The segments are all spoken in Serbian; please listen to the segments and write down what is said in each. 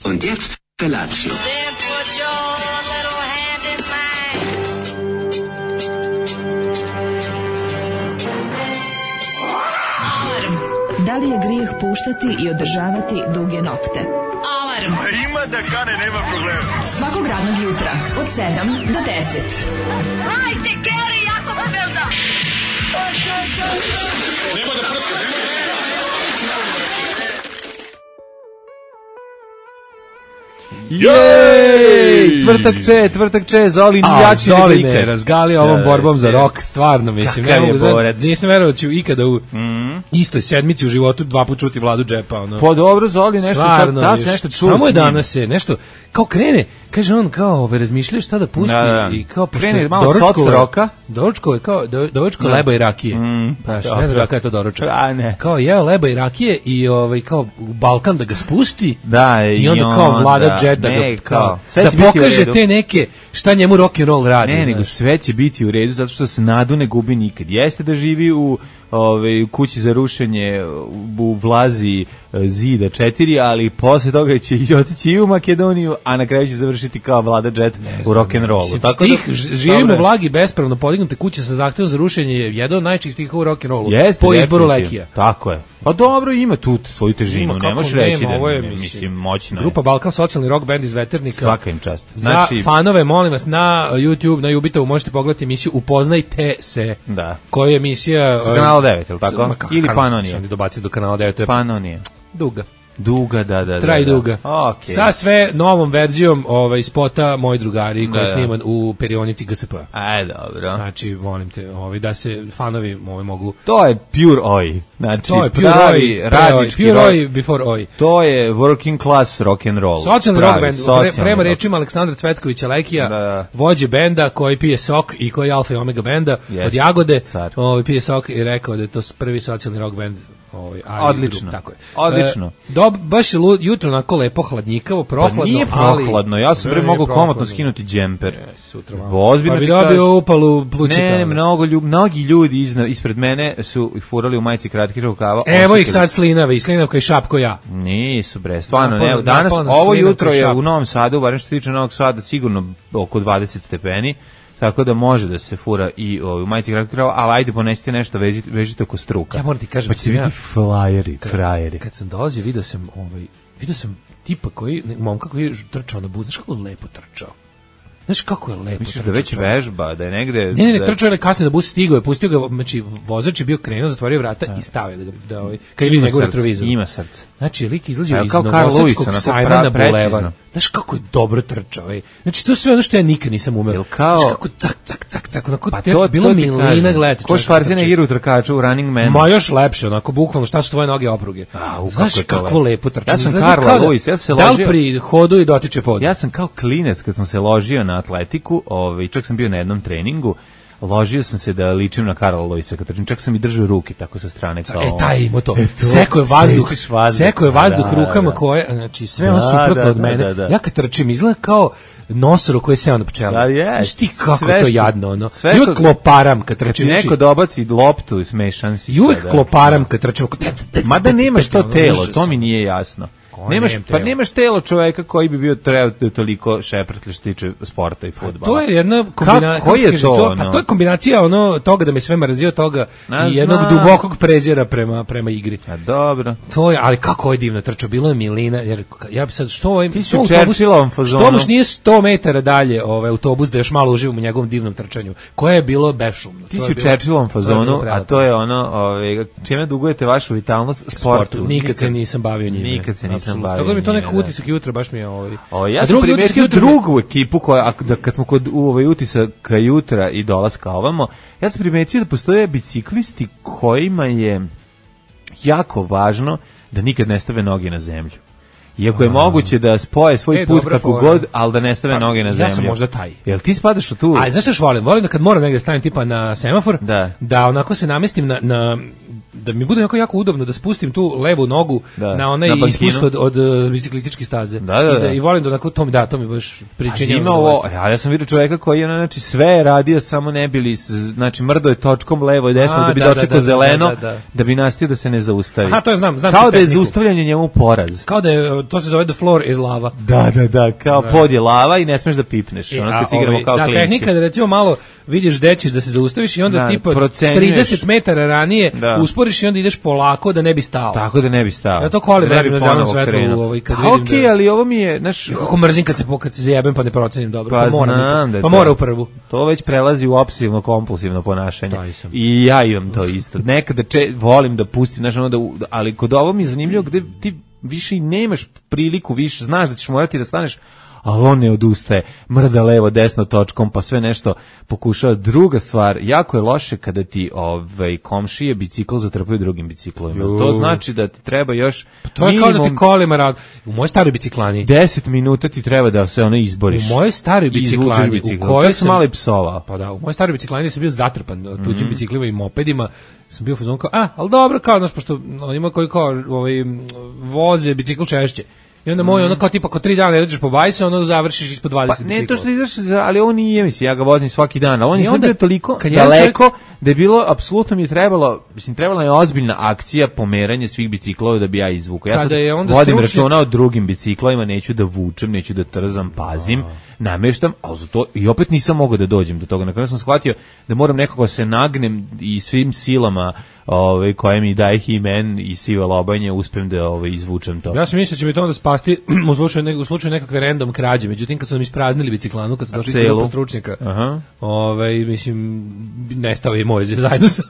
Und jetzt Felatio. Then put your little hand in mine. Da li je grijeh puštati i održavati duge nokte? Alarm! Ima da kane, nema problema. Svakog radnog jutra, od 7 do 10. Hajde, Geri, jako se velda! Nema da prska, Jej! Tvrtak če, Zoli jači nego Zoli ikad. me razgali ovom borbom za rok, stvarno, mislim. Kakav Ne je mogu, borac. nisam verovao da ću ikada u istoj sedmici u životu dva put čuti Vladu Džepa. Ono. Pa dobro, Zoli, nešto Stvarno, sad, da se nešto čuo. samo je s njim. danas je nešto, kao krene, kaže on kao, razmišljaju šta da pusti Da. i kao, pošto Krene je malo soc roka. doručkovo je kao, doručko leba i rakije. Znaš, ne znam kada je to doručak. A, ne. Kao jeo leba i rakije i kao u Balkan da ga spusti. Da, I onda kao Vlada Džet da ne, ga kao, sve da će biti u pokaže redu. te neke šta njemu rock and roll radi. Ne, nego znaš. sve će biti u redu zato što se nadu ne gubi nikad. Jeste da živi u kući za rušenje u vlazi zida 4, ali posle toga će i otići i u Makedoniju, a na kraju će završiti kao Vlada Džet u rock'n'rollu. Mislim, Tako stih, živimo u dobro. vlagi bespravno podignute kuće sa zahtevom za rušenje je jedan od najčih stiha u rock'n'rollu. Jeste, Po izboru definitivno. Lekija. Tako je. Pa dobro, ima tu svoju težinu, Ima, ne kako možeš reći nema, da ovo je, mislim, moćno je. Grupa Balkan, socijalni rock band iz Veternika. Svaka im čast. Za fanove, molim vas, na YouTube, na Jubitovu možete pogledati emisiju Upoznajte se. Da. Koja je emisija... Sa kanala 9, je li tako? Ili Panonije? Sam dobacio do kanala 9. Panonije. Duga. Duga, da. Traj duga. Okay. Sa sve novom verzijom spota Moji drugari koji je sniman u perionici GSP-a. Aj, dobro. Znači, molim te, da se fanovi mogu... To je pure oj. Znači, To je pure pravi oj, radnički pure rock. oj before oj. To je working class rock and roll. Socijalni rock band, prema rock. rečima Aleksandra Cvetkovića Lekija, Da. vođe benda koji pije sok i koji je alfa i omega benda Jeste, od Jagode, car. pije sok i rekao da je to prvi socijalni rock band. Odlično. Tako je. Odlično. Baš je jutro onako lepo hladnjikavo, prohladno, Pa nije prohladno, ja sam mogao komotno skinuti džemper. Sutra Ozbiljno pa bi ti kažem. dobio upalu plućika. Ne, mnogi ljudi ispred mene su furali u majici kratkih rukava. Evo ih osetili- sad slinave i slinavka i šapko ja. Nisu bre, stvarno Napolno- ne. Danas, napolno ovo slinavka jutro i je šap. u Novom Sadu, barem što se tiče Novog Sada, sigurno oko 20 stepeni. Tako da može da se fura i u majici kratkih rukava, ali ajde ponesite nešto, vežite oko struka. Ja moram ti kažem, Pa će biti frajeri. Kad sam dolazio, vidio sam tipa momka koji je trčao na bus, znaš kako je lepo trčao. Znaš kako je lepo Misliš trčao. da već vežba, da je negde... Ne, trčao je kasnije na bus, stigao je, pustio ga, znači vozač je bio krenuo, zatvorio vrata i stavio da kad vidi njegov retrovizor. Ima srce. Znači, lik izlazio iz kao Karl Lewis, Novosadskog onako sajma na precizno. bulevar. Znaš kako je dobro trčao, ej. Znači, to je sve ono što ja nikad nisam umeo. Jel kao- Znaš kako cak, onako, Pa to je bilo milina gledati. Ko Schwarzenegger u trkaču u Running Man. Ma još lepše, onako, bukvalno, šta su tvoje noge opruge. Znaš kako je to kakvo lepo. lepo trčanje. Ja sam Izgleda Karla kao da- Lewis, ja sam se Da li ložio- pri hodu i dotiče pod? Ja sam kao klinec kad sam se ložio na atletiku, čak sam bio na jednom treningu, ložio sam se da ličim na Karla Lewisa, kad trčim, čak sam i držao ruke tako sa strane kao... Taj ima to. to, Seko je vazduh, sečiš vazduh. seko je vazduh Da, rukama da. koje, znači sve ono Da, suprotno da, od mene. da. Ja kad trčim izgleda kao nosoro koji je seo na pčelu. Da, je. Znaš ti kako Sve je to što- jadno, ono. sve I što- uvek kloparam kad Kad ti trčim. neko Znači, dobaci loptu, smešan si. I uvek sada. kloparam kad trčim. Mada nemaš to Ono, telo, užas. to mi nije jasno. nemam telo? Nemaš telo čoveka koji bi bio trebao toliko šeprtlje što se tiče sporta i fudbala. To je jedna kombinacija. Koji je to? Pa to je kombinacija toga da me sve mrzio, toga Ne i jednog znam. dubokog prezira prema igri. A dobro. To je, ali kako je divna trča, bilo je milina, jer ja bi sad, što Ti si u Churchillovom fazonu. Što baš nije 100 metara dalje autobus da još malo uživam u njegovom divnom trčanju, koje je bilo bešumno. Ti To si je u bilo- Churchillovom to je fazonu, bilo a prelepo. to je ono, čime dugujete vašu vitalnost? Sportu. Nikad se nisam bavio njime. Nikad se nisam Apsolutno. bavio Tako da mi to njime, nekako da. utisak jutra baš mi je Ja A sam drugi utisak primetio jutra- drugu ekipu koja, kad smo kod utisaka jutra i dolaska ovamo, ja sam primetio da postoje biciklisti kojima je jako važno da nikad ne stave noge na zemlju. Iako je moguće da spoje svoj put dobra kako fora. god, ali da ne stave noge na zemlju. Ja sam možda taj. Jel ti spadaš u tu? A znaš što još volim? Volim da kad moram negdje stavim tipa na semafor, Da. onako se namestim da mi bude jako udobno da spustim tu levu nogu na onaj ispust od biciklističke staze. I volim da onako to mi baš pričinjava. Ja sam vidio čoveka koji je znači sve je radio samo ne bili, znači mrdo je točkom levo i desno da bi dočekao zeleno, da bi nastio da se ne zaustavi. Aha, to je znam kao da je zaustavljanje njemu poraz. Kao da je, to se zove the floor is lava. Da, kao pod je lava i ne smeš da pipneš. Ono kad igramo kao klinci. Da, tehnika da recimo malo vidiš gde ćeš da se zaustaviš i onda tipa 30 metara ranije usporiš i onda ideš polako da ne bi stao. Tako da ne bi stao. Ja to kolim radim na zelenom svetlu kad vidim. Okej, ali ovo mi je, znaš, kako mrzim kad se zajebem pa ne procenim dobro. Pa mora u prvu. To već prelazi u obsesivno kompulsivno ponašanje. I ja imam to isto. Nekada volim da pustim, znaš, ali kod ovo mi je zanimljivo gde ti više i nemaš priliku, više znaš da ćeš morati da staneš, ali on ne odustaje, mrda levo, desno točkom, pa sve nešto pokušava. Druga stvar, jako je loše kada ti komšije bicikl zatrpaju drugim biciklovima. To znači da ti treba još to je kao da ti kolima u mojoj staroj biciklani 10 minuta ti treba da se ono izboriš. U mojoj staroj biciklani u kojoj sam malo i psovao. Pa da, u mojoj staroj biciklani sam bio zatrpan tuđim biciklima i mopedima. Sam bio fazon kao, ali dobro, kao, znaš, pošto ima koji kao voze bicikl češće. I onda moj, ono kao tipa, ako 3 dana ne dođeš po bajse, ono završiš ispod 20 bicikla. Ne, to što ideš, ali ovo nije, mislim, ja ga vozim svaki dan, ali on je bio toliko daleko da je bilo, apsolutno mi je trebala je ozbiljna akcija pomeranja svih biciklova da bi ja izvukao. Ja sad vodim računa o drugim biciklovima, neću da vučem, neću da trzam, pazim, nameštam, ali za to i opet nisam mogao da dođem do toga. Na kraju sam shvatio da moram nekako se nagnem i svim silama koje mi daje He-Man i Siva Lobanje uspem da izvučem to. Ja sam mislio da će mi to onda spasti u slučaju nekakve random krađe, međutim kad su nam ispraznili biciklanu, kad su došli grupa stručnjaka, mislim, nestao je moj zajedno sa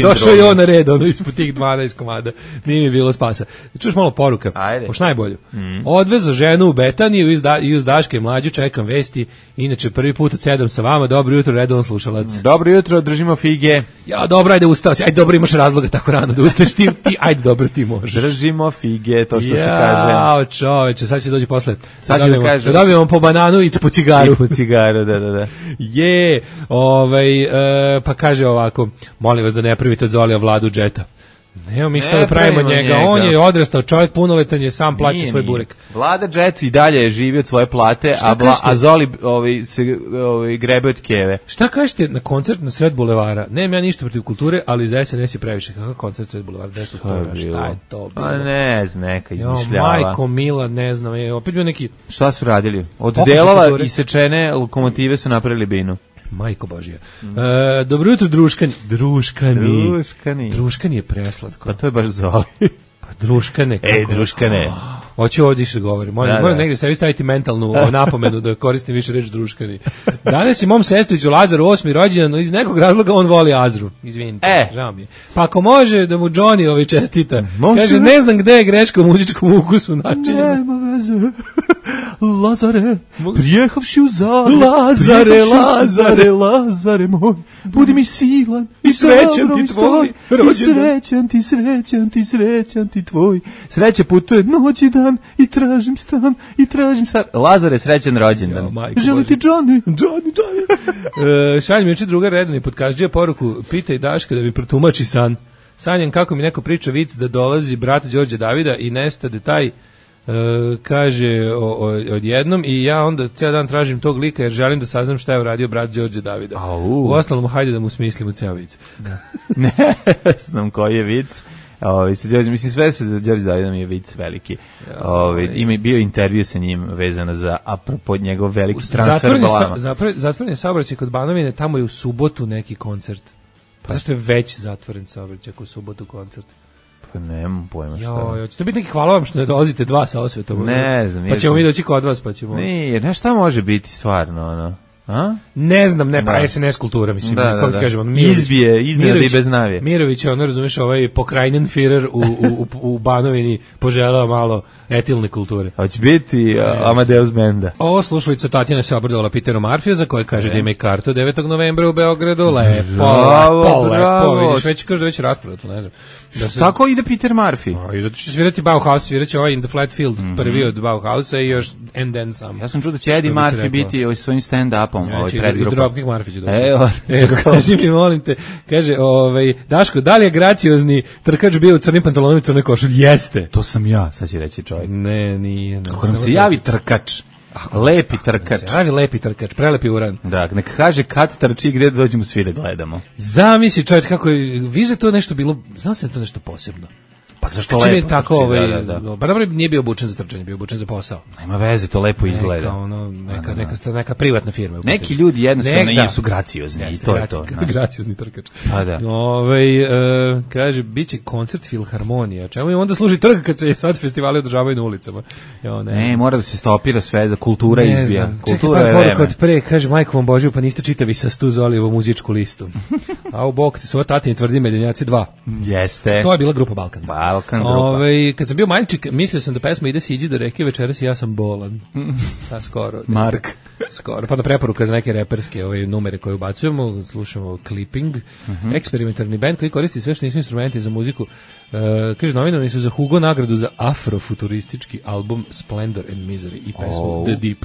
došao je on na red, ispod tih 12 komada, nije mi bilo spasa. Čuš malo poruka, pošto najbolju. Odvezo ženu u Betaniju i uz Daške mlađu, čekam vesti, inače prvi put od 7 sa vama, dobro jutro, redovan slušalac. Dobro jutro, držimo fige. Ja, dobro, ajde ustao si, ajde dobro, imaš razloga tako rano da ustaješ ti, ajde dobro ti možeš. Držimo fige, to što se kaže. Jao, čoveče, sad će doći posle. Sad će da kaže. Da dobijemo po bananu i po cigaru. I po cigaru, da. Je, pa kaže ovako, molim vas da ne pravite od Zolija Vladu džeta. Evo mi što da pravimo njega, on je odrastao čovjek, punoletan je, sam plaća svoj burek. Vlada Jet i dalje živi od svoje plate, a Zoli se grebe od keve. Šta kažete na koncert na sred bulevara? Nemam ja ništa protiv kulture, ali za SNS je previše. Kakav koncert sred bulevara? Šta je to bilo? Pa ne znam, neka izmišljava. Majko Mila, ne znam, opet bio neki... Šta su radili? Od delova isečene lokomotive su napravili binu. Majko Božija. Dobro jutro, druškani. Druškani je preslatko. Pa to je baš Zoli. Pa druškane. Druškane. Hoću ovdje što govorim. Moram negdje sebi staviti mentalnu napomenu da koristim više reč druškani. Danas je mom sestriću Lazaru 8. rođendan, iz nekog razloga on voli Azru. Izvinite, žao mi je. Pa ako može da mu Johnny čestita. Kaže, ne znam gde je greška u muzičkom ukusu načinjena. Nema veze. Lazare, prijehavši u Zagreb. Lazare moj, budi mi silan i srećan ti tvoj. I srećan ti tvoj. Sreće putuje noć i dan i tražim stan. Lazare, srećan rođendan. Želi ti Johnny. Šalj mi juče druga redani podkažđija poruku, pitaj Daška da mi protumači san. Sanjam kako mi neko priča vic da dolazi brat Đorđe Davida i nestade taj kaže odjednom i ja onda cijel dan tražim tog lika jer želim da saznam šta je uradio brat Đorđe Davida. U ostalom, hajde da mu smislimo ceo vic. Ne znam koji je vic. Mislim, sve se za Đorđe Davidom je vic veliki. Ima bio intervju sa njim vezano za apropo njegov veliki transfer golama. Zatvoren je saobraćaj kod Banovine, tamo je u subotu neki koncert. Pa zašto je već zatvoren saobraćaj u subotu koncert? Pa nemam pojma šta. Će to biti neki hvala vam što ne dolazite 2 sa osvetom? Ne znam. Pa ćemo mi doći kod vas, pa ćemo... Nije, šta može biti stvarno, ono? Ne znam, pa SNS kultura, mislim, kako ti kažemo, iznenada i bez navije. Mirović je, razumiješ, pokrajnen Führer u Banovini poželao malo etilne kulture. Hoće biti Amadeus Benda. Ovo slušalica Tatjana se obradovala Peteru Marfija, za koje kaže da ima i kartu 9. novembra u Beogradu. Lepo, vidiš, već kaže da već rasprodato, ne znam. Tako ide Peter Murphy? I zato će svirati Bauhaus, sviraće In the Flat Field, prvi od Bauhausa i još and then some. Ja sam čuo da će Eddie Murphy biti svojim stand-upom predgrupom. Dropkick Murphy će doći. Kaži mi, molim te, kaže, Daško, da li je graciozni trkač bio u crnim pantalonima i crnoj košulji? Jeste. To sam ja, sad će reći čovjek. Ne, nije. Kako nam se javi trkač? Lepi trkač. Javi lepi trkač, prelepi uran. Da, neka kaže kad trči gde da dođemo svi da gledamo. Zamisli čovječ kako je, viže to nešto bilo, znam se da to nešto posebno. Pa zašto lepo? Je tako, da. Pa dobro, nije bio obučen za trčanje, bio obučen za posao. Nema veze, to lepo izgleda. Neka privatna firma. Neki ljudi jednostavno su graciozni i to je to. Graciozni trkač. Pa da. Kaže, bit će koncert Filharmonija. Čemu im onda služi trg kad se sad festivali održavaju na ulicama? Ne, mora da se stopira sve, da kultura izbija. Kultura je vreme. Od pre, kaže, majko vam Božiju, pa niste čitavi sa Stuzolijevu muzičku listu. A u bok, su ovo tatini tvrdi Medenjaci 2. Jeste. To je bila grupa Balkan. Balkan grupa. Kad sam bio maličik, mislio sam da pesma ide siđi do reke večeras i ja sam bolan. Pa skoro. Mark. Skoro. Pa na preporuka za neke reperske numere koje ubacujemo, slušamo clipping, eksperimentarni band koji koristi sve što nisu instrumenti za muziku. Kaže, nominovani su za Hugo nagradu za afrofuturistički album Splendor and Misery i pesmu The Deep.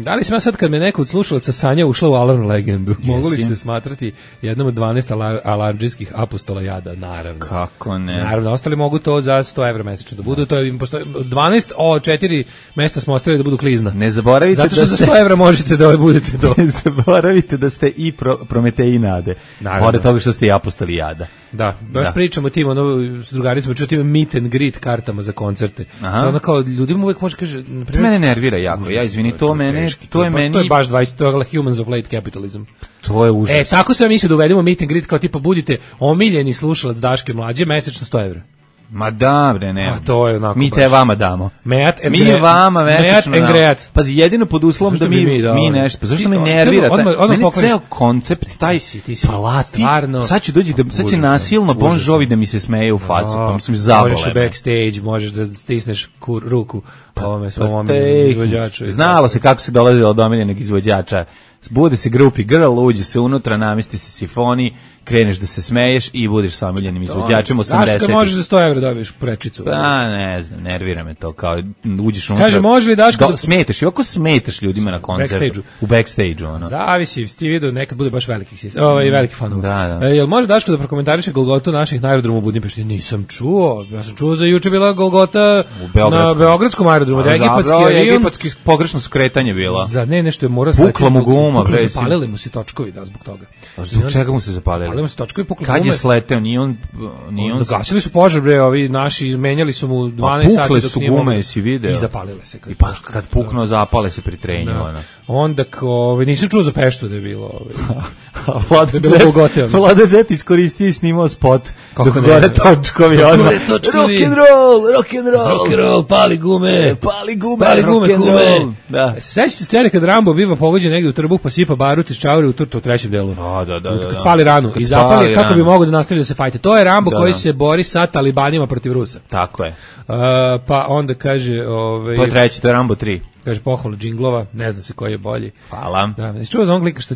Da li sam ja sad kad me neko od slušalaca Sanja ušla u Alarm legendu, mogu li se smatrati jednom od 12 alarmdžijskih apostola jada? Naravno. Kako ne? Naravno, ostali mogu to za 100 evra mesečno da budu, to je 12 4 mesta smo ostavili da budu klizna. Ne zaboravite zato što za 100 evra možete da budete do. Ne zaboravite da ste i Prometeji nade. Pored toga što ste i apostoli jada. Da, baš pričamo tim, s drugaricama čutim meet and greet kartama za koncerte. Ono kao, ljudima uvek može kaže, na primjer, mene nervira jako, ja izvini, to je meni... To je baš 20, to je Humans of Late Capitalism. To je užas. Tako sam mislio da uvedemo meet and greet, kao tipa budite omiljeni slušalac Daške mlađe, mesečno 100 evra. Ma da, bre, ne. To je onako mi te vama damo. Mi vama mesečno damo. Pazi, jedino pod uslovom da mi nešto. Pa zašto me nervira? Meni ceo koncept, taj plati. Sad ću dođi, sad će nasilno Bon Jovi da mi se smeje u facu. Pa mislim, zabole. Možeš u backstage, možeš da stisneš ruku ovome svom omiljenom izvođaču. Znalo se kako se dolazilo od omiljenog izvođača. Bude se grupi girl, uđe se unutra, namesti se sifoni, kreneš da se smeješ i budeš sa omiljenim izvođačem 80. Zašto možeš za 100 evra dobiješ prečicu? Pa ne znam, nervira me to, kao uđeš unutra. Kaže, može li Daško smetaš, i ovako smetaš ljudima na koncertu. U backstage-u. Ono. Zavisi, ti vidio, nekad bude baš veliki fanova. Da. Jel može Daško da prokomentariše Golgotu naših na aerodromu u Budimpešti? Nisam čuo. Ja sam čuo za juče bila Golgota na Beogradskom aerodromu. Egipatski pogrešno skretanje bila. Za nešto je mora pukla mu guma, bre. Zapalili mu se točkovi zbog toga. Zbog čega mu se zapalili? Zapalili mu se točkovi, pukla gume. Kad je sleteo, nije on... Gasili su požar, bre, ovi naši, menjali su mu 12 sati dok nije mogu. Pukle su gume, video. I zapalile se. Kad puknuo, zapale se pri trenju. Onda, nisam čuo za Peštu da je bilo... Vlada Jet iskoristio i snimao spot dok gore točkovi odmah. Rock'n'roll, pali gume, rock'n'roll. Sećate scene kad Rambo biva pogođen negdje u trbuh pa sipa barut iz čaure u turtu u trećem delu. Da. Kad spali ranu i zapali kako bi mogao da nastavi da se fajte. To je Rambo koji se bori sa talibanima protiv Rusa. Tako je. Pa onda kaže... To je treći, to je Rambo 3. Kaže pohvalu džinglova, ne zna se koji je bolji. Hvala. Da, čuo za onglika što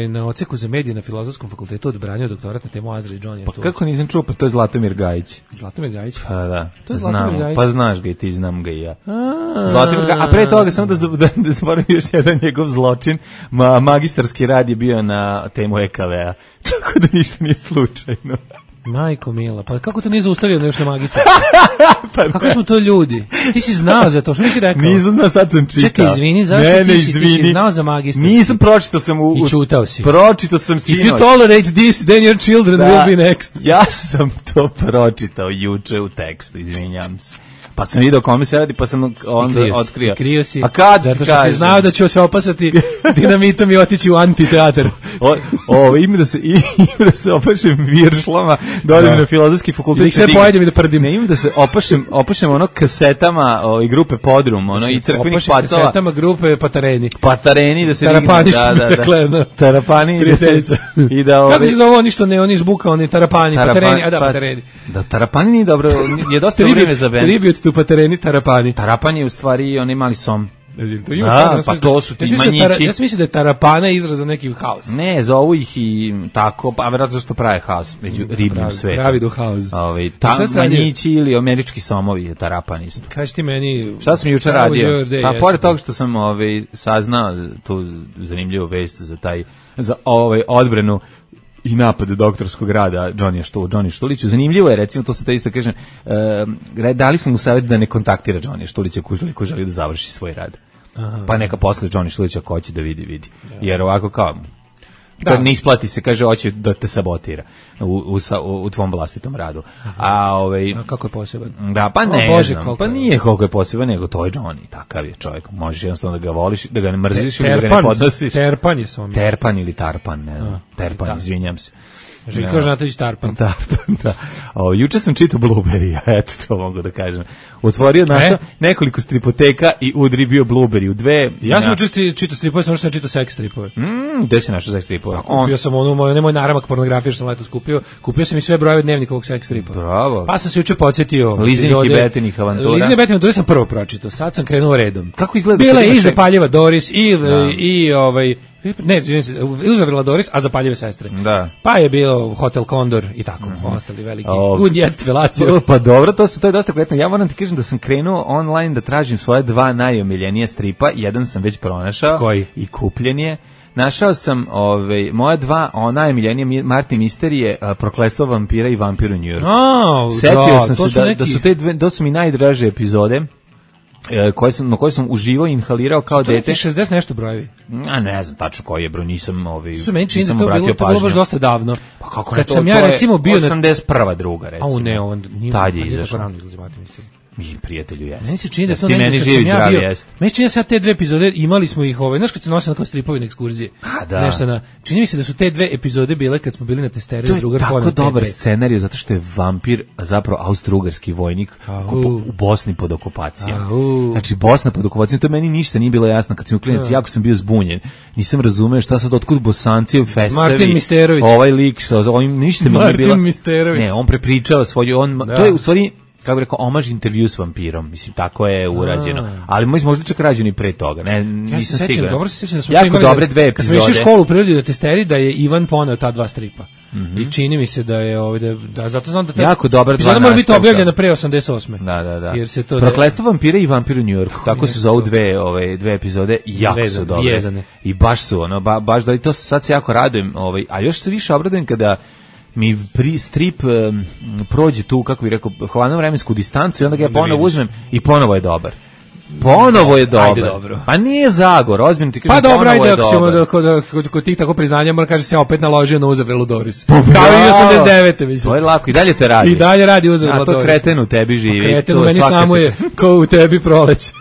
na odseku za medije na Filozofskom fakultetu odbranio doktorat na temu Azra i Johnny. Pa kako nisam čuo, pa to je Zlatomir Gajić. Zlatomir Gajić? Pa da, to je Zlatomir Gajić. Pa znaš ga i ti, znam ga i ja. Zlatomir Gajić, a pre toga samo da zaboravim još jedan njegov zločin, magistarski rad je bio na temu EKV-a, tako da ništa nije slučajno. Majko mila, pa kako to nije zaustavio još na magistar? Kako smo to ljudi? Ti si znao za to, što nisi rekao? Nisam znao, sad sam čitao. Čekaj, izvini, zašto ti si znao za magistar? Nisam, pročitao sam i čutao si. Pročitao sam sinoć. If you tolerate this, then your children will be next. Ja sam to pročitao juče u tekstu, izvinjam se. Pa sam vidio kome se radi, pa sam onda otkrio. Krio si, a kad zato što si znao da ću se opasati dinamitom i otići u antiteatar. Ima da se opašem viršlama, da odem na Filozofski fakultet. I da sve pojedem i da prdim. Ne, ima da se opašem kasetama i grupe Podrum, i crkvenih patova. Opašem kasetama grupe Patareni. Patareni, da se Tarapani, što bi rekla. Tarapani, i da... Kako se zove oni što ne, oni izbuka, oni Tarapani, Patareni, a da, Patareni. Da, Tarapani nije dobro, je dosta vreme za bend. Tu Patareni, Tarapani. Tarapani je u stvari onaj mali som. Pa to su ti manjići. Ja sam mislio da je tarapana izraz za neki haos. Ne, zovu ih i tako, pa verovatno što prave haos među ribljim svetom. Pravi do haos. Manjići ili američki somovi je tarapan isto. Kaži ti meni... Šta sam jučer radio? Pa pored toga što sam saznao tu zanimljivu vest za odbranu i napad doktorskog rada Johnny Štuliću. Zanimljivo je, recimo, to se te isto kažem, dali smo mu savjet da ne kontaktira Johnny Štulića ko želi da završi svoj rad. Aha. Pa neka posle Johnny Štulića ko će da vidi. Jer ovako kao... Da. Ne isplati se, kaže, hoće da te sabotira u tvom vlastitom radu. A kako je poseban? Da, pa ne znam, pa nije koliko je poseban, nego to je Johnny, takav je čovjek. Možeš jednostavno da ga voliš, da ga ne mrziš ili da ga ne podnosiš. Terpan je som. Terpan ili Tarpan, ne znam. Terpan, izvinjam se. Željko Žnatović Tarpan. Tarpan, da. Juče sam čitao Blueberry, eto to mogu da kažem. Otvorio naša nekoliko stripoteka i udri bio Blueberry u dve. Ja sam čitao stripove, samo što sam čitao sex stripove. Gde si našao sex stripove? Kupio sam nemoj naramak pornografije što sam letos kupio. Kupio sam i sve brojeve dnevnikovog sex stripa. Bravo. Pa sam se juče podsjetio. Lizinih i Betinih avantura. Lizinih i Betinih avantura sam prvo pročitao, sad sam krenuo redom. Kako izgleda? Bila je i Zapaljeva Doris ne, Zavrla Doris, a Zapaljive sestre. Da. Pa je bio Hotel Condor i tako, ostali veliki. Unjet velaciju. Pa dobro, to je dosta kvalitetno. Ja moram ti kažem da sam krenuo online da tražim svoje dva najomiljenije stripa. Jedan sam već pronašao. Koji? I kupljen je. Našao sam moja dva najomiljenije Martin Misterije, Prokletstvo vampira i Vampir u New Yorku. Setio sam se da su te dve, da su mi najdraže epizode. Na koje sam uživao i inhalirao kao dete. Što 60 nešto brojevi? Ne znam tačno koji je broj, nisam Su meni čini da to bilo baš dosta davno. Pa kako kad sam ja recimo bio 81. druga recimo. Ne, on nije. Tad je izašao. Rano izlazi Martin Misterije. Mi prijatelju jeste. Meni se čini da to meni živi zdravi jeste. Meni se čini da sad te dve epizode imali smo ih znaš kad se nosili kao stripovi na ekskurzije. Čini mi se da su te dve epizode bile kad smo bili na testeri drugar Poland. To je tako dobar scenarij zato što je vampir zapravo austrougarski vojnik u Bosni pod okupacijom. Znači Bosna pod okupacijom, to meni ništa nije bilo jasno kad sam klinac, jako sam bio zbunjen. Nisam razumeo šta sad otkud Bosanci, Fesevi. Martin Misterović. Ovaj lik sa ovim ništa mi nije bilo. Martin Misterović. Ne, on prepričava svoju to je u stvari kako bih rekao, omaž intervju s vampirom. Mislim, tako je urađeno. Ali možda čak rađeno i pre toga. Ne, nisam siguran. Dobro se sećam da smo jako dobre dve epizode. Kad smo išli u školu prirodi na testeri, da je Ivan poneo ta dva stripa. I čini mi se da je zato znam da jako dobra dva. Mora biti objavljena pre 88. Da. Jer se to Prokletstvo vampira i Vampir u New Yorku. Tako se zovu dve epizode i jako su dobre. I baš su baš da i to sad se jako radujem, a još se više obradujem kada mi strip prođe tu, kako bih rekao, hladnu vremensku distancu i onda ga ja ponovo uzmem i ponovo je dobar. Ponovo je dobar. Ajde, dobro. Pa nije Zagor, ozbiljno ti kažem, pa dobro, ponovo je dobar. Pa dobro, ajde, ako ćemo kod tih tako priznanja, moram kaže se opet naložio na Uzavrelu Doris. Kao i 89. mislim. To je lako, i dalje te radi. I dalje radi Uzavrela Doris. A to kreten u tebi živi. Kreten u meni samo je kao u tebi proleće.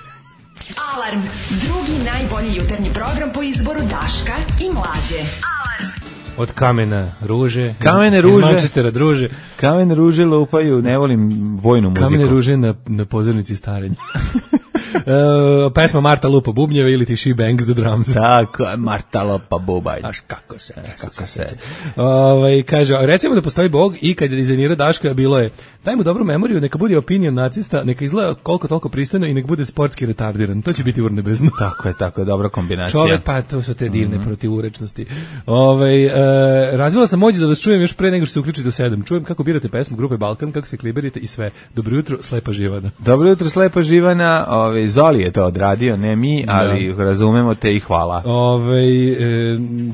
Alarm, drugi najbolji jutarnji program po izboru Daška i Mlađe. Od kamena ruže, iz Manchestera druže. Kamene ruže lupaju, ne volim vojnu muziku. Kamene ruže na pozornici starenja. Pesma Marta lupa bubnjeve ili ti She Bangs the Drums. Tako, Marta lupa bubanj. Znaš kako se. Kaže, recimo da postoji Bog i kad je dizajnirao Daška bilo je, daj mu dobru memoriju, neka bude opinion nacista, neka izgleda koliko toliko pristojno i nek bude sportski retardiran. To će biti urnebezno. Tako je, dobra kombinacija. Čovek, pa to su te divne protivurečnosti. Razvila sam moć da vas čujem još pre nego što se uključite u 7. Čujem kako birate pesmu grupe Balkan, kako se kliberite i sve. Dobro jutro, Slepa Živana. Dobro jutro, Slepa Živana. Zoli je to odradio, ne mi, ali razumemo te i hvala.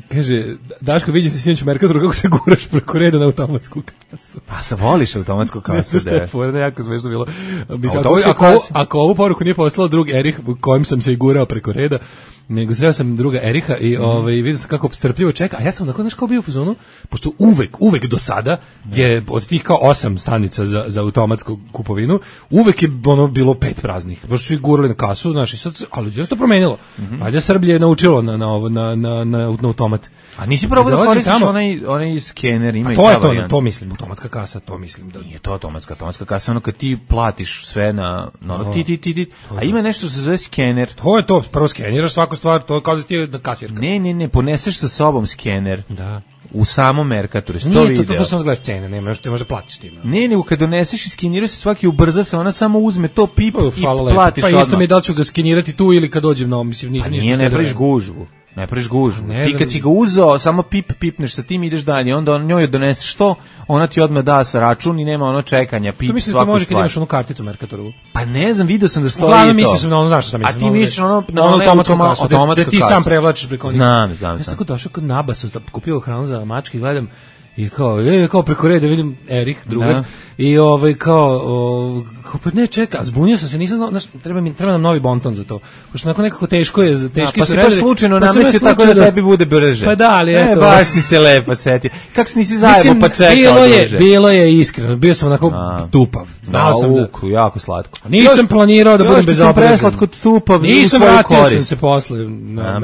Kaže, Daško, vidim se sinoć u Merkatoru kako se guraš preko reda na automatsku kasu. Pa se voliš automatsku kasu, da. Ne, jako smešno bilo. Ako ovu poruku nije poslao drug Erih, kojim sam se i gurao preko reda, nego sreo sam druga Eriha i vidio sam kako strpljivo čeka, a ja sam onako, znaš, kao bio u fazonu, pošto uvek do sada je od tih kao 8 stanica za automatsku kupovinu, uvek je bilo 5 praznih, baš su ih gurali na kasu, znaš, i sad, ali je to promenilo. Ajde, Srblje je naučilo na automat. A nisi probao da koristiš onaj skener, ima i ta varijanta. To mislim, automatska kasa, to mislim da nije to automatska kasa, ono kad ti platiš sve na a ima nešto što se zove skener. To je to, prvo skeniraš svaku stvar, to je kao da ti je kasirka. Ne, poneseš sa sobom skener. Da. u samom Mercatoru. Nije to samo gledaš cene, nema što te može platiš tim. Ne, nego kad doneseš i skeniraju se svaki ubrza se, ona samo uzme to pip i platiš odmah. Pa isto mi da li ću ga skenirati tu ili kad dođem na ovom, mislim, nisam ništa. Nije, ne praviš gužvu. Ne praviš gužvu. Ti kad si ga uzeo, samo pipneš sa tim, ideš dalje, onda on njoj doneseš to, ona ti odmah da sa račun i nema ono čekanja, pip svaku stvar. To mislim da ti može kad imaš onu karticu Mercatoru. Pa ne znam, vidio sam da stoji to. Uglavnom mislim na ono, znaš šta mislim. A ti misliš na ono automatsku kasu, da ti sam prevlačiš preko njih. Znam. Ja sam tako došao kod Nabasu, kupio hranu za mačke, gledam, i kao preko reda vidim Erik, drugar, i pa ne čeka, a zbunio sam se, nisam znao, treba nam novi bonton za to, pošto nakon nekako teški su redari. Pa si baš slučajno namestio tako da tebi bude brže. Pa da, ali eto. Baš si se lepo setio. Kako se nisi zajebo pa čekao duže? Bilo je iskreno, bio sam onako tupav. Znao sam da... jako slatko. Nisam planirao da budem bezobrazan. Još sam preslatko tupav i u svoju korist. Nisam vratio se posle.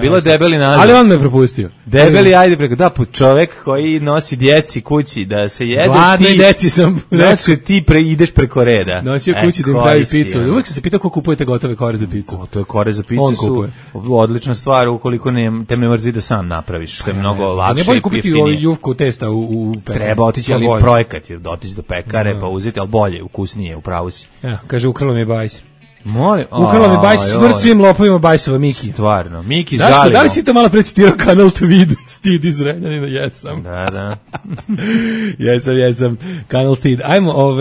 Bilo je debeli nazad. Ali on me propustio. Debeli, ajde preko, da, čovek koji nosi djeci kući da se jede. Gladnoj djeci sam. Znači ti ideš preko reda. Nosio kući da im pravi picu. Uvijek sam se pitao ko kupujete gotove kore za picu. Gotove kore za picu su odlična stvar ukoliko te ne mrzi da sam napraviš. Što je mnogo lakše. Ne bolje kupiti jufku testa u pekari. Treba otići, ali projekat je otići do pekare pa uzeti, ali bolje, ukusnije, upravo si. Kaže, ukralo mi je bajs. Ukralo mi bajs, smrt svim lopovima bajsova Miki. Stvarno, Miki žalimo. Da li si to malo precitirao kanal Tvid, Stid iz Renjanina? Jesam. Da. Jesam. Kanal Stid. Ajmo,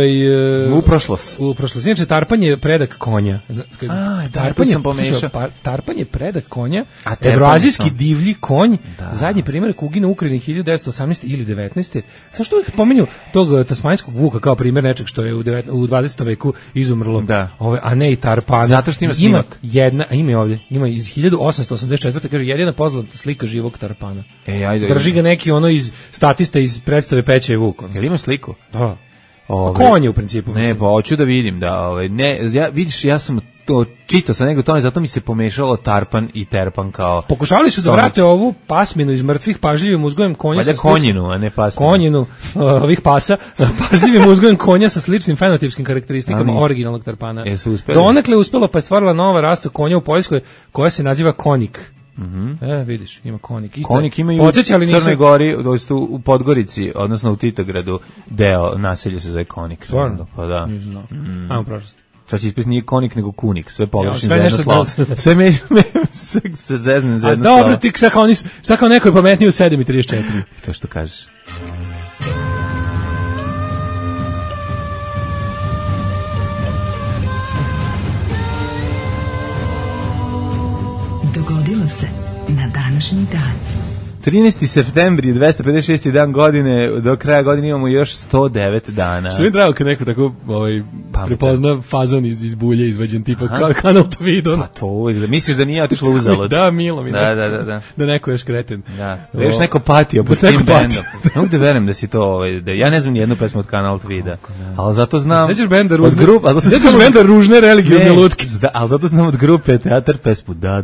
u prošlost. Inače, tarpan je predak konja. Tarpan je predak konja, evroazijski divlji konj, zadnji primjer kugina u Ukrajini 1918. ili 19. Zašto uvijek pominju tog tasmanjskog vuka kao primjer nečeg što je u 20. veku izumrlo, a ne i tarpana. Zato što ima snimak. Ima iz 1884. kaže jedina poznata slika živog tarpana. Ajde. Drži ga neki ono iz statista iz predstave Peća i Vuk. Jel ima sliku? Da. Konje u principu. Ne, pa hoću da vidim da vidiš, ja sam to čitao sa nego tome, zato mi se pomešalo tarpan i terpan kao. Pokušavali su da vrate ovu pasminu iz mrtvih pažljivim uzgojem konja. Valjda konjinu, a ne pasminu. Konjinu ovih pasa, pažljivim uzgojem konja sa sličnim fenotipskim karakteristikama originalnog tarpana. Donekle uspelo, pa je stvarila nova rasa konja u Poljskoj koja se naziva konik. Vidiš, ima konik. Konik ima i u Crnoj Gori, u Podgorici, odnosno u Titogradu, deo naselja se zove konik. Stvarno? Pa da. Nisam znao. Ajmo prošlosti. Sad će ispis nije konik nego kunik, sve pogrešno za jedno slovo. Sve se zezne za jedno slovo. Dobro, ti šta kao neko je pametniji u 7:34. To što kažeš. Dogodilo se na današnji dan. 13. septembri, 256. dan godine, do kraja godine imamo još 109 dana. Što mi je drago kad neko tako prepozna fazon iz bulje izvađen tipa kanal Tvidon. Pa to uvijek, misliš da nije otišlo uzalud. Da, milo mi. Da. Da neko još kreten. Da još neko patio po tim bendom. Ne mogu da verujem da si to, ja ne znam ni jednu pesmu od kanal Tvida, ali zato znam. Sećaš benda Ružne religiozne lutke. Ali zato znam od grupe Teatar pesmu Da,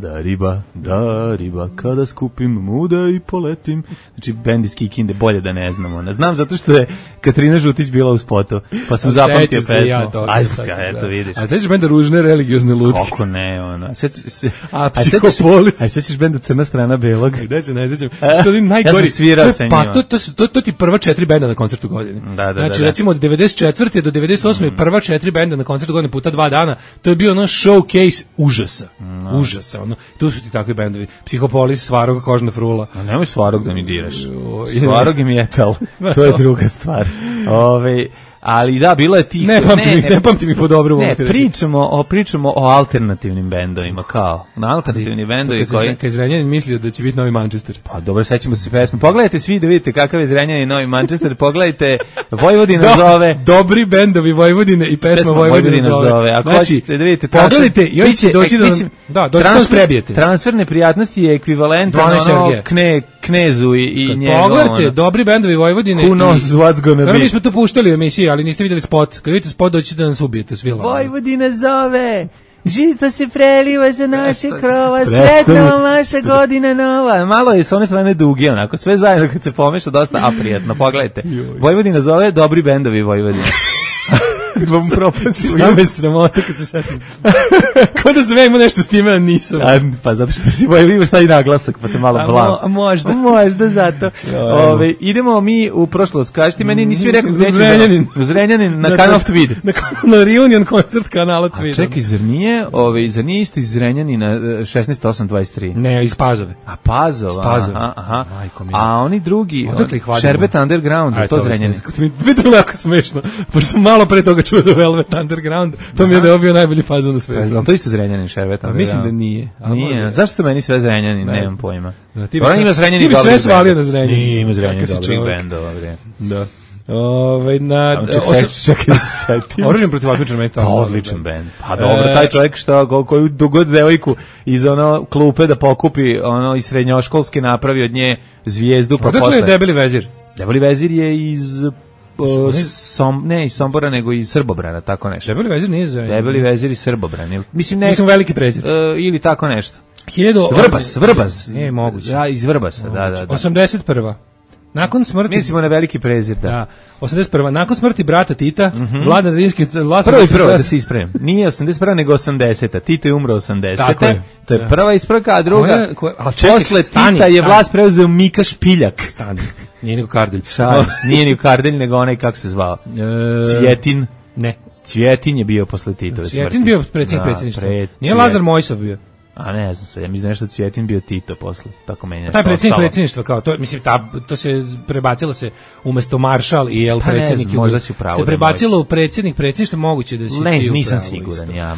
riba, kada skupim muda i poletim. Znači, bend iz Kikinde, bolje da ne znamo. Znam zato što je Katarina Žutić bila u spotu, pa sam zapamtio pesmu. Eto vidiš. A sećaš benda Ružne religiozne lutke? Kako ne, ona. A Psihopolis? A sećaš benda Crna strana belog? Gde se ne sećam? Što je najgori? Ja sam svirao sa njima. Pa, to ti prva 4 benda na koncertu godine. Znači, recimo od 94. do 98. prva 4 benda na koncertu godine puta 2 dana, to je bio ono showcase užasa. Užasa, ono. Tu su ti takvi bendovi. Psihopolis, Svarog, Kožna frula. A nemoj Svarog da mi diraš. Svarog i metal. To je druga stvar. Ali da, bilo je tih... Ne pamtim ih po dobru. Ne, pričamo o alternativnim bendovima, kao. Na alternativni bendovi koji... Kad Zrenjanin mislio da će biti Novi Manchester. Pa dobro, sećamo se pesme. Pogledajte svi da vidite kakav je Zrenjanin Novi Manchester. Pogledajte, Vojvodina zove... Dobri bendovi Vojvodine i pesma Vojvodina zove. Ako hoćete da vidite... Pogledajte i oni će doći da... Da, doći da nas prebijete. Transfer neprijatnosti je ekvivalent Knezu i njegov... Pogledajte, dobri bendovi Vojvodine... Who knows what's gonna be. Mi smo to puštali u emisiji, ali niste vidjeli spot. Kad vidite spot, doći da nas ubijete svi. Vojvodina zove, žito se preliva za naše krova, sretna vam vaša godina nova. Malo je s one strane duge, onako, sve zajedno kad se pomeša, dosta aprijetno, pogledajte. Vojvodina zove, dobri bendovi Vojvodina. vam propasti. Same sramote kad se setim. Kao da sam ja imao nešto s time, a nisam. Pa zato što si imaš taj naglasak, pa te malo blam. A možda. Možda zato. Idemo mi u prošlost. Kažete meni, nisi mi rekao gde ćeš. U Zrenjanin, na kanal Tvid. Na reunion koncert kanala Tvid. Čekaj, zar nije isto iz Zrenjanina 16823? Ne, iz Pazove. A Pazova, aha. A oni drugi, Šerbet Underground, to Zrenjanin. Mi to jako smešno, pošto sam malo pre toga čuo za Velvet Underground, pa mi je da je bio najbolji fazon na svetu. To isto Zrenjanin, Šerbet Underground. Mislim da nije. Nije, zašto to meni sve Zrenjanin, nemam pojma. Ti bi sve svalio na Zrenjanin. Nije, ima Zrenjanin dobrih bendova. Da. Čekaj se setim. Oružjem protiv otmičara mesta. Pa odličan bend. Pa dobro, taj čovjek koju dogod devojku iz klupe da pokupi iz srednjoškolske napravi od nje zvijezdu pa posle. Odakle je Debeli vezir? Debeli vezir je iz iz Sombora nego iz Srbobrana, tako nešto. Debeli vezir nije iz Debeli vezir iz Srbobrana. Mislim veliki prezir. Ili tako nešto. Vrbas. Ne, moguće. Ja, iz Vrbasa, da. 81. Nakon smrti... Mislimo na veliki prezir, da. 81. Nakon smrti brata Tita, Vlada Rimski... Prvo da se ispravim. Nije 81. nego 80. Tito je umro 80. Tako je. To je prva ispravka, a druga... Posle Tita je vlast preuzeo Mika Špiljak. Stani. Nije nego Kardelj. Nije nego Kardelj, nego onaj, kako se zvao? Cvjetin. Ne. Cvjetin je bio posle Titove smrti. Cvjetin bio predsjedništva. Nije Lazar Mojsov bio. A ne znam se, ja mislim nešto Cvjetin bio Tito posle, tako meni je. Taj predsjedništva kao to, mislim to se prebacilo se umesto maršal i predsjednik. Možda si upravo. Se prebacilo u predsjedništva, moguće da si ti. Nisam siguran, ja.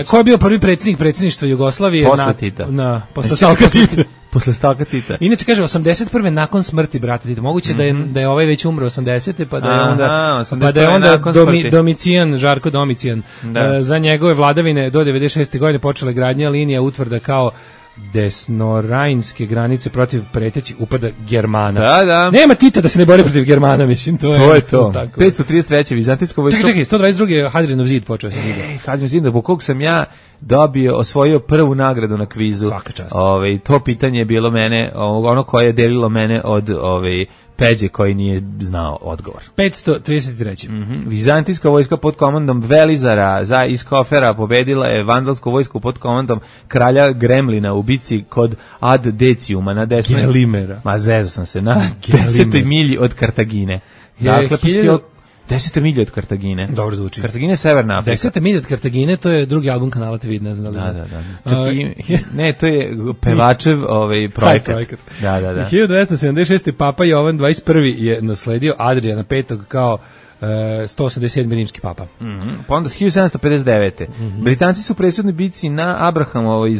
Ko je bio prvi predsjedništva Jugoslavije posle Tita? Posle Stalka Tita. Posle Stalka Tita. Inače kaže 81. nakon smrti brata Tita. Moguće da je ovaj već umro 80. pa da je onda Domicijan, Žarko Domicijan. Za njegove vladavine do 96. godine počela gradnja linija utvrda kao desnorajnske granice protiv pretećih upada Germana. Da. Nema Tita da se ne bori protiv Germana, mislim, to je to. 533. Vizantijska vojska. Čekaj, 122. Hadrianov zid počeo se zida. Hadrianov zid, po kog sam ja osvojio prvu nagradu na kvizu. Svaka čast. To pitanje je bilo mene, ono koje je delilo mene od Peđe koji nije znao odgovor. 533. Vizantijska vojska pod komandom Velizara iz Kofera pobedila je vandalsku vojsku pod komandom kralja Gremlina u bici kod Ad Deciuma na 10. Gelimera. Ma zezo sam se na 10. milji od Kartagine. Dakle, 10. milje od Kartagine. Dobro zvuči. Kartagine je Severna Afrika. 10. milje od Kartagine, to je drugi album kanala Tvid, ne znam da li. Da. Ne, to je pevačev projekat. Da. 1276. Papa Jovan 21. je nasledio Adriana V. kao 187. rimski papa. Pa onda 1759. Britanci su presudni bici na Abrahamovoj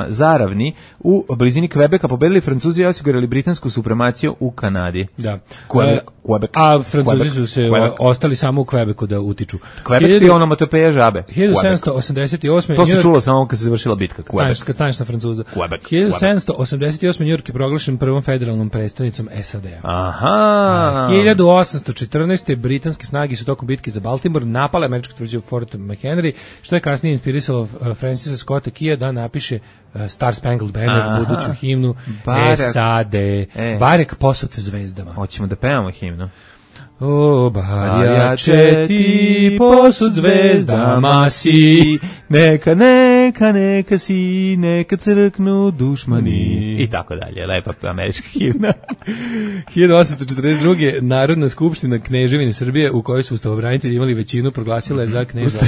Zaravni u blizini Kvebeka pobedili Francuzi i osigurali britansku supremaciju u Kanadi. Da. Quebec. A Francuzi su se ostali samo u Kvebeku da utiču. Kvebek je onomatopeja žabe. 1788. To se čulo samo kad se završila bitka. Kad staneš na Francuza. 1788. New York je proglašen prvom federalnom predstavnicom SAD-a. Aha. 1814. britanske snage su tokom bitke za Baltimore napale američku tvrđavu Fort McHenry, što je kasnije inspirisalo Francisa Scotta Keya da napiše Star Spangled Banner, buduću himnu SAD. Barek posut zvezdama. Hoćemo da pevamo himnu. O, barjače ti posud zvezdama si, neka si, neka crknu dušmani. I tako dalje, lepa američka himna. 1842. Narodna skupština Kneževine Srbije, u kojoj su ustavobranitelji imali većinu, proglasila je za kneza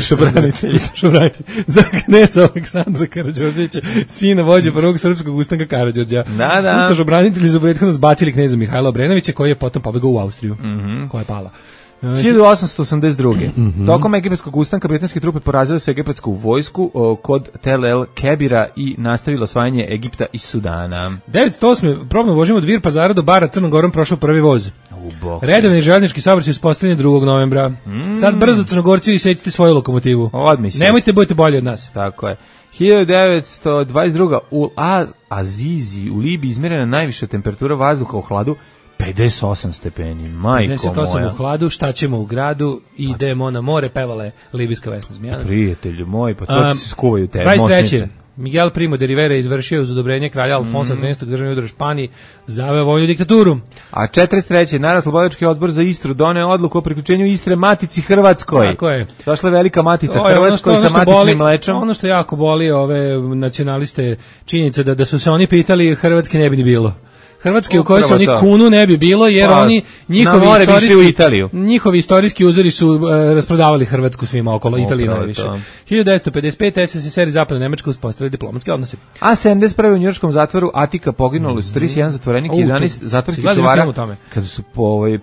za kneza Aleksandra Karađorđevića, sina vođe prvog srpskog ustanka Karađorđa. Ustavobranitelji su prethodno zbacili kneza Mihajla Obrenovića, koji je potom pobegao u Austriju. Koja je pala. 1882. Tokom egipatskog ustanka britanske trupe porazile su egipatsku vojsku kod Tel El Kebira i nastavilo osvajanje Egipta i Sudana. 908. probno vožimo od Vir Pazara do Bara Crnom Gorom prošao prvi voz. Redovni željeznički saobraćaj uspostavljen 2. novembra. Sad brzo Crnogorci isecite svoju lokomotivu. Nemojte budete bolji od nas. Tako je. 1922. u Azizi u Libiji izmjerena najviša temperatura vazduha u hladu 58 stepeni, majko 58 moja. u hladu, šta ćemo u gradu, idemo na more, pevala je libijska Vesna Zmijanac. Prijatelju moj, pa to ti se skuvaju te. 23. Miguel Primo de Rivera izvršio uz odobrenje kralja Alfonsa XIII državni udar u Španiji, zaveo vojnu diktaturu. A 43. Narodnooslobodilački odbor za Istru doneo odluku o priključenju Istre Matici Hrvatskoj. Tako je. Došla velika Matica Hrvatskoj sa matičnim mlečom. Ono što jako boli ove nacionaliste, činjenica da su se oni pitali, Hrvatske ne bi ni bilo. Hrvatske u kojoj se oni kunu ne bi bilo, jer oni njihovi istorijski uzori su rasprodavali Hrvatsku svima okolo, Italiju najviše. 1955. SSSR i Zapadna Nemačka uspostavili diplomatske odnose. A 71. u njujorškom zatvoru Atika poginulo su 31 zatvorenik i 11 zatvorskih čuvara. Kada su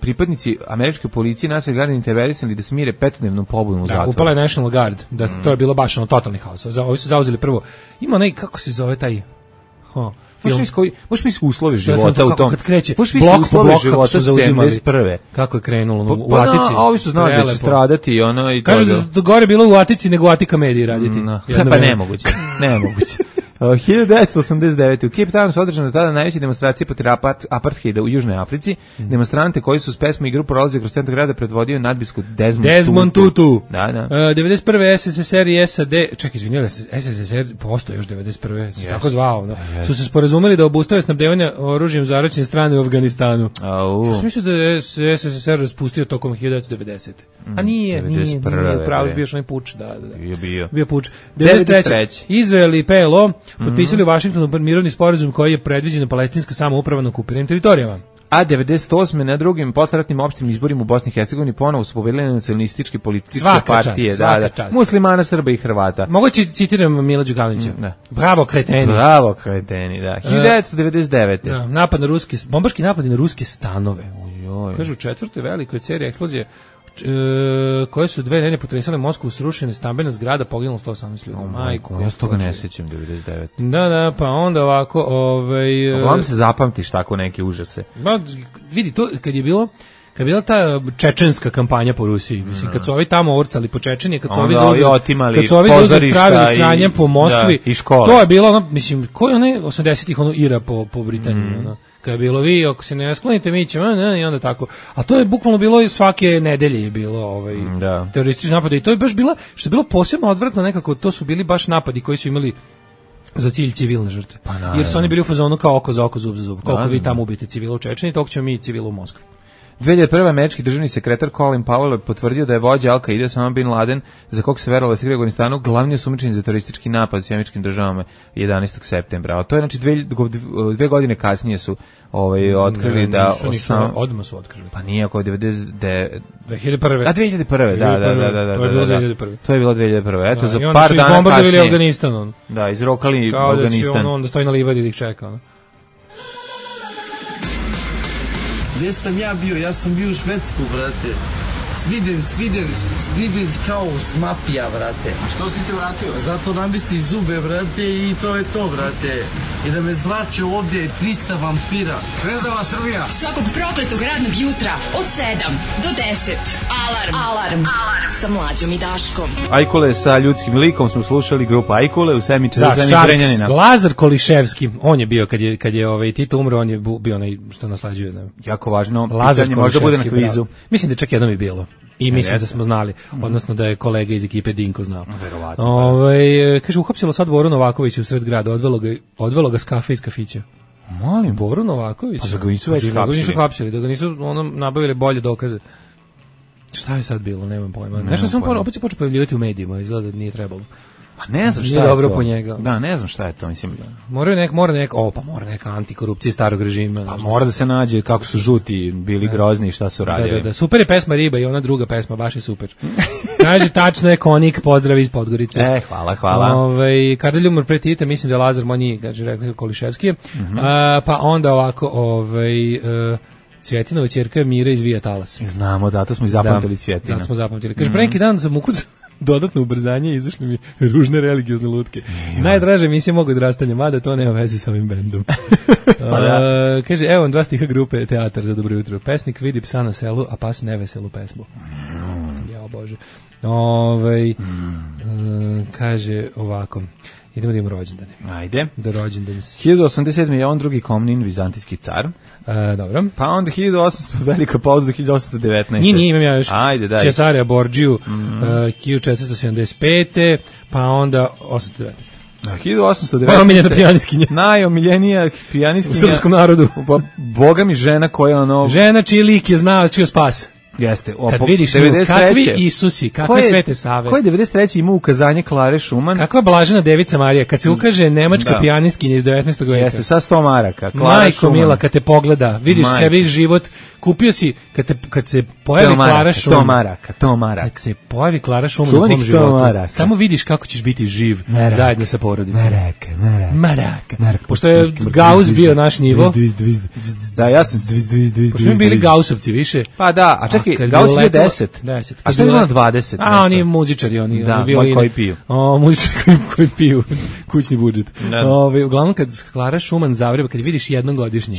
pripadnici američke policije nacionalne garde intervenisali da smire 5-dnevnu pobunu u zatvoru. Upala je National Guard, to je bilo baš totalni haos. Ovi su zauzeli prvo. Ima onaj, kako se zove taj... Možeš mi uslovi života u tom. Kad kreće, blok po blok kako su zauzimali. Kako je krenulo u Atici. A ovi su znali da će stradati i ono i to. Kažu da gore bilo u Atici nego u Atika mediji raditi. Pa nemoguće. 1989. u Cape Townu su održane tada najveće demonstracije protiv apartheida u Južnoj Africi. Demonstrante koji su s pesmom i grupu prolazili kroz centar grada predvodio nadbiskup Desmond Tutu. Da. 91. SSSR i SAD, čekaj, izvinjala se, SSSR postoje još 91. se tako zvao, su se sporazumeli da obustave snabdevanje oružjem zaraćene strane u Afganistanu. Mislim da je SSSR raspustio tokom 1990. A nije, pravo bio što onaj puč, da. Bio puč. 93. Izrael i PLO potpisali u Vašingtonu mirovni sporazum koji je predviđena palestinska samouprava na okupiranim teritorijama. A 98. na drugim postratnim opštim izborima u Bosni i Hercegovini ponovo su pobedile nacionalističke političke partije, Muslimana, Srba i Hrvata. Mogu citiram Mila Đukanovića. Bravo kreteni, da. 1999. Napad na bombaški napadi na ruske stanove. Kažu u četvrtoj velikoj seriji eksplozije koje su dve nedelje potresale Moskvu, srušene stambena zgrada, poginulo 118 ljudi. Majko, ja se toga ne sjećam, 99. Da, pa onda ovako, Uglavnom se zapamtiš tako neke užase. Vidi, to kad je bila ta čečenska kampanja po Rusiji, mislim, kad su ovi tamo orcali po Čečeniji, kad su ovi zauzeli pravili sranje po Moskvi, to je bilo, mislim, koji one 80-ih Ira po Britaniji, kada je bilo vi, ako se ne sklonite, mi ćemo, i onda tako. A to je bukvalno bilo svake nedelje je bilo teroristički napad. I to je baš bilo, što je bilo posebno odvratno nekako, to su bili baš napadi koji su imali za cilj civilne žrtve. Jer su oni bili u fazonu kao oko za oko, zub za zub. Koliko vi tamo ubijete civila u Čečeniji, toliko ćemo mi civila u Moskvi. 2001. američki državni sekretar Colin Powell potvrdio da je vođa Al-Qaide Osama bin Laden, za kog se verovalo da se igra u Afganistanu, glavni osumnjičen za teroristički napad u Američkim državama 11. septembra. A to je znači 2 godine kasnije su otkrili da odmah su otkrili. Pa nije ako 2001. A 2001. Da. To je bilo 2001. Eto za par dana kasnije. I bombardovali Afganistan. Da, izrokali Afganistan. Kao da će onda stoji na livadi da ih čeka. Gdje sam ja bio? Ja sam bio u Švedsku, brate. Sviden kao smapija, brate. A što si se vratio? Zato namesti zube, brate, i to je to, brate. I da me zrače ovdje 300 vampira. Zvezdava Srbija. Svakog prokletog radnog jutra od 7 do 10. Alarm. Sa Mlađom i Daškom. Ajkule sa ljudskim likom smo slušali grupu Ajkule u Semiče za Zrenjanina. Lazar Koliševski, on je bio kad je Tito umro, on je bio onaj što naslađuje. Jako važno, pitanje možda bude na kvizu. Mislim da čak jednom je bilo. I mislim da smo znali, odnosno da je kolega iz ekipe Dinko znao. Verovatno. Kaže, uhapsilo sad Boru Novakovića u sred grada, odvelo ga s kafe iz kafića. Molim. Boru Novaković? Pa da ga nisu već hapsili. Da ga nisu nabavili bolje dokaze. Šta je sad bilo, nemam pojma. Nešto sam opet se počeo pojavljivati u medijima, izgleda da nije trebalo. Pa ne znam šta je dobro to. Po njega. Da, ne znam šta je to, mislim. Mora neka antikorupcija starog režima. Pa mora da se nađe kako su žuti bili grozni i šta su radili. Da. Super je pesma Riba i ona druga pesma, baš je super. Kaže, tačno je Konik, pozdrav iz Podgorice. Hvala. Kada je umor pre Tita, mislim da je Lazar Monji, kaže, rekli Koliševski. Pa onda ovako, Cvjetinova ćerka Mira izvija talas. Znamo, da, to smo i zapamtili Cvjetina. Da, smo zapamtili. Kaže, pre neki dan sam ukucao dodatno ubrzanje i izašli mi ružne religiozne lutke. Najdraže emisije mogu odrastanja, mada to nema veze sa ovim bendom. Kaže, evo 2 stiha grupe Teatar za dobro jutro. Pesnik vidi psa na selu, a pas neveselu pesmu. Jao Bože. Kaže ovako. Idemo da imamo rođendane. Ajde. Da rođendane. 1087. je on drugi Komnin, vizantijski car. Dobro. Pa onda 1800, velika pauza do 1819. Nije, imam ja još. Ajde, daj. Cesarea Borgiju, 1475. Pa onda 819. 1819. Najomiljena pijanistkinja. Najomiljenija pijanistkinja. U srpskom narodu. Boga mi žena koja ono... Žena čiji lik je znao čio spas. Jeste. Kad vidiš nju, kakvi Isusi, kakve Svete Save. Ko je 93. imao ukazanje Klare Šuman? Kakva blažena devica Marija, kad se ukaže nemačka pijanistkinja iz 19. veka. Jeste, sa 100 maraka. Majko mila, kad te pogleda, vidiš sebi život, kupio si, kad se pojavi Klara Šuman. To maraka. Kad se pojavi Klara Šuman u tvom životu, samo vidiš kako ćeš biti živ zajedno sa porodicom. Maraka. Pošto je Gauss bio naš nivo. Da, ja sam... Pošto mi bili Gaussovci više. Pa da, a čekaj, Gauss je 10. A što je bilo na 20? A, oni muzičari, oni violine. Koji piju. Muzičari koji piju, kućni budžet. Uglavnom, kad Klara Šuman zavreba, kad vidiš jednom godišnje,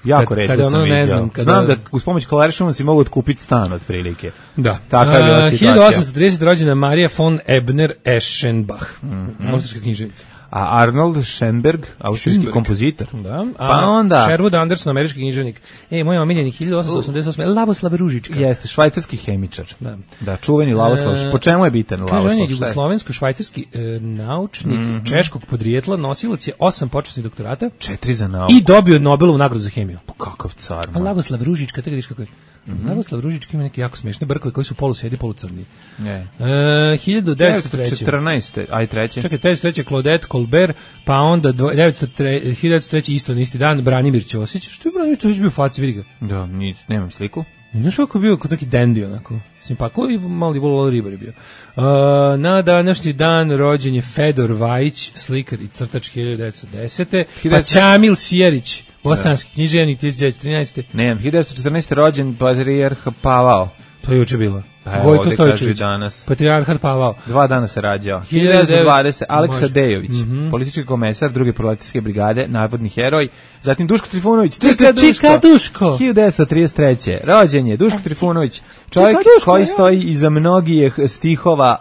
jako redko sam vidio. Znam da uz pomoć Klare Šuman si mogu otkupiti stan otprilike. Da. Taka je bila situacija. 1830 rođena Marija von Ebner-Eschenbach, austrijska književnica. A Arnold Schoenberg, austrijski kompozitor. Da. Pa onda Sherwood Anderson, američki književnik. Moj omiljeni 1888. Lavoslav Ružička. Jeste, švajcarski hemičar. Da, čuveni Lavoslav. Po čemu je bitan Lavoslav? Kaže, on je jugoslovensko-švajcarski naučnik češkog podrijetla, nosilac je 8 počasnih doktorata. 4 za nauku. I dobio Nobelovu nagradu za hemiju. Kakav car. A Lavoslav Ružička, tako vidiš kako je. Lavoslav Ružička ima neki jako smešne brkovi koji su polusvedi, polucrni. 1914. Aj treće. Čekaj, 1903. Claudette Colbert, pa onda 1903. isto isti dan Branimir Ćosić. Što je Branimir Ćosić bio u faci, vidi ga? Da, nemam sliku. Znaš kako je bio kod neki dandy onako. Simpako i mali Volo Ribar je bio. Na današnji dan rođen je Fedor Vajić, slikar i crtač 1910. Pa Ćamil Sjerić, bosanski književnik 1913. Ne, 1914. rođen patrijarh Pavao. To je juče bilo. Gojko Stojčević, patrijarhat Pavao. 2 dana se rađao. 1920. Aleksa Dejović, politički komesar druge proletarske brigade, navodni heroj. Zatim Duško Trifunović, Čika Duško. 1933. Rođen je Duško Trifunović, čovjek koji stoji iza mnogih stihova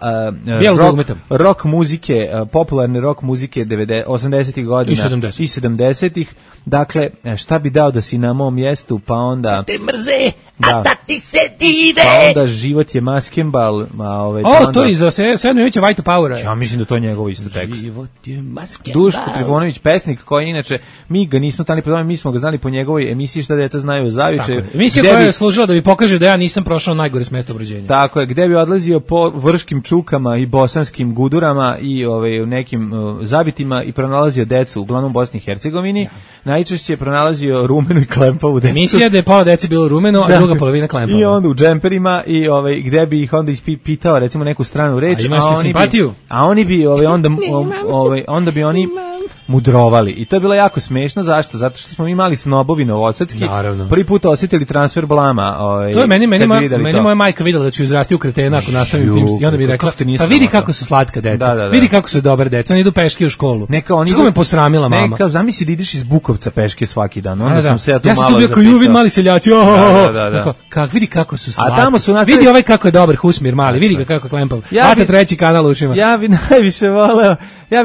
rock muzike, popularne rock muzike 80-ih godina i 70-ih. Dakle, šta bi dao da si na mom mjestu, pa onda... Te mrze, a da ti se dive. Pa onda život je maskembal. To je za Srednjovića White Powera. Ja mislim da to je njegov isto tekst. Život je maskembal. Duško Trifunović, pesnik koji inače, mi ga nismo tali predavali, mi smo ga znali po njegovoj emisiji Šta deca znaju o Zavičaju. Emisija koja je služila da bi pokaže da ja nisam prošao najgore s mesta obrođenja. Tako je, gde bi odlazio po vrškim čukama i bosanskim gudurama i u nekim zabitima i pronalazio decu, uglavnom u Bosni i Hercegovini. Najčešće je pronalazio rumenu i klempavu decu. Emisija da je pola dece bilo rumeno, a druga polovina klempava. I onda u džemperima i gde bi ih onda ispitao recimo neku stranu reč, a oni bi onda bi oni mudrovali. I to je bilo jako smešno, zašto? Zato što smo imali snobovi novosadski. Prvi put osjetili transfer blama. To je meni moja majka videla da ću izrasti u kretena ako nastavim tim. I onda mi rekla, pa vidi kako su slatka deca. Vidi kako su dobre deca. Oni idu peške u školu. Kako me posramila mama. Neka, zamisli da ideš iz Bukovca peške svaki dan. Onda sam se ja tu malo zapitao. Ja sam tu bio kao Juvin mali seljaci. Vidi kako su slatki. Vidi ovaj kako je dobar Husmir mali. Vidi ga kako je klempav. Vata treći kanal ušima. Ja bi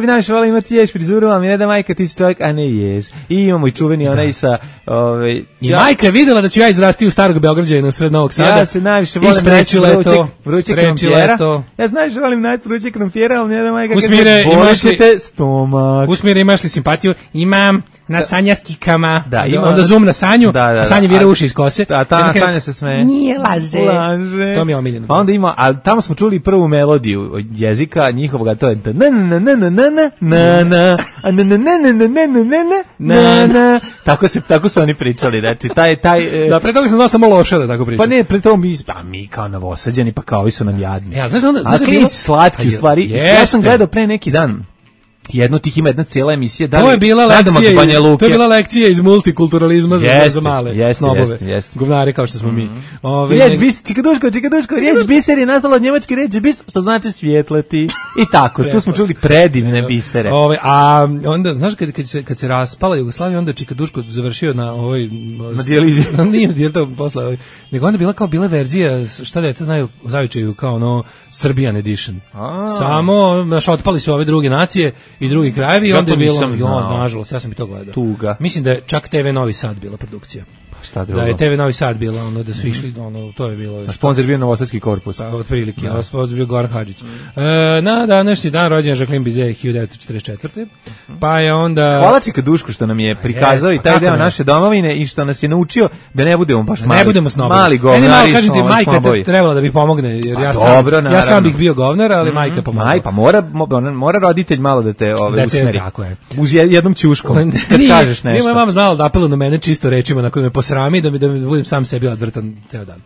najviše voleo imati ješ frizuru, ali ne da majka ti si čovjek, a ne ješ. I imamo i čuveni onaj sa... I majka je videla da ću ja izrasti u starog Beograđanina u sred Novog Sada. Ja se najviše volim najsti vrućeg krompjera. Ja najviše volim najsti vrućeg krompjera, ali ne da majka kaže, bolićete stomak. Usmire, imaš li simpatiju? Imam na sanjaskikama. Onda zoom na Sanju, a Sanja vira uši iz kose. A ta Sanja se smeje. Nije laže. To mi je omiljeno. Pa onda ima, ali tamo smo čuli prvu melodiju jezika njihovoga, to je tako su oni pričali, znači taj da, pre toga sam znao samo loše da tako pričam. Pa ne, pre toga mi kao Novosađani, pa kao ovi su nam jadni. Ja, znaš da bilo slatki u stvari. Ja sam gledao pre neki dan jedno tih ima jedna cijela emisija. To je bila lekcija iz multikulturalizma za male snobove. Govnari kao što smo mi. Riječ bis, čikaduško, riječ biser je nastala od njemačke riječi bis, što znači svjetlati. I tako, tu smo čuli predivne bisere. A onda, znaš, kad se raspala Jugoslavija, onda Čikaduško završio na na dijalizi. Nije dijel posle, nego onda bila kao bila verzija, šta deca znaju u Zavičaju, kao ono Serbian edition. Samo, znaš, otpali su ove druge nacije i drugi krajevi i onda je bilo, nažalost, ja sam i to gledao. Tuga. Mislim da je čak TV Novi Sad bila produkcija. šta drugo. Da je TV Novi Sad bila, ono, da su išli, ono, to je bilo... A sponsor bio Novosadski korpus. Pa, otprilike, a sponsor bio Goran Hadžić. Na današnji dan rođen Jacqueline Bizet 1944. Pa je onda... Hvala Čika Dušku što nam je prikazao i taj deo naše domovine i što nas je naučio da ne budemo baš mali. Ne budemo snobovi. Mali govnari, kažete, majka trebala da bi pomogne, jer ja sam bih bio govnar, ali majka pomogla. Pa mora roditelj malo da te usmeri. Tako je. Uz jednom ćuškom, kad kažeš nešto. Nije moja mama znala da apeluje na mene čisto rečima na koje me posrami, da mi budem sam sebi odvrtan ceo dan.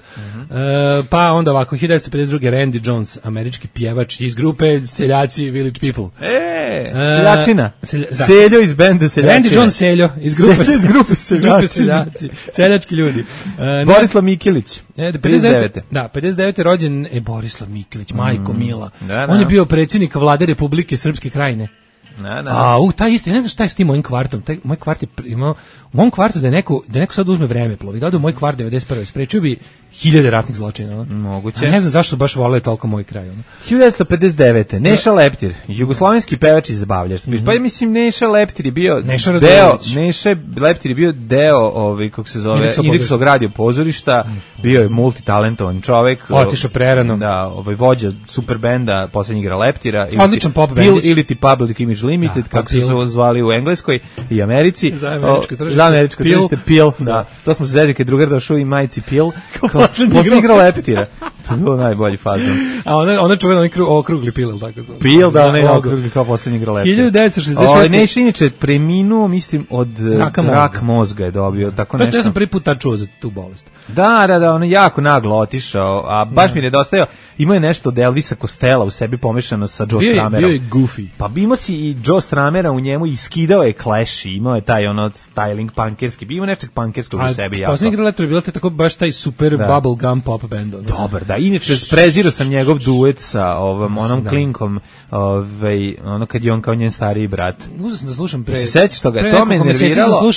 Pa onda ovako, 1952. Randy Jones, američki pjevač iz grupe Seljaci Village People. Seljačina. Seljo iz benda Seljačina. Randy Jones Seljo, iz grupe Seljaci. Seljački ljudi. Borislav Mikilić. 59. Da, 59. rođen Borislav Mikilić, majko mila. On je bio predsjednik vlade Republike Srpske Krajine. Taj isti, ne znam šta je s tim mojim kvartom. Moj kvart je imao, u mom kvartu da neko sad uzme vreme plovi, da ode u moj kvart 91. sprečio bi 1000 ratnih zločina. Moguće. A ne znam zašto baš vole toliko moj kraj. 1959. Neša Leptir, jugoslovenski pevač i zabavljač. Pa mislim Neša Leptir je bio deo, kako se zove, Indeksovog radio pozorišta, bio je multitalentovan čovek. Otišao prerano. Da, vođa super benda, poslednji igra Leptira. Odličan pop bendić. Ili ti Public Image Limited, kako su se zvali u Engleskoj i Americi. Za američko tržište. Pil. Da. To smo se zezili kad drugar došao i majici Pil. Poslednji igra Leptira. To je bilo najbolji fazon. A ona čuvena okrugli Pil, ili tako zove? Pil, da, ne okrugli kao poslednji igra Leptira. 1966. Neš inače preminuo, mislim, od rak mozga je dobio. Tako nešto. Ja sam prvi put čuo za tu bolest. Da, on je jako naglo otišao, a baš mi je nedostajao. Imao je nešto od Elvisa Costello u sebi pomešano sa Joe Stramerom. Bio je goofy. Pa imao si i Joe Stramera u njemu i skidao je Clash, imao je taj styling punkerski, bio nečeg punkerskog u sebi. Poslednji igra Leptira je bilo tako baš taj super bubblegum pop band. Dobar, da. Inače, prezirao sam njegov duet sa onom klinkom, ono kad je on kao njen stariji brat. Uzeo sam da slušam pre. Sećaš toga, to me nerviralo,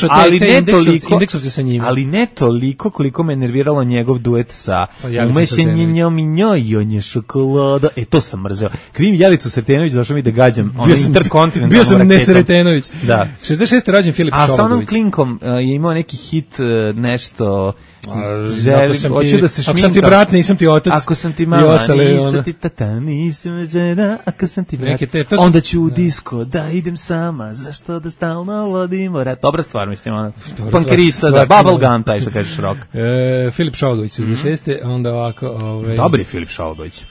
ali ne toliko koliko me nerviralo njegov duet sa umesenjenjom i njoj, on je šokolada. To sam mrzeo. Krim Jelicu Sretenović, došao mi da gađam Intercontinental. Bio sam Nesretenović. Da. 66. rođen Filip Šovagović. A sa onom klinkom je imao neki hit, nešto... Hoću da se šminkam. Ako sam ti brat, nisam ti otac. Ako sam ti mama, nisam ti tata, nisam žena. Ako sam ti brat, onda ću u disko da idem sama. Zašto da stalno vodimo rat? Dobra stvar, mislim, ona. Pankerica, da, bubblegum, taj što kažeš rock. Filip Šovagović, 66. Onda ovako... Dobri Filip Šovagović.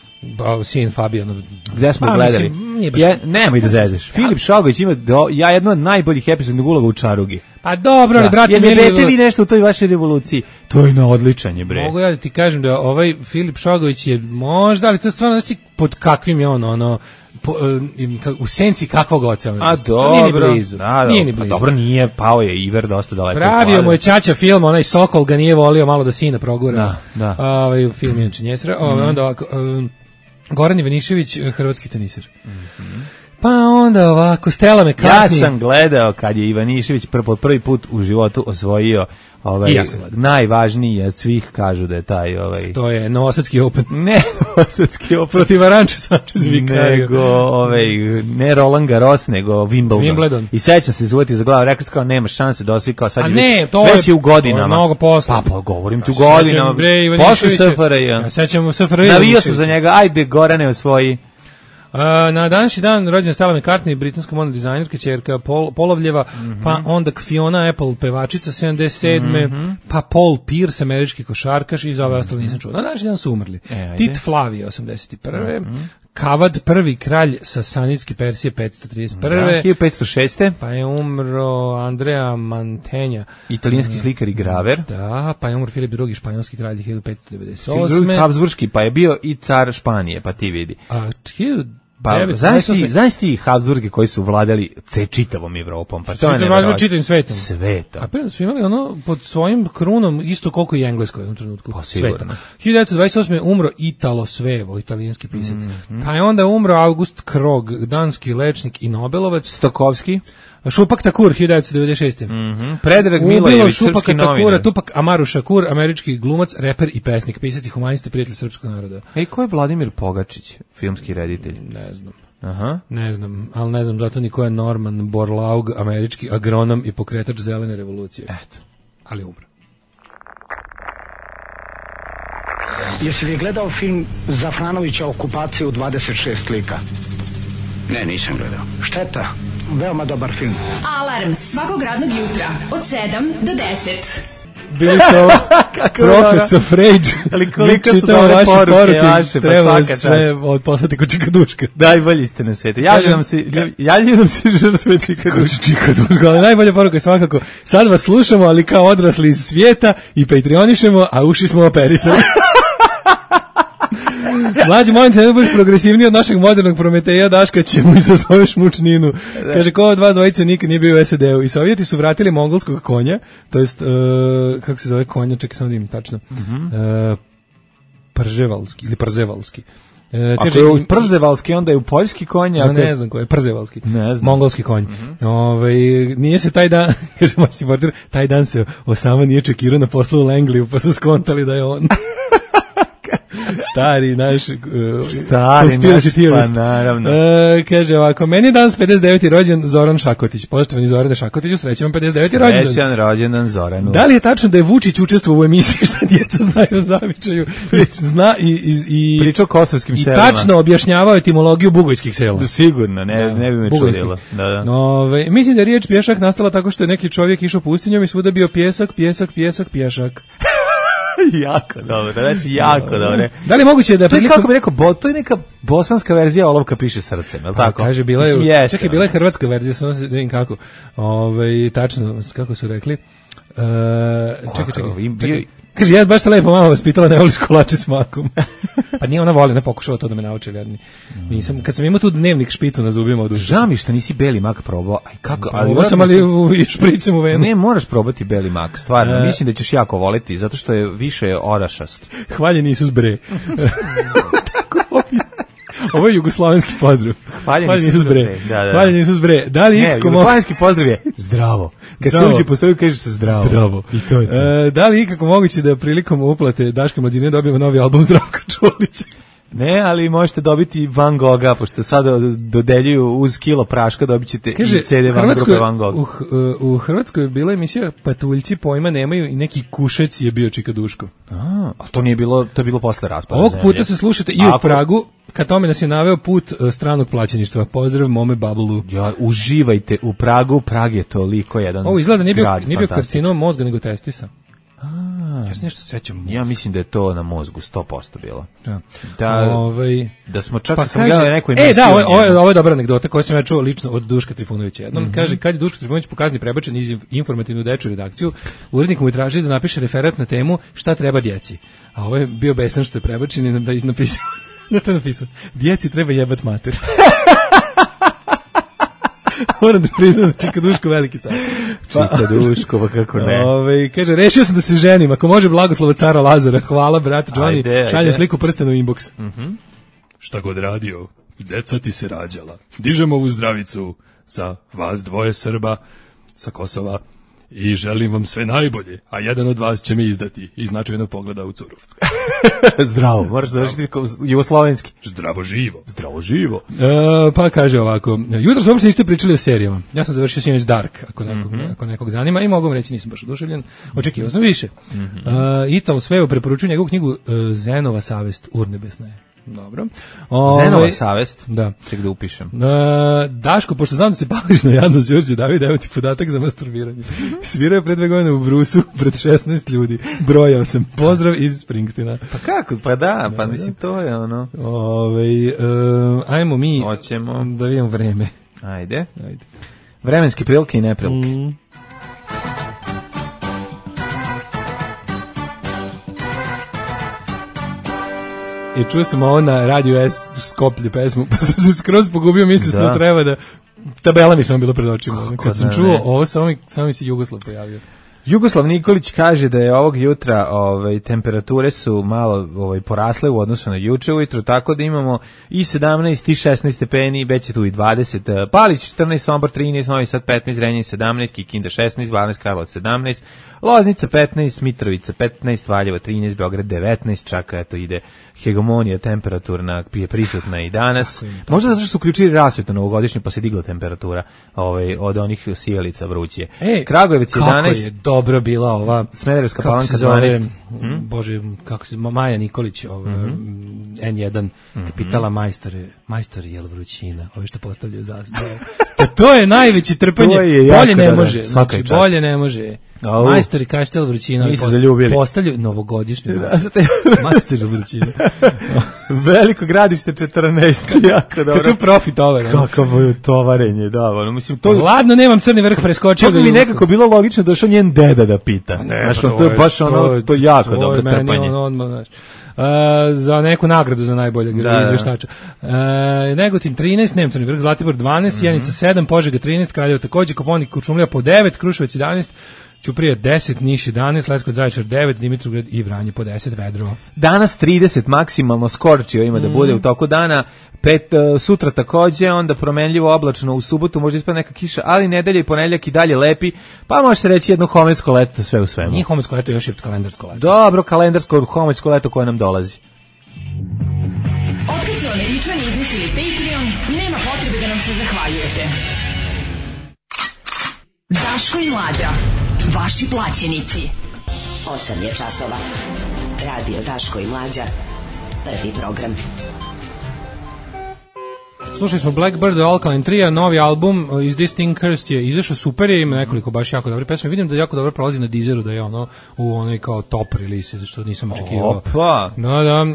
Sin Fabijan. Gde smo gledali? Nemoj da zezeš. Filip Šovagović ima jedno od najboljih epizodnog uloga u Čarugi. Pa dobro, ali brate, ne dete vi nešto u toj vašoj revoluciji. To je na odličan je, bre. Mogu ja da ti kažem da ovaj Filip Šovagović je možda, ali to je stvarno, znači, pod kakvim je ono u senci kakvog oca. A dobro, nije ni blizu. Nije ni blizu. Dobro, nije, pao je Iver dosta daleko. Pravio mu je ćaća film, onaj Sokol ga nije volio malo da sina progura. Da. Film je činjesra. Onda ovako, Goran Ivanišević, hrvatski teniser. Pa onda ovako, Stella McCartney. Ja sam gledao kad je Ivanišević prvi put u životu osvojio najvažniji od svih, kažu da je taj to je Novosadski Open. Ne Novosadski Open. Protiv Aranča Sanchez Vicario. Nego ne Roland Garros, nego Wimbledon. I sećam se izvojiti za glavu, rekao kao nema šanse da osvi kao sad je već je u godinama. Mnogo posle. Pa govorim ti u godinama. Posle SFRJ. Ja sećam SFRJ. Navio sam za njega, ajde Gorane osvoji. Na današnji dan rođena Stella McCartney, britanska modna dizajnerka, ćerka Polovljeva, pa onda Fiona Apple, pevačica 77. Pa Paul Pierce, američki košarkaš, i za ove ostale nisam čuo. Na današnji dan su umrli. Tit Flavije 81. Kavad, prvi kralj Sasanidske Persije 531. 1506. Pa je umro Andrea Mantegna, italijanski slikar i graver. Da, pa je umro Filip II, španjolski kralj 1598. Habsburški, pa je bio i car Španije, pa ti vidi. Znaš ti Habsburge koji su vladali čitavom Evropom, pa to je nevjerojatno. Čitavim svetom. Svetom. A prije su imali ono pod svojim krunom isto koliko i Engleskoj u jednom trenutku. Pa sigurno. 1928. umro Italo Svevo, italijanski pisac. Pa je onda umro August Krog, danski lečnik i Nobelovac. Stokovski. Šupak Takur, 1996. Predrag Milojević, srpski novinar. Tupak Amaru Šakur, američki glumac, reper i pesnik, pisac i humanista, prijatelj srpskog naroda. Ko je Vladimir Pogačić, filmski reditelj? Ne znam. Aha. Ne znam, ali ne znam zato ni ko je Norman Borlaug, američki agronom i pokretač zelene revolucije. Eto. Ali umro. Jesi li gledao film Zafranovića Okupacija u 26 lika? Ne, nisam gledao. Šteta, veoma dobar film. Alarm svakog radnog jutra od 7 do 10. Bili su ovo Prophets of Rage. Ali koliko su dobre poruke vaše, pa svaka čast. Sve poslati ko čikaduška. Najbolji ste na svijetu. Javljaju nam se žrtve čikaduška. Ali najbolja poruka je svakako, sad vas slušamo, ali kao odrasli iz svijeta i patreonišemo, a uši smo operisali. Mlađi, molim te, ne budeš progresivniji od našeg modernog Prometeja, Daška će mu izazoveš mučninu. Kaže, ko od vas dvojice nikad nije bio u SAD-u. I Sovjeti su vratili mongolskog konja, to jest, kako se zove konja, čekaj samo da im tačno, Prževalski ili Przevalski. Ako je u Przevalski, onda je u poljski konj. Ne znam ko je, Przevalski. Mongolski konj. Nije se taj dan, kaže moćni portir, taj dan se Osama nije čekirao na poslu u Langliju, pa su skontali da je on. Stari naš pa naravno. Kaže ovako, meni je danas 59. rođen Zoran Šakotić. Poštovani Zorane Šakotiću, srećan 59. rođendan. Srećan rođendan Zoranu. Da li je tačno da je Vučić učestvovao u emisiji Šta djeca znaju o zavičaju? Zna i pričao o kosovskim selima. I tačno objašnjavao etimologiju bugojskih sela. Sigurno, ne bi me čudilo. Da. Mislim da je riječ pješak nastala tako što je neki čovjek išao pustinjom i svuda bio pjesak. Jako dobro, znači jako dobro. Da li je moguće da prilikom... Kako bi rekao, to je neka bosanska verzija Olovka piše srcem, je li tako? Kaže, bila je, čekaj, bila je hrvatska verzija, samo se vidim kako. Tačno, kako su rekli. Čekaj. Kaže, ja baš te lepo mama vas pitala, ne voliš kolače s makom. Pa nije ona voli, ne pokušala to da me nauči. Kad sam imao tu dnevnik špicu na zubima od žao mi što nisi beli mak probao. Probao sam, ali špricem u venu. Ne, moraš probati beli mak, stvarno. Mislim da ćeš jako voliti, zato što je više orašast. Hvaljen Isus bre. Ovo je jugoslavenski pozdrav. Hvaljen Isus bre. Hvaljen Isus bre. Da li ikako jugoslavenski pozdrav je zdravo. Kad se uđe po stoju kaže se zdravo. Zdravo. I to je to. Da li ikako moguće da prilikom uplate Daške mlađine dobijemo novi album Zdravka Čolića? Ne, ali možete dobiti Van Gogha, pošto sada dodeljuju uz kilo praška, dobit ćete i CD grupe Van Gogh. U Hrvatskoj je bila emisija Patuljci pojma nemaju i neki Kušec je bio Čikaduško. A to nije bilo, to je bilo posle raspada. Ovog puta se slušate i u Pragu, ka tome nas je naveo put stranog plaćeništva. Pozdrav mome Babulu. Ja, uživajte u Pragu, Prag je toliko jedan grad. Ovo izgleda nije bio karcinom mozga, nego testisa. Ja se nešto sećam. Ja mislim da je to na mozgu 100% bilo. Da smo čak sam gledao neku emisiju. Ovo je dobra anegdota koju sam ja čuo lično od Duška Trifunovića. Jednom kaže, kad je Duško Trifunović po kazni prebačen iz informativnu dečju redakciju, urednik mu je tražio da napiše referat na temu šta treba djeci. A ovo je bio besan što je prebačen i napisao. Šta je napisao? Djeci treba jebat mater. Moram da priznam, Čikaduško veliki car. Čikaduško, pa kako ne. Kaže, rešio sam da se ženim, ako može blagoslova cara Lazara, hvala brat Johnny, šaljem sliku prstenu u inbox. Šta god radio, deca ti se rađala. Dižemo ovu zdravicu za vas dvoje Srba sa Kosova i želim vam sve najbolje, a jedan od vas će me izdati i značajno pogleda u curu. Zdravo, moraš završiti jugoslovenski. Zdravo živo. Zdravo živo. Pa kaže ovako, jutro uopšte niste pričali o serijama. Ja sam završio sinoć Dark, ako nekog zanima, i mogu vam reći, nisam baš oduševljen. Očekivao sam više. Italo Svevo preporučuje njegovu knjigu Zenova savest urnebesna je. Dobro. Zenova savest? Da. Ček da upišem. Daško, pošto znam da se pališ na jadno Đurđe David, evo ti podatak za masturbiranje. Svirao je pre 2 godine u Brusu pred 16 ljudi. Brojao sam. Pozdrav iz Springsteena. Pa kako? Pa da, pa mislim to je ono. Ajmo mi hoćemo da vidimo vreme. Ajde. Vremenske prilike i neprilike. I čuo sam ovo na Radio S Skoplje pesmu, pa sam se skroz pogubio, mislio sam da treba da... Tabela mi samo bilo pred očima. Kad sam čuo ovo, samo mi se Jugoslav pojavio. Jugoslav Nikolić kaže da je ovog jutra temperature su malo porasle u odnosu na juče ujutro, tako da imamo i 17 i 16 stepeni, već je tu i 20. Palić 14, Sombor 13, Novi Sad 15, Renjanin 17, Kikinda 16, Banjska Karlovac 17, Loznica 15, Mitrovica 15, Valjevo 13, Beograd 19, čak eto ide hegemonija temperaturna je prisutna i danas. Možda zato što su uključili rasvetu novogodišnju pa se digla temperatura od onih sijalica vrućije. Kragujevac 11. Kako je dobro bila ova Smederevska Palanka 12. Bože, kako se Maja Nikolić, N1 kapitala majstor jel vrućina, ovi što postavljaju zastavu. To je najveće trpanje. Bolje ne može. Znači, bolje ne može. Majstori kaštel vrućina postavljaju novogodišnju majstor vrućina. Veliko gradište 14. Jako dobro. Kakav profit ovo. Kakavo tovarenje, da. Mislim, to... Ladno, nemam Crni vrh, preskočio ga. To bi mi nekako bilo logično došao njen deda da pita. Znaš, to je baš ono, to jako dobro trpanje. Za neku nagradu za najboljeg izveštača. Negotin 13, Nemcovni vrh, Zlatibor 12, Sjenica 7, Požega 13, Kraljevo takođe, Koponik, Kuršumlija po 9, Kruševac 11, Ćuprija 10, Niš 11, Leskovac, Zaječar 9, Dimitrovgrad i Vranje po 10, vedro. Danas 30 maksimalno skorčio ima da bude u toku dana, sutra takođe, onda promenljivo oblačno, u subotu možda ispada neka kiša, ali nedelja i ponedeljak i dalje lepi, pa može se reći jedno homensko leto, sve u svemu. Nije homensko leto, još je kalendarsko leto. Dobro, kalendarsko homensko leto koje nam dolazi. Otkad su Američani izmislili Patreon, nema potrebe da nam se zahvaljujete. Daško i Mlađa, vaši plaćenici. 8 je časova. Radio Daško i Mlađa, prvi program. Slušali smo Blackbird, Alkaline Trio, novi album iz This Thing Cursed je izašao, super je, ima nekoliko baš jako dobre pesme. Vidim da jako dobro prolazi na Deezeru, da je ono u onoj kao top release, što nisam očekivao. Opa! Da,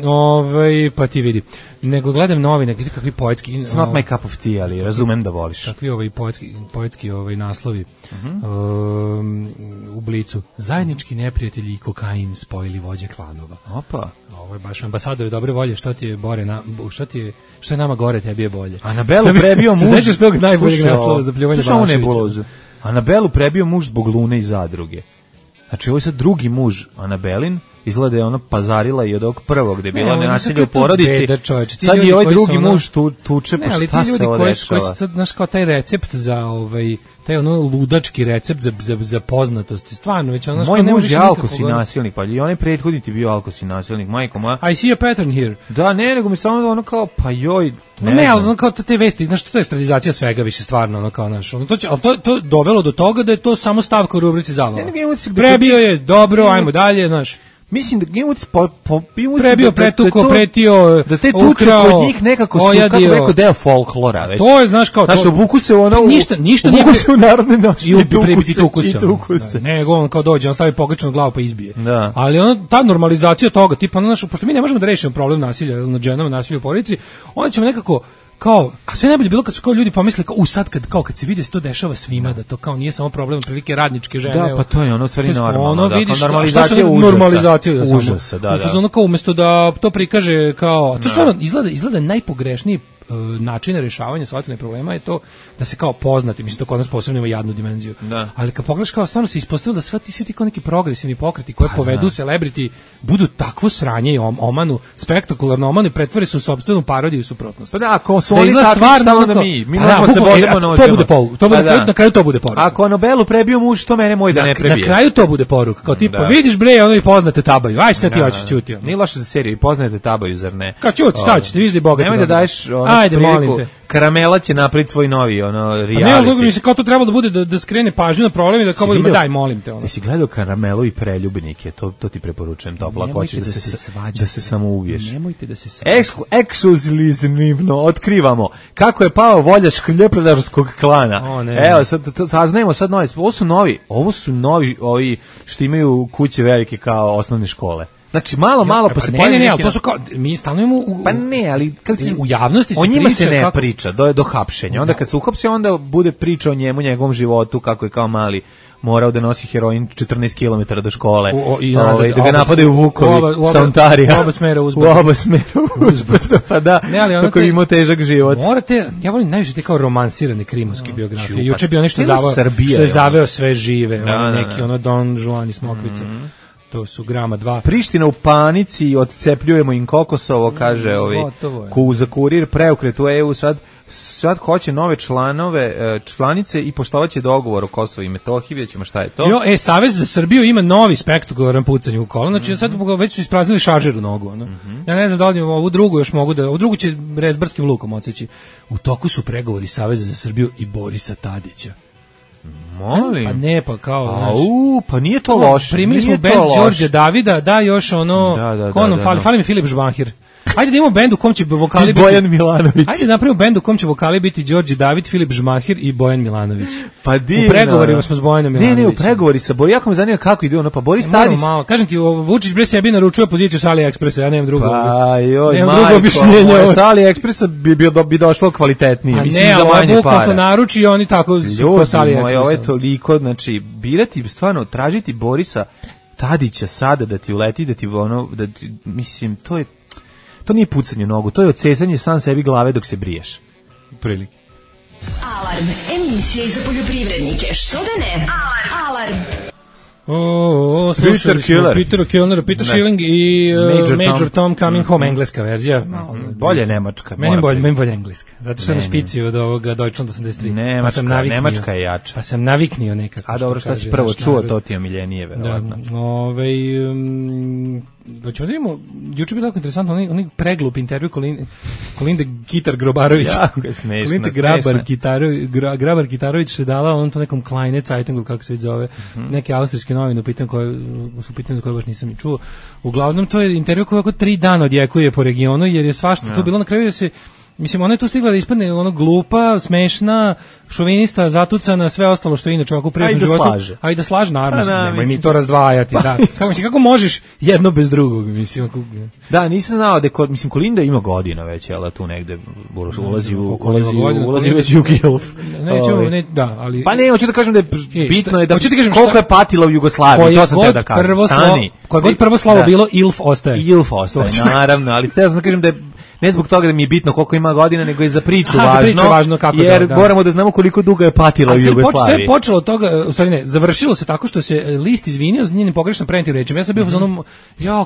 pa ti vidi. Nego gledam novine, vidi kakvi poetski... It's not my cup of tea, ali razumem da voliš. Kakvi poetski naslovi u Blicu. Zajednički neprijatelji i kokain spojili vođe klanova. Opa! Ovo je baš ambasadori dobre volje, što je nama gore, tebi je bolje. Anabelu prebio muž... Sećaš tog najboljeg naslova za pljuvanje Balaševića? Anabelu prebio muž zbog Lune i Zadruge. Znači, ovo je sad drugi muž Anabelin, izgleda je ona pazarila i od ovog prvog gde je bilo nasilje u porodici. Sad je ovaj drugi muž tuče, pa šta se ovo dešava? Znaš, kao taj recept za taj ono ludački recept za poznatost. Stvarno, već ono... Moj muž je alkos i nasilnik, pa i onaj prethodni ti bio alkos i nasilnik, majko moja. I see a pattern here. Da, nego mi samo ono kao, pa joj... Ne, ali ono kao te vesti, znaš, to je stradizacija svega više, stvarno, ono kao, znaš, ali to dovelo do toga da je to samo stavka u rubrici Zavala. Prebio je, dobro, ajmo dalje, znaš. Mislim da prebio, pretuko, pretio, da te tuče kod njih nekako su, kako rekao, deo folklora već. To je, znaš, kao... Znaš, obuku se ono... Ništa obuku se u narodne noći i tuku se. Nego on kao dođe, on stavi pogrešnu glavu pa izbije. Da. Ali ono, ta normalizacija toga, tipa, ono, pošto mi ne možemo da rešimo problem nasilja nad ženama, nasilja u porodici, onda ćemo nekako... Kao, a sve najbolje bilo kad su kao ljudi pomislili kao sad kad se vidi se to dešava svima, da to kao nije samo problem prilike radničke žene. Da, pa to je ono stvari normalno. Ono vidiš normalizacija užasa. Da. Ono kao umesto da to prikaže kao, to stvarno izgleda najpogrešniji način rešavanja socijalnih problema je to da se kao poznati, mislim to kod nas posebno ima jadnu dimenziju. Da. Ali kad pogledaš kao stvarno se ispostavilo da svi ti kao neki progresivni pokreti koje povedu celebrity budu takvo sranje i omanu, spektakularno omanu i pretvore se u sopstvenu parodiju i suprotnost. Pa da, ako su oni takvi, šta onda mi možemo se vodimo na na kraju to bude poruka. Ako Nobelu prebio muž, to mene moj da ne prebije. Na kraju to bude poruka, kao tipa vidiš bre, ono i poznate tabaju, aj šta ti hoćeš ćuti. Nije loše za seriju, poznate tabaju, zar ne? Kao ćuti, šta ćeš, vidiš da je bogat. Nemoj da daješ ajde, molim te. Karamela će napraviti svoj novi reality. Ne, ali mi se kao to trebalo da bude da skrene pažnju na problem i da kao budemo daj molim te ono. Jesi gledao Karamelu i Preljubnike? To ti preporučujem topla, hoćeš da se samo uviješ. Nemojte da se svađate. Ekskluzivno otkrivamo kako je pao volja škljepredarskog klana. Evo, saznajemo sad novi. Ovo su novi ovi što imaju kuće velike kao osnovne škole. Znači malo pa se pojavi neki... to su kao, mi stanujemo u javnosti se priča... O njima se ne priča, do hapšenja. Onda kad se uhapse, onda bude priča o njemu, njegovom životu, kako je kao mali morao da nosi heroin 14 km do škole, da ga napadaju vukovi sa Ontarija. U oba smera uzbrdo. Pa da, kako je imao težak život. Ja volim najviše te kao romansirane krimovske biografije. Juče bio nešto što je zaveo sve žive, neki Don Juan i Smokvica. To su grama 2. Priština u panici, odcepljujemo im Kokosovo, kaže za Kurir, preokret u EU sad hoće nove članice i poštovaće dogovor o Kosovu i Metohiji, vidjet ćemo šta je to. Savez za Srbiju ima novi spektakularan pucanje u kolo, znači sad već su ispraznili šaržer u nogu. Ja ne znam da li ovu drugu još mogu ovu drugu će rezbarskim lukom odseći. U toku su pregovori Saveza za Srbiju i Borisa Tadića. Molim. Pa ne, pa kao, znaš. Pa nije to loše. Primili smo band Đorđe Davida, da još ono, fali mi Filip Žbahir. Ajde da imamo bend u kom će vokali biti Bojan Milanović. Ajde da napravimo bend u kom će vokali biti Đorđe David, Filip Žmahir i Bojan Milanović. Pa divno. U pregovorima smo s Bojanom Milanovićem. Ne, u pregovori sa Bojanom. Jako me zanima kako ide ono, pa Boris Tadić. Malo. Kažem ti, Vučić bre sebi naručuje poziciju sa AliExpressa, ja nemam drugo. Pa joj, nemam drugo objašnjenje. Sa AliExpressa bi došlo kvalitetnije. Mislim, za manje para. To naruči i oni tako sa AliExpressa. Ovo je toliko, znači, birati, stvarno, tražiti Borisa Tadića sada da ti uleti, da ti ono, da ti, mislim, to nije pucanje u nogu, to je odsecanje sam sebi glave dok se briješ. Prilike. Alarm, emisija za poljoprivrednike, što da ne? Alarm. Slušali smo Peter Kellner, Peter Schilling i Major Tom Coming Home, engleska verzija. Bolje nemačka. Meni bolje engleska, zato što sam špicio od ovoga Deutschland 83. Nemačka je jača. Pa sam naviknio nekako. A dobro, šta si prvo čuo, to ti je omiljenije, verovatno. Hoćemo da vidimo, juče je bilo tako interesantno, onaj preglup intervju Kolinde Gitar-Grobarović. Jako je smešno. Kolinde Grabar-Gitarović se dala on to nekom Kleine Zeitung, kako se već zove, neke austrijske novine, su pitanje za koje baš nisam i čuo. Uglavnom, to je intervju koji oko 3 dana odjekuje po regionu, jer je svašta to bilo na kraju da se... Mislim, ona je tu stigla da ispadne ono glupa, smešna, šovinista, zatucana, sve ostalo što je inače ovako u privatnom životu. A i da slaže, naravno. Nemoj mi to razdvajati. Da. Kako možeš jedno bez drugog, mislim. Da, nisam znao da mislim, Kolinda ima godina već, jel, tu negde ulazi već u gilf. Da, ali... Pa ne, hoću da kažem da je bitno je da koliko je patila u Jugoslaviji, to sam te da kažem. Koje god prvo slovo bilo, Ilf ostaje. Ilf ostaje, naravno, ali te sam da kažem da je ne zbog toga da mi je bitno koliko ima godina, nego i za priču važno, kako jer moramo da znamo koliko dugo je patila u Jugoslaviji. Sve je počelo od toga, u stvari ne, završilo se tako što se list izvinio za njenim pogrešno prenijetim rečima. Ja sam bio u onom,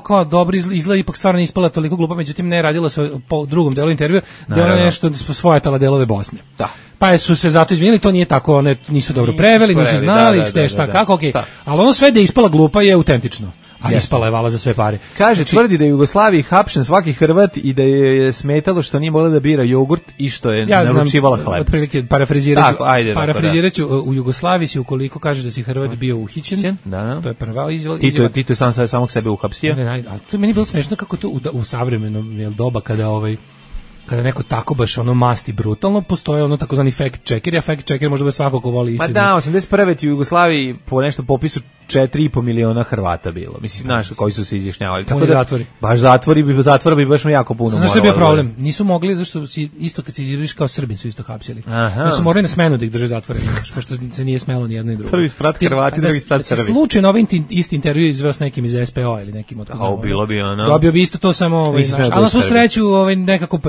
kao dobro, izgleda ipak stvarno nije ispala toliko glupa, međutim ne radilo se po drugom delu intervjua, da ona nešto svojatala delove Bosne. Da. Pa su se zato izvinili, to nije tako, one nisu dobro preveli, nisu znali, kako, okej. Ali ono sve da je ispala glupa je autentično. A ispala je vala za sve pare. Kaže, tvrdi da je u Jugoslaviji hapšen svaki Hrvat i da je smetalo što nije mogla da bira jogurt i što je naručivala hleb. Otprilike, parafrizirat ću, u Jugoslaviji si ukoliko kaže da si Hrvat bio uhićen, to je prva izjava. Tito je sam samog sebe uhapsio. Ali to meni bilo smešno kako to u savremenom doba kada neko tako baš ono masti brutalno, postoje ono takozvani fact checker, a fact checker može da svako ko voli istinu. Pa da, 81. u Jugoslaviji po nešto popisu 4,5 miliona Hrvata bilo. Mislim, znaš, koji su se izjašnjavali. Tako da, zatvori. Baš zatvora bi baš jako puno. Znaš što je bio problem? Nisu mogli, zašto si isto kad se izjaviš kao Srbin su isto hapsili. Da su morali na smenu da ih drže zatvoreni, pošto se nije smelo ni jedno ni drugo. Prvi sprat Hrvati, drugi sprat Srbi. Slučajno ovaj isti intervju izveo s nekim iz SPO ili nekim od toga. Bilo bi ono. Dobio bi isto to samo ali na svu sreću nekako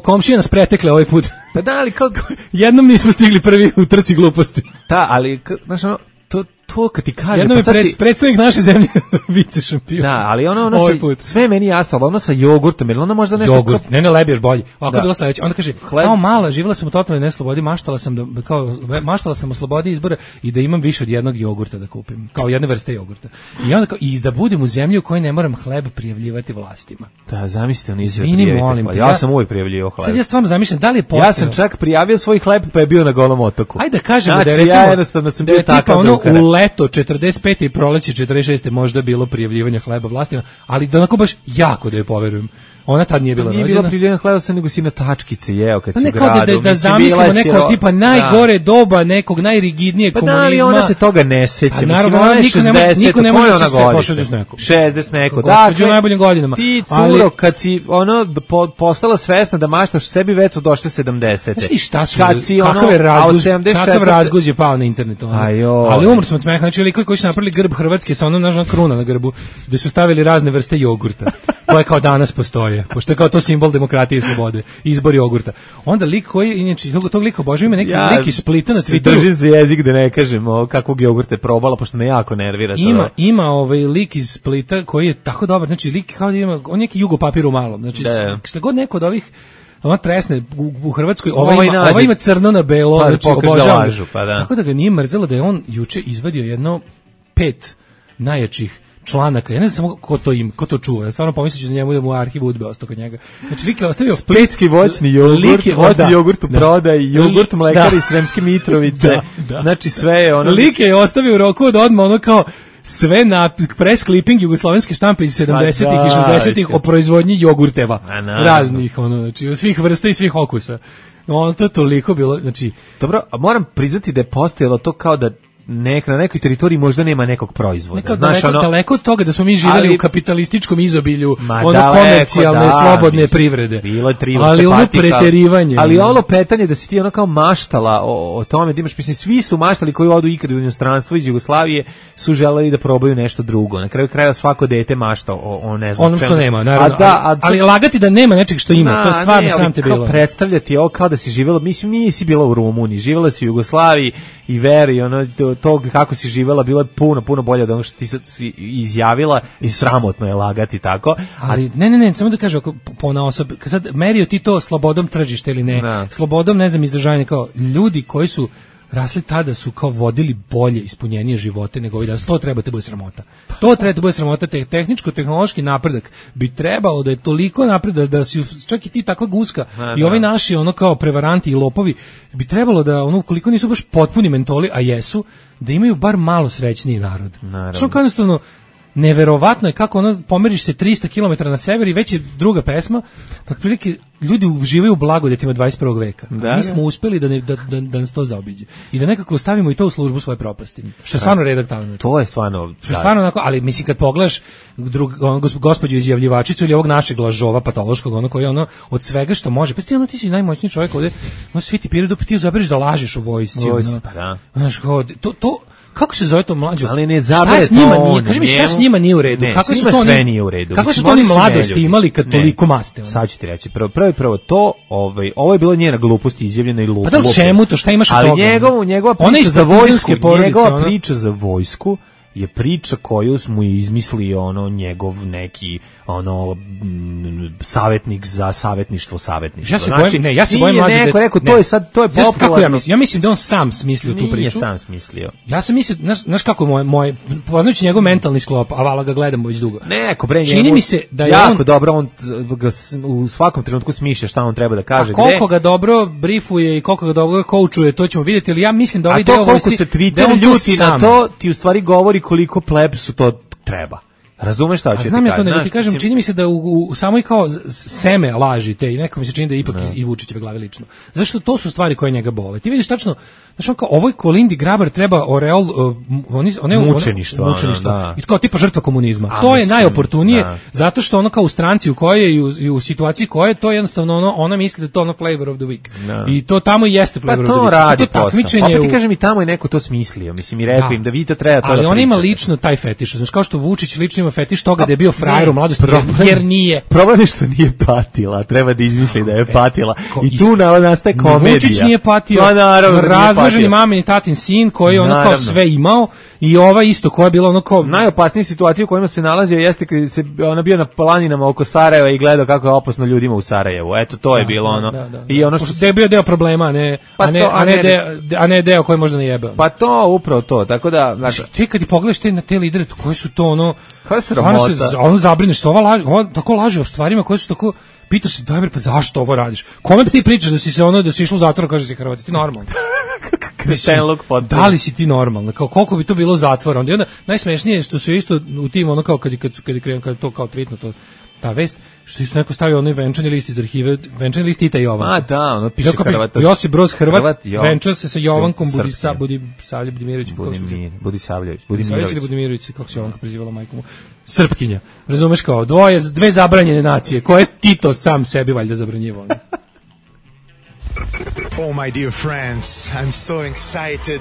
komšije nas pretekle ovaj put. Pa da, ali jednom nismo stigli prvi u trci gluposti. Da, ali znaš ono, to kad ti kaže... Jednom je predstavnik naše zemlje vice šampion. Da, ali ono sve meni jasno, ali ono sa jogurtom, jer ono možda nešto... Jogurt, ne lebiješ bolje. Ovako je bilo sledeće. Onda kaže, kao mala, živjela sam u totalnoj neslobodi, maštala sam o slobodi izbora i da imam više od jednog jogurta da kupim. Kao jedne vrste jogurta. I onda i da budem u zemlji u kojoj ne moram hleb prijavljivati vlastima. Da, zamislite, on izvijek. Ja sam uvijek prijavljivao hleb. Sad ja stvarno zamišljam, da li je postojao... Ja sam čak prijavio svoj hleb pa je bio na Golom otoku. Ajde da kažemo da je recimo leto 45. i proleće 46. možda bilo prijavljivanje hleba vlastima, ali da onako baš jako da je poverujem. Ona tad nije bila rođena. Nije bilo prijavljivanje hleba, nego si na tačkice jeo kad si u gradu. Da zamislimo neko tipa najgore doba, nekog najrigidnijeg komunizma. Pa da li ona se toga ne seća? Naravno, niko ne može se pošao s nekom. 60 neko. Dakle, u najboljim godinama. Ti, curo, kad si postala svesna da maštaš sebi, već su došle 70. Znaš ti šta su? Kakav razguz je pao na internetu. Ali umr smo od smeha. Znači, likovi koji su napravili grb Hrvatske sa onom nažnom kruna na grbu, gde su stavili razne vrste jogurta, koje kao danas postoje, pošto je kao to simbol demokratije i slobode, izbor jogurta. Onda lik koji, inače, tog lika obožava, ima neki lik iz Splita na Twitteru. Držim za jezik da ne kažem kakvog jogurta je probala, pošto me jako nervira. Ima lik iz Splita koji je tako dobar, znači lik kao da ima, on neki jugo papir u malom, znači šta god neko od ovih ona tresne u Hrvatskoj, ova ima crno na belo, znači obožavam. Tako da ga nije mrzelo da je on juče izvadio jedno 5 najjačih članaka. Ja ne znam samo ko to čuva. Ja stvarno pomislit ću da njemu da mu arhiv udbe ostao kod njega. Znači, lik je ostavio splitski voćni jogurt, voćni jogurt u prodaj, jogurt mlekari iz Sremske Mitrovice. Znači, sve je ono... Lik je ostavio u roku od odmah ono kao sve na press clipping jugoslovenske štampe iz 70-ih i 60-ih o proizvodnji jogurteva. Raznih, ono, znači, svih vrsta i svih okusa. Ono to toliko bilo, znači... Dobro, a moram priznati da je postojalo to kao da na nekoj teritoriji možda nema nekog proizvoda. Nekao daleko od toga da smo mi živjeli u kapitalističkom izobilju, komercijalne, slobodne privrede. Bilo je ali ono preterivanje. Ali ono petanje da si ti ono kao maštala o tome, da imaš, mislim, svi su maštali koji odu ikad u inostranstvo iz Jugoslavije su želeli da probaju nešto drugo. Na kraju krajeva svako dete mašta o ne znam ono što nema, naravno. Ali lagati da nema nečeg što ima, to je stvarno sam te bilo. Predstavljati ovo kao da si živjela, mislim, nisi bila u Rumuniji, živjela si u Jugoslaviji i veri, ono, to kako si živjela bilo je puno bolje od onog što ti si izjavila i sramotno je lagati tako. Ali ne, samo da kažem, na osob, sad merio ti to slobodom tržišta ili ne, slobodom, ne znam, izdržavanja, kao ljudi koji su rasli tada su kao vodili bolje, ispunjenije živote nego ovi danas. To treba te bude sramota. To treba te bude sramota. Tehničko-tehnološki napredak bi trebalo da je toliko napredak da si čak i ti takva guska i ovi naši ono kao prevaranti i lopovi bi trebalo da ono koliko nisu baš potpuni mentoli, a jesu, da imaju bar malo srećniji narod. Što kao jednostavno neverovatno je kako ono pomeriš se 300 km na sever i već je druga pesma, otprilike ljudi uživaju u blagodetima 21. veka. Mi smo uspeli da nas to zaobiđe i da nekako stavimo i to u službu svoje propasti. Što je stvarno redak talenat. To je stvarno. Što je stvarno onako, ali mislim kad pogledaš gospođu izjavljivačicu ili ovog našeg lažova patološkog, ono koji ono od svega što može, pa ti si najmoćniji čovjek ovde, no svi ti piraju ti zaberiš da lažeš u vojsci. Znaš, to kako se zove to mlađo? Ali ne zabere to. Kaži mi šta s njima nije u redu? Kako su to sve nije u redu? Kako su to oni mladosti imali kad toliko maste? Sad ću ti reći. Prvo to, ovo je bilo njena glupost izjavljena i lupa. Pa da li čemu to? Šta imaš od toga? Ali njegova priča za vojsku je priča koju smo izmislili njegov neki savjetnik za savjetništvo. Ja se bojim mlađe. Neko rekao, to je popularno. Ja mislim da on sam smislio tu priču. Nije sam smislio. Ja sam mislio, znaš kako moj poznajući njegov mentalni sklop, a vala ga gledamo već dugo. Čini mi se da je jako dobro, on u svakom trenutku smišlja šta on treba da kaže. A koliko ga dobro brifuje i koliko ga dobro koučuje, to ćemo vidjeti, ali ja mislim da ovaj deo koliko se Twitter ljuti na to, ti u stvari govori koliko plebsu to treba. Razumeš šta ću ti znam ja to, nego ti kažem, čini mi se da u samoj kao seme lažite i neko mi se čini da je ipak i Vučićeve glave lično. Zašto to su stvari koje njega bole. Ti vidiš tačno, znaš on kao ovoj Kolindi Grabar treba oreol mučeništva. I kao tipa žrtva komunizma. To je najoportunije zato što ono kao u stranci u kojoj i u situaciji koje to jednostavno ona misli da je to ono flavor of the week. I to tamo i jeste flavor of the week. Pa to radi posao. Pa ti kažem i tamo je neko to smislio. Mislim i rekao im da vidite treba to da pričate. Ali on ima lično taj fetiš. Znaš kao što Vučić lično ima fetiš toga da je bio frajer u mladosti, jer nije. Problem je što nije patila, treba da izmisli da je patila. I tu nastaje komedija. Vučić nije patio, razmaženi mamin i tatin sin koji je ono kao sve imao i ova isto koja je bila ono kao... Najopasnija situacija u kojima se nalazio jeste kad se ona bio na planinama oko Sarajeva i gledao kako je opasno ljudima u Sarajevu. Eto, to je bilo ono. I ono što je bio deo problema, a ne deo koji možda ne jebe. Pa to, upravo to, tako da... Ti kad pogledaš te lidere, koji su to ono... Koja je sramota? Ono zabrineš se, ova tako laže o stvarima koje su tako... Pitaš se, daj pa zašto ovo radiš? Kome ti pričaš da si išlo u zatvor, kaže si Hrvati, ti normalno. Da li si ti normalno? Kao koliko bi to bilo zatvora? Onda najsmešnije je što su isto u tim ono kao kad to kao tweetno ta vest, što isto neko stavio onaj venčani list iz arhive, venčani list Tita Jovan. A da, ono piše Hrvat. Josip Broz Hrvat, venčao se sa Jovankom Budimirović, kako se Jovanka prezivala majkom. Srpkinja. Razumeš kao dve zabranjene nacije, koje Tito sam sebi valjda zabranjivao. Oh, my dear friends, I'm so excited.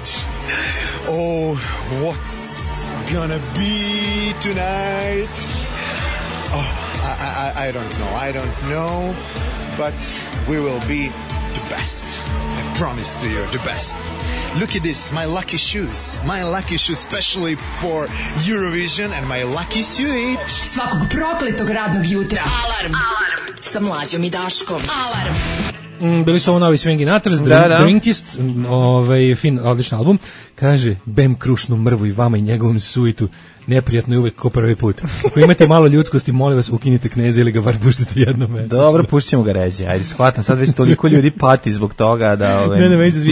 Oh, what's gonna be tonight? Oh, I don't know, but we will be the best. I promise to you, the best. Look at this, my lucky shoes, especially for Eurovision, and my lucky suit. Svakog prokletog radnog jutra. Alarm sa Mlađom i Daškom. Alarm. bili su ovo novi Swingin' Atters, Drinkist, fin, odličan album. Kaže, Bem krušnu mrvu i vama i njegovom suitu. Neprijatno je uvek ko prvi put. Ako imate malo ljudskosti, molim vas, ukinite Kneza ili ga bar puštite jednom mesečno. Dobro, puštit ćemo ga ređe. Ajde, shvatam, sad već toliko ljudi pati zbog toga da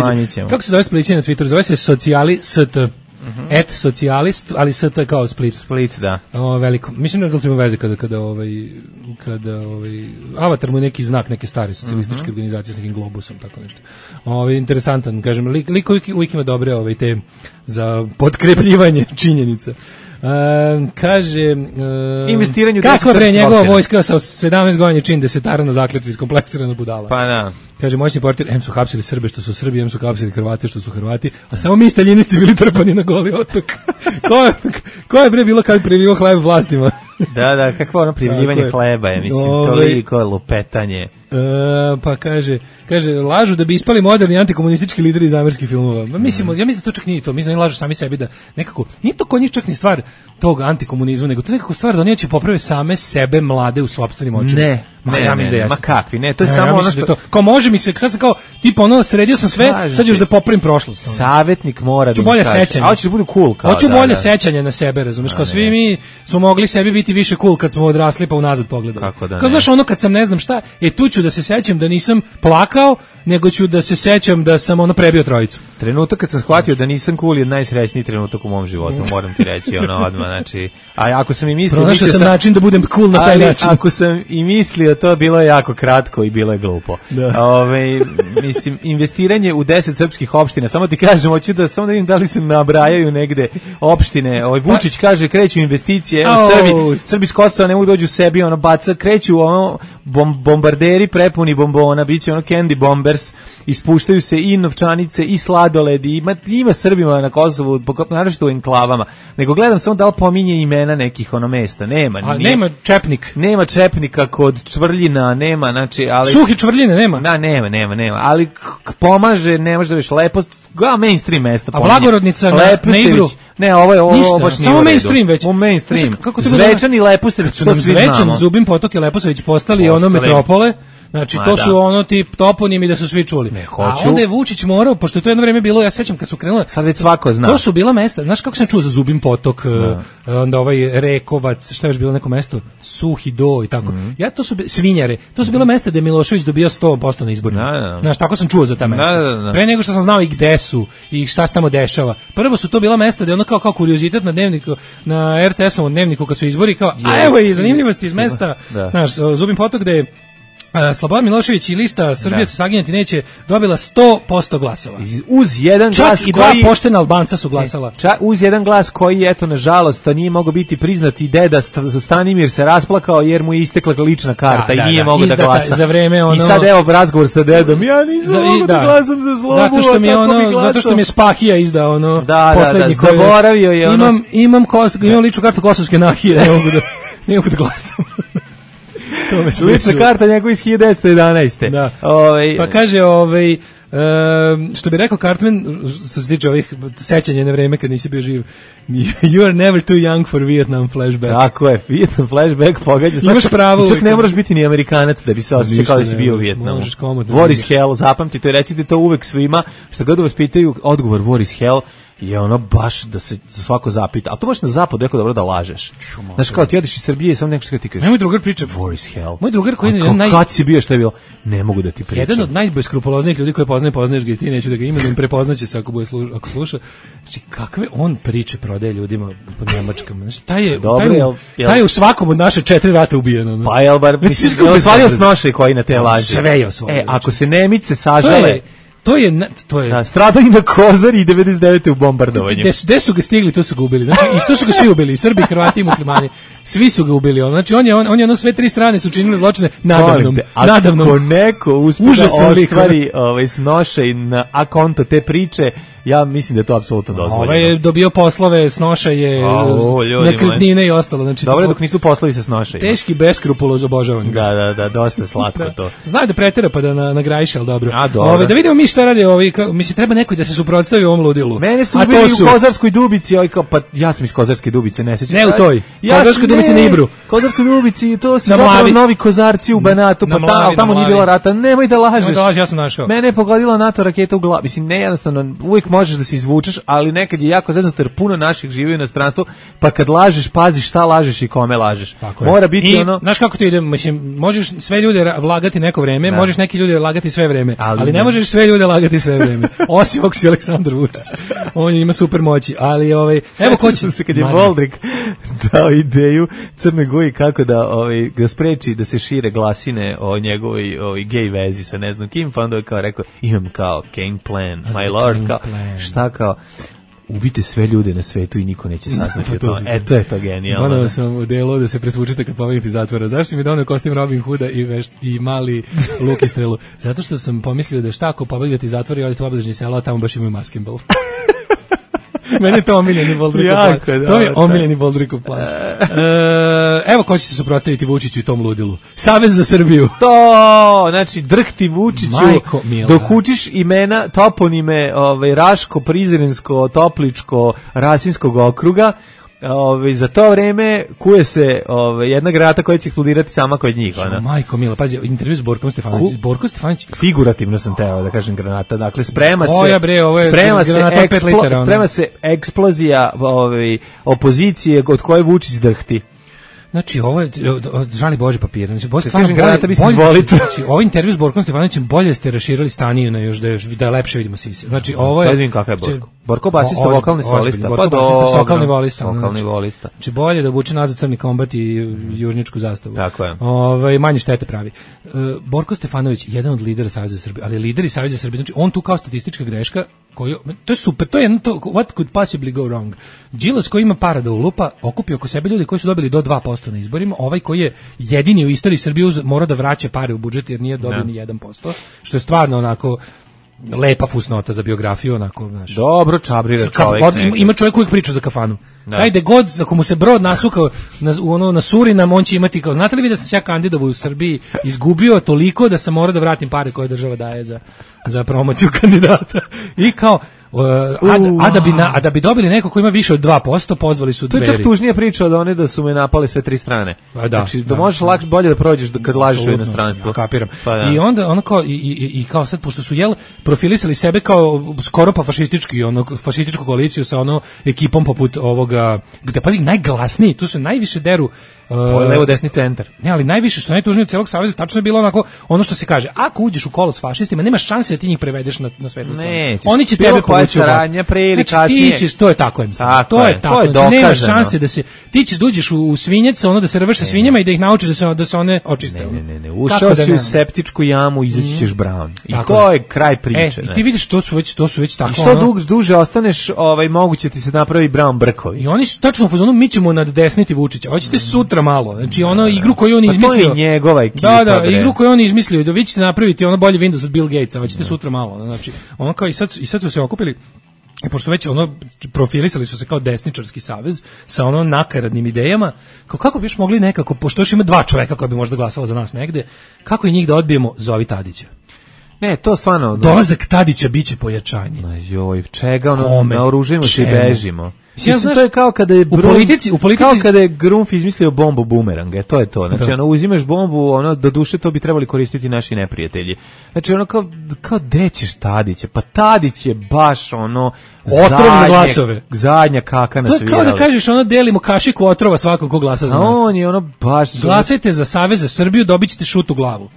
smanjit ćemo. Kako se zove Splićan na Twitteru? Zove se Socijali.st. Et socijalist, ali st kao Split. Split, da. Veliko. Mislim da ima veze kada Avatar mu je neki znak neke stare socijalističke organizacije s nekim globusom, tako nešto. Interesantan, kažem, lik uvijek ima dobre te za potkrepljivanje činjenica. Kaže investiranje u kako bre njegova vojska sa 17 godina čini desetara na zakletvi iskompleksirana budala. Pa da. Kaže moćni portir, em su hapsili Srbe što su Srbi, em su hapsili Hrvate što su Hrvati, a samo mi staljinisti bili trpani na Goli otok. ko je bre bilo kad privio hleb vlastima? Da, kakvo ono privljivanje hleba je, mislim, toliko lupetanje. Pa kaže, lažu da bi ispali moderni antikomunistički lideri iz američkih filmova. Ja mislim da to čak nije to, mislim da oni lažu sami sebi da nekako, nije to kod njih čak ni stvar tog antikomunizma, nego to nekako stvar da oni će poprave same sebe mlade u sopstvenim očima. Ne, ma kakvi, ne, to je samo ono što... Kao može mi se, sad sam kao, tipa ono, sredio sam sve, sad još da popravim prošlost. Savjetnik mora da mi kaže. A hoćeš da budu cool kao. Hoću bolje sećanje na sebe, razumeš, kao svi mi smo mogli sebi biti više cool kad smo odrasli pa unazad pogledali. Kao znaš ono kad sam ne znam šta, tu ću da se sećam da nisam plakao, nego ću da se sećam da sam ono prebio trojicu. Trenutak kad sam shvatio da nisam cool je najsrećniji trenutak u mom životu, moram ti reći, ono odmah, znači, a ako sam i mislio... Pronašao sam način da budem cool na taj način. Ako sam i mislio, to bilo je jako kratko i bilo je glupo. Mislim, investiranje u 10 srpskih opština, samo ti kažem, hoću da samo da vidim da li se nabrajaju negde opštine, Vučić kaže, kreću investicije, evo Srbi s Kosova ne mogu dođu sebi, ono baca, kreću ono bombarderi prepuni bombona, bit će ono candy bombers, ispuštaju se i novčanice i sladoledi, ima Srbima na Kosovu, naročito u enklavama, nego gledam samo da li pominje imena nekih ono mesta, nema. Nema Čepnik. Nema Čepnika kod Čvrljina, nema, znači, ali... Suhi Čvrljine nema? Da, nema, ali pomaže, ne može da viš lepost, mainstream mesta. A Blagorodnica na Ibru? Ne, ovo baš nije samo mainstream već. U mainstream. Zvečan i Leposavić, to svi znamo. Zvečan, Zubin Potok i Leposavić postali ono metropole. Znači, to su ono tip toponimi da su svi čuli. A onda je Vučić morao, pošto je to jedno vreme bilo, ja sećam kad su krenule... Sad već svako zna. To su bila mesta, znaš kako sam čuo za Zubin Potok, onda Rekovac, šta je još bilo neko mesto? Suhi Do i tako. Ja, to su Svinjare, to su bila mesta gde Milošević dobio 100% na izborima. Znaš, tako sam čuo za ta mesta. Pre nego što sam znao i gde su i šta se tamo dešava. Prvo su to bila mesta gde ono kao kuriozitet na dnevniku, na RTS-ovom dnevniku kad su izbori, kao, a evo i zanimljivosti iz mesta. Znaš, Zubin Potok gde je Slobodan Milošević i lista Srbija se saginjati neće dobila 100% glasova. Uz jedan čak glas i dva poštena Albanca su glasala. Uz jedan glas koji, eto, nažalost, to nije mogao biti priznat i deda Stanimir se rasplakao jer mu je istekla lična karta i nije mogao da glasa. Za vreme I sad evo razgovor sa dedom, ja nisam mogao da glasam za Slobu, zato što mi je Spahija izdao poslednji koji zaboravio je imam ličnu kartu Kosovske Nahije, ne mogu da glasam. Lična karta njegov iz 1911. Da. Pa kaže, što bi rekao Cartman, što se tiče ovih sećanja na vreme kad nisi bio živ, you are never too young for Vietnam flashback. Tako je, Vietnam flashback pogađa. Imaš pravo. Čak ne moraš biti ni Amerikanac da bi se osjećao kao da si bio u Vietnamu. War is hell, zapamtite to i recite to uvek svima, što god vas pitaju, odgovor war is hell je ono baš da se svako zapita. Ali to možeš na zapadu jako dobro da lažeš. Znaš, kao ti odeš iz Srbije i samo neko što ti kažeš. Moj drugar priča war is hell. Moj drugar koji je kad si bio, što je bilo? Ne mogu da ti pričam. Jedan od najbeskrupuloznijih ljudi koje poznaješ ga i ti, neću da ga imenujem, prepoznaće se ako sluša. Znači, kakve on priče prodaje ljudima po Nemačkama. Znači, taj je u svakom od naše 4 rata ubijen. Pa jel bar, je osvario snošaj koji na te laži. Sve je osvario. Ako se Nemice sažale... To je da, stradao i na Kozari i 99. u bombardovanju. Gde su ga stigli, to su ga ubili. Znači, isto su ga svi ubili, i Srbi, Hrvati i Muslimani. Svi su ga ubili. Znači, on je sve 3 strane su činili zločine nadavnom. Ako neko uspije da ostvari snošaj na akonto te priče, ja mislim da je to apsolutno dozvoljeno. Ovaj je dobio poslove, snošaje, nekretnine i ostalo. Znači, dobro, dok nisu poslovi sa snošajima. Teški beskrupuloz obožavan. Da, dosta slatko to. Znaju da pretera pa da nagrajiše, ali dobro. Dobro. Da vidimo mi šta radi mislim, treba neko da se suprotstavi ovom ludilu. Mene su ubili u Kozarskoj Dubici, pa ja sam iz Kozarske Dubice, ne sećam. Ne u toj. Kozarskoj Dubici na Ibru. Kozarskoj Dubici, to su zapravo novi Kozarci u Banatu, pa tamo nije bilo rata. Nemoj da lažeš. Ja sam našao. Mene je pogodila NATO raketa u glavu. Mislim, ne jednostavno, uvijek možeš da se izvučeš, ali nekad je jako zeznuto jer puno naših živi u inostranstvu, pa kad lažeš, pazi šta lažeš i kome lažeš. Mora biti ono... Znaš kako to ide? Mislim, možeš sve ljude lagati neko vreme, možeš neki ljude lagati sve vreme, ali ne možeš sve ljude lagati sve vreme. Osim ako si Aleksandar Vučić. On ima super moći, ali evo ko će se kad je Voldrik dao ideju Crnoj Goji kako da spreči da se šire glasine o njegovoj gej vezi sa ne znam kim, pa onda je kao rekao, imam kao game plan, my lord, kao, šta kao, ubite sve ljude na svetu i niko neće saznati o tome. To je to genijalno. Ono sam u delu da se presvučite kad pobegite iz zatvora. Zašto si mi donio kostim Robin Hooda i mali luk i strelu? Zato što sam pomislio da šta ako pobegite iz zatvora i odete u obližnje selo, a tamo baš imaju maskembal. Meni je to omiljeni Boldrikov plan. To je omiljeni Boldrikov plan. Evo ko će se suprotstaviti Vučiću i tom ludilu. Savez za Srbiju. To, znači drhti Vučiću dok učiš imena, toponime Raško, Prizrensko, Topličko, Rasinskog okruga. Za to vreme kuje se jedna granata koja će eksplodirati sama kod njih. Majko mila, pazi, intervju s Borkom Stefanovićem. Borko Stefanović... Figurativno sam teo da kažem granata. Dakle, sprema se eksplozija opozicije od koje Vučić drhti. Znači, ovo je, žali Bože papir. Znači, ovaj intervju s Borkom Stefanovićem bolje ste raširali staniju na još da lepše vidimo sise. Znači, ovo je... Vidim kakav je Borko. Borko basista, vokalni solista. Borko basista, vokalni volista. Znači, bolje da vuče nazad crni kombat i južničku zastavu. Tako je. Manje štete pravi. Borko Stefanović, jedan od lidera Saveza Srbije, ali lideri Saveza Srbije, znači, on tu kao statistička greška, to je super, to je jedno to, what could possibly go wrong. Đilas koji ima para da ulupa, okupio oko sebe ljudi koji su dobili do 2% na izborima, ovaj koji je jedini u istoriji Srbije mora da vraća pare u budžet jer nije dobio ni 1%, što je stvarno onako lepa fusnota za biografiju, onako, znaš. Dobro, čabrira čovjek. Ima čovjek koji priča za kafanu. Ajde god, ako mu se brod nasukao na Surinam, on će imati kao, znate li vi da sam se ja kandidovao u Srbiji, izgubio toliko da sam morao da vratim pare koje država daje za promociju kandidata. I kao, da bi dobili neko ko ima više od 2%, pozvali su Dveri. To je čak tužnija priča od one da su me napali sve tri strane. Znači, da možeš bolje da prođeš kad lažeš u inostranstvu. Kapiram. I onda ono kao, i kao sad, pošto su profilisali sebe kao skoro pa fašističku koaliciju sa ekipom poput ovoga, gde, pazi, najglasniji, tu se najviše deru levo desni centar. Ne, ali najviše što najtužnije od celog saveza tačno je bilo onako ono što se kaže, ako uđeš u kolo s fašistima, nema šanse da ti njih prevedeš na svetlu stranu. Oni će tebe povući u bok. Ti ćeš, to je tako. To je tako. Znači, nema šanse da se ti ćeš uđeš u svinjac, da se rveš sa svinjama i da ih naučiš da se one očiste. Ne. Ušao si u septičku jamu, izaći ćeš brown. I to je kraj priče. I ti vidiš to su već tako. I što duže ostaneš, moguće ti se napravi brown brkovi. I oni su tačno u fazonu, mi ćemo naddesniti Vučića. Hoćete sutra malo. Znači igru koju on izmislio. To je njegova ekipa. Da, igru koju on izmislio, da vi ćete napraviti bolji Windows od Bill Gatesa, hoćete sutra malo. Znači, kao i sad su se okupili. I pošto već profilisali su se kao desničarski savez sa nakaradnim idejama, kako bi još mogli nekako, pošto još ima 2 čoveka koja bi možda glasala za nas negde, kako i njih da odbijemo? Zovi Tadića. Ne, to stvarno... Dolazak Tadića biće pojačanje. Joj, čega naoružimo se i bežimo. Mislim, to je kao kada je kao kada je Grunf izmislio bombu bumeranga, to je to. Znači, uzimaš bombu, do duše to bi trebali koristiti naši neprijatelji. Znači, kao gde ćeš Tadića? Pa Tadić je baš otrov za glasove. Zadnja kaka na svirali. To je kao da kažeš, delimo kašiku otrova svakog ko glasa za nas. On je baš... Glasajte za Savez za Srbiju, dobit ćete šut u glavu.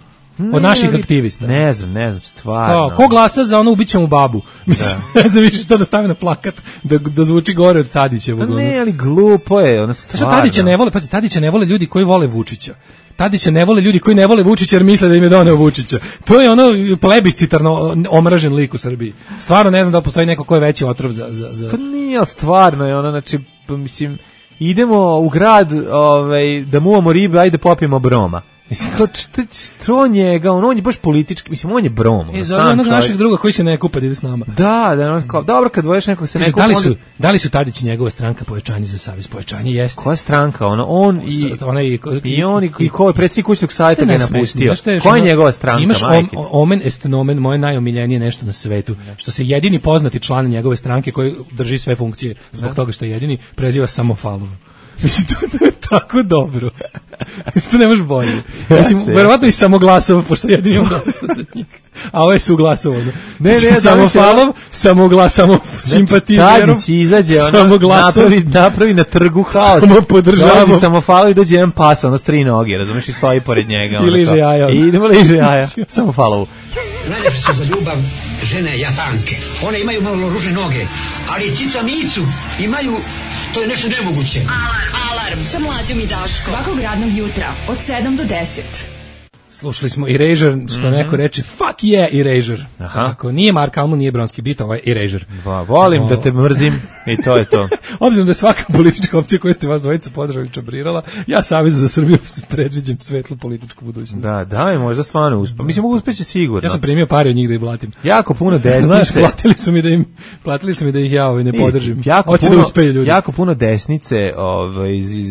Od naših aktivista. Ne znam, stvarno. Ko glasa za ubićemo babu? Mislim, ne znam više što da stavi na plakat, da zvuči gore od Tadića. Pa ne, ali glupo je, stvarno. Tadića ne vole ljudi koji vole Vučića. Tadića ne vole ljudi koji ne vole Vučića jer misle da im je doneo Vučića. To je plebiscitarno omražen lik u Srbiji. Stvarno ne znam da postoji neko ko je veći otrov za... Pa nije, stvarno je znači, mislim... Idemo u grad da muvamo ribe, ajde popijemo broma. Mislim, to njega, on je baš politički, mislim, on je brom. Zove onog našeg druga koji se ne kupa da ide s nama. Da, kao, dobro, kad dvoješ nekog se ne kupa. Da li su Tadić i njegova stranka Pojačanje za savez? Pojačanje jeste. Koja stranka? On i ko je predsjednik kućnog savjeta ga je napustio. Koja je njegova stranka, imaš omen est nomen, moje najomiljenije nešto na svetu. Što se jedini poznati član njegove stranke koji drži sve funkcije zbog toga što je jedini, preziva Samofalov. Mislim, to je tako dobro. Mislim, to nemaš bolje. Mislim, verovatno i Samoglasov, pošto jedini on dosadnik. A ovo je Suglasov. Ne, Samofalov, Samoglasov, simpatizerom. Tadić izađe, napravi na trgu haos. Samo podržavamo. Dolazi Samofalov i dođe jedan pas, ono s 3 noge, razumiješ, i stoji pored njega. I liže jaja. I idemo liže jaja. Samofalovu. Najljepše su za ljubav žene Japanke. One imaju malo ružne noge, ali cica micu imaju, to je nešto nemoguće. Alarm sa Mlađom i Daškom. Svakog radnog jutra od 7 do 10. Slušali smo Erasure, što neko reče, fuck yeah, Erasure. Ako nije Mark Almond, nije Bronski bit, ovo je Erasure. Volim da te mrzim i to je to. Obzirom da je svaka politička opcija koju ste vas dvojica podržali čabrirala, ja Savez za Srbiju predviđam svetlu političku budućnost. Da, možda stvarno uspe. Mislim, uspeće sigurno. Ja sam primio pare od njih da ih blatim. Jako puno desnice. Znaš, platili su mi da ih ja ne podržim. Hoće da uspeju ljudi. Jako puno desnice,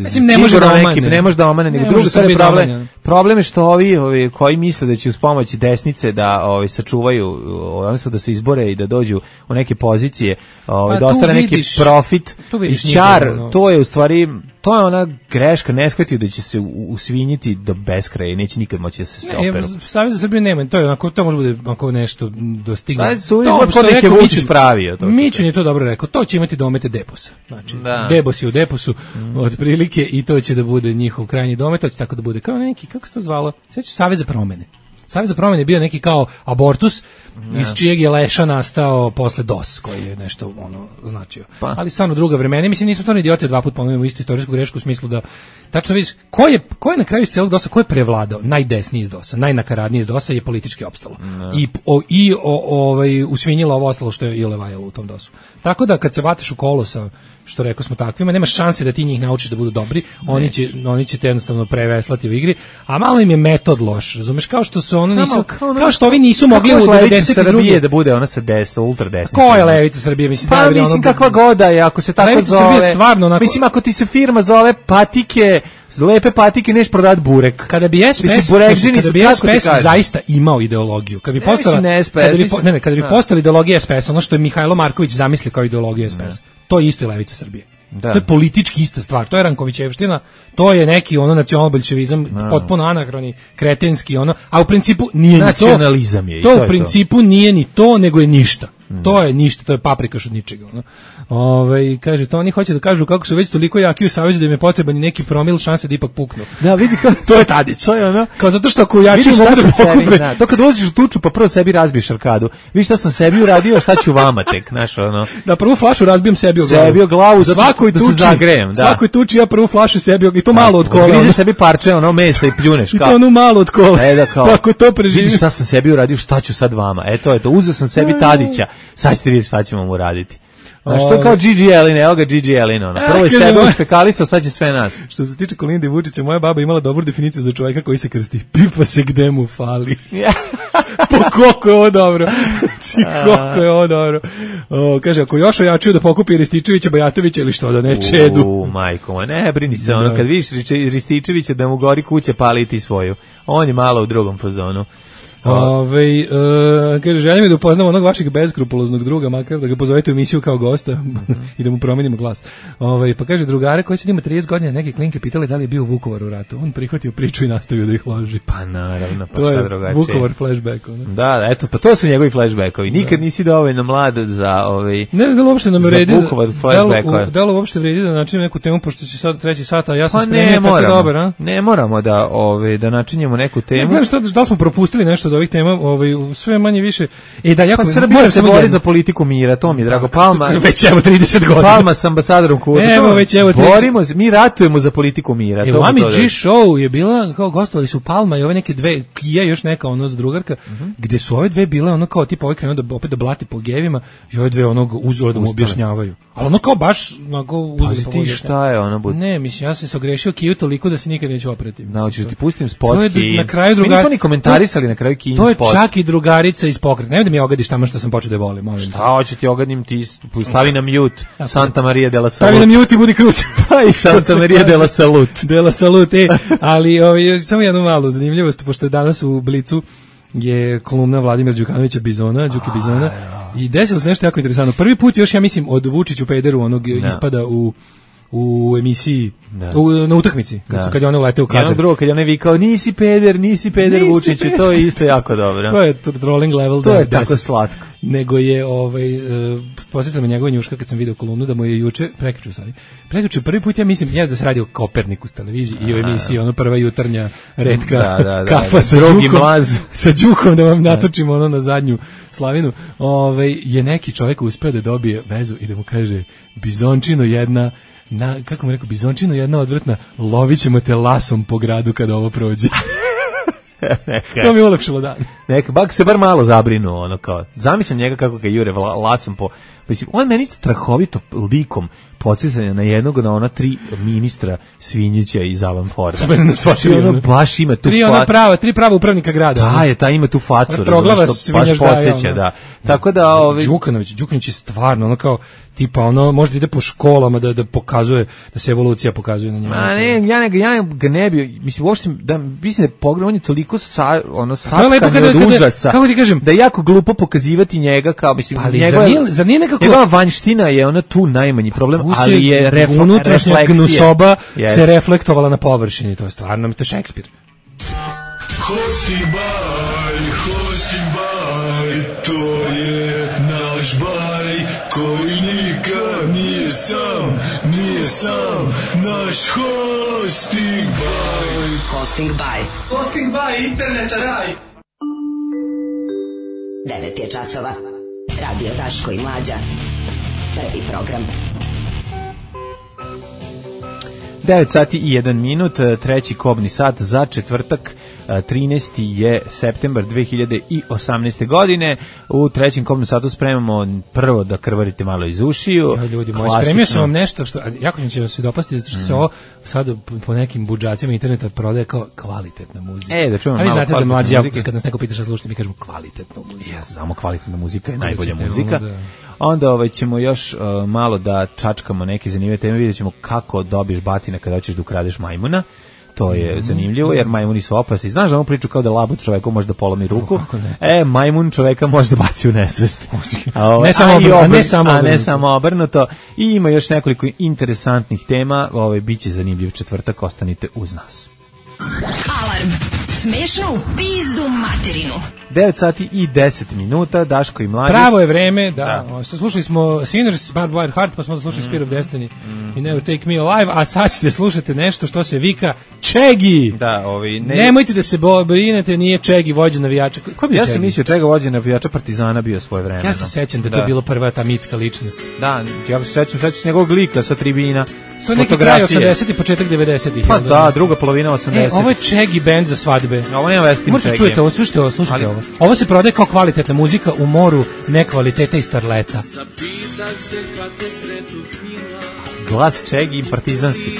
mislim, ne može da omane. Ne može da omane, nego drugo stvari problem. Problem je što ovi koji misle da će uz pomoć desnice da sačuvaju, odnosno da se izbore i da dođu u neke pozicije, da ostane neki profit i čar, to je u stvari, to je ona greška, ne shvatio da će se usvinjiti do beskraja i neće nikad moći da se operu. Savez za Srbiju nema, to je onako, to može bude onako nešto dostigne. Savez za Srbiju kod neke Vučić pravio. Mićun je to dobro rekao, to će imati domete Deposa. Znači, Debos je u Deposu otprilike i to će da bude njihov krajnji domet, to će tako da bude kao neki, kako se to zvalo, sveće Savez za promene. Savez za promene je bio neki kao abortus iz čijeg je leša nastao posle DOS, koji je nešto značio. Ali stvarno druga vremena. Mislim, nismo stvarno idioti, dva puta ponovimo istu istorijsku grešku u smislu da tačno vidiš ko je na kraju iz celog DOS-a, ko je prevladao, najdesniji iz DOS-a, najnakaradniji iz DOS-a je politički opstalo. I usvinjilo ovo ostalo što je i levajalo u tom DOS-u. Tako da kad se vatiš u kolo sa, što rekao smo takvima, nema šanse da ti njih naučiš da budu dobri, oni će te jednostavno preveslati u igri, a malo im je metod loš, razumeš, kao što su kao što ovi nisu mogli u 92. da bude ona sa desna, ultra desna. Ko je levica Srbije, mislim, mislim kakva goda je, ako se tako levica zove. Srbije stvarno onako, mislim, ako ti se firma zove Patike, lepe patike, neš prodat burek. Kada bi SPS zaista imao ideologiju, kada bi postala ideologija SPS, ono što je Mihajlo Marković zamislio kao ideologiju SPS, to je isto levica Srbije. To je politički ista stvar, to je Rankovićevština, to je neki nacionalbolševizam, potpuno anahroni, kretenski, a u principu nije ni to. Nacionalizam je. To u principu nije ni to, nego je ništa. To je ništa, to je paprikaš od ničega. Kaže, to oni hoće da kažu kako su već toliko jaki u savezu da im je potreban neki promil šanse da ipak puknu. Da, vidi kao to je Tadić. To je ono. Kao zato što ako jači mogu da pokupe. To kad ulaziš u tuču pa prvo sebi razbiješ arkadu. Vidi šta sam sebi uradio, šta ću vama tek, znaš, ono. Da, prvu flašu razbijem sebi o glavu. Svakoj tuči, zagrejem, da. Svakoj tuči ja prvu flašu sebi i to malo od kola. Grižeš sebi parče mesa i pljuneš kao. I to ono malo od kola. Kako to preživim. Vidi šta sam sebi uradio, šta ću sad vama. To je to. Uzeo sam sebi Tadića. Sad ćete vidjeti šta ćemo mu raditi. Znaš, to je kao Gigi Elin, evo ga Gigi Elin, prvo je sebe ušpekalisao, sad će sve nas. Što se tiče Kolinde Vučića, moja baba imala dobru definiciju za čovjeka koji se krsti. Pipa se gde mu fali. Po koliko je ovo dobro. Koliko je ovo dobro. Kaže, ako još ojačuju da pokupi Rističevića, Bajatovića ili što, da ne čedu. Majko, ne brini se, kad vidiš Rističevića da mu gori kuća, pali ti svoju. On je malo u drugom fazonu. Kaže, želim da upoznam onog vašeg beskrupuloznog druga, makar da ga pozovete u emisiju kao gosta i da mu promenimo glas. Pa kaže, drugare koji sad ima 30 godina, neke klinke pitali da li je bio u Vukovaru u ratu. On prihvatio priču i nastavio da ih loži. Pa naravno, pa to šta je drugačije. Vukovar flashback. Da, eto, pa to su njegovi flashbackovi. Nikad nisi dovoljno mlad za ne znam da li uopšte nam vredi da li uopšte vredi da načinimo neku temu, pošto će sad 3 sata, a ja sam spremio tako dobar, a? Ne moramo da načinimo neku temu. Ne znam da smo propustili nešto od ovih tema, sve manje više. Pa Srbija se bori za politiku mira, to mi je drago. Palma, već evo 30 godina. Palma s ambasadorom Kuba. Borimo se, mi ratujemo za politiku mira. Evo, Ami G show je bila, kao gostovali su Palma i ove neke dve, Kija još neka z drugarka, gde su ove dve bile kao tipa ovaj krenuo da opet da blati po gevima i ove dve uzore da mu objašnjavaju. Ali ono kao baš onako uzeli pa ti šta je ono bud? Ne, mislim, ja sam se ogrešio Kiju toliko da se nikad neću oprati. Hoćeš ti pustim spot Kiju. Na kraju mi nismo ni komentarisali na kraju Kijin spot. To je čak i drugarica iz Pokreta. Nemoj da mi ogadiš tamo što sam počeo da je volim. Šta hoće ti ogadim, ti stavi na mute Santa Maria de la Salud. Stavi na mute i budi kruć. Pa i Santa Maria de la Salud. De la Salud, ali samo jednu malu zanimljivost, pošto je danas u Blicu je kolumna Vladimira Đukanovića Bizona, Đuki Bizona, i desilo se nešto jako interesantno. Prvi put još, ja mislim, od Vučiću pederu onog ispada u emisiji, na utakmici, kad je ono uleteo u kadar. Jednog drugog, kad je ono vikao, nisi peder Vučiću, to je isto jako dobro. To je trolling level. To je tako slatko. Nego je, posjetila me njegova njuška kad sam video kolumnu, da mu je prekjuče prvi put, ja mislim, da se radi o Kopernikus televiziji i o emisiji, ono prva jutarnja retka kafa sa Đukom, da vam natočimo ono na zadnju slavinu, je neki čovjek uspeo da dobije vezu i da mu kaže, Bizončino jedna, kako mu rekao, Bizončino jedna odvrtna, lovit ćemo te lasom po gradu kada ovo prođe. To mi je ulepšilo dan. Neka, bak se bar malo zabrinu, ono kao, zamislim njega kako ga jure lasom po, mislim, on meni strahovito likom podsjećanja na jednog, na ona 3 ministra Svinjića iz Alan Forda. Ono baš ima tu facu. 3 prava upravnika grada. Da, ima tu facu. Proglava Svinjaš da. Tako da... Đukanović je stvarno, ono kao, tipa, ono, možda ide po školama da pokazuje, da se evolucija pokazuje na njemu. Ja ga ne bi, mislim, uopšte, mislim da je pogledaj, on je toliko satkan od užasa, kako ti kažem, da je jako glupo pokazivati njega, kao, mislim, zar nije nekako... Njegova vanjština je ona tu najmanji problem, ali je unutrašnja gnusoba se reflektovala na površini, to je stvarno, to je Šekspir. Hosting by, to je naš baj, koji nikad nije sam, naš hosting by. Hosting by, internet raj. 9 je časova, Radio Daško i Mlađa, prvi program. 9 sati i 1 minut, treći kobni sat za četvrtak, 13. je septembar 2018. godine. U trećem kobnom satu spremamo prvo da krvarite malo iz ušiju. Ljudi moji, spremio sam vam nešto što, jako će vam se dopasti, zato što se ovo sad po nekim budžacima interneta prodaje kao kvalitetna muzika. Da čujemo malo kvalitetna da mlađi, muzika. Kad nas neko pita šta slušate, mi kažemo kvalitetna muzika. Ja, samo kvalitetna muzika je najbolja muzika. Onda ćemo još malo da čačkamo neke zanimljive teme, vidjet ćemo kako dobiješ batina kada hoćeš da ukradeš majmuna. To je zanimljivo, jer majmuni su opasni. Znaš da onu priču kao da labud čoveku može da polomi ruku? Majmun čoveka može da baci u nesvest. Ne samo obrnuto. I ima još nekoliko interesantnih tema. Biće zanimljiv četvrtak, ostanite uz nas. Alarm. Smešno u pizdu materinu. 9 sati i 10 minuta, Daško i Mlađe. Pravo je vreme, slušali smo Sinners, Barbed Wire Heart, pa smo slušali Spear of Destiny i Never Take Me Alive, a sad ćete slušati nešto što se vika Čegi. Nemojte da se brinete, nije Čegi vođa navijača. Ja sam mislio Čega vođa navijača Partizana bio svoje vreme. Ja se sećam da je to bilo prva ta mitska ličnost. Da, ja se sećam njegovog lika sa tribina. To je neki kraj 80 i početak 90-ih. Pa da, druga polovina 80. Ovo je Čegi band za svadbe. Ovo nema veze s tim Čegi. Možete čujete ovo, slušajte ovo. Ovo se prodaje kao kvalitetna muzika u moru nekvaliteta i starleta. Glas Čegi i partizanski.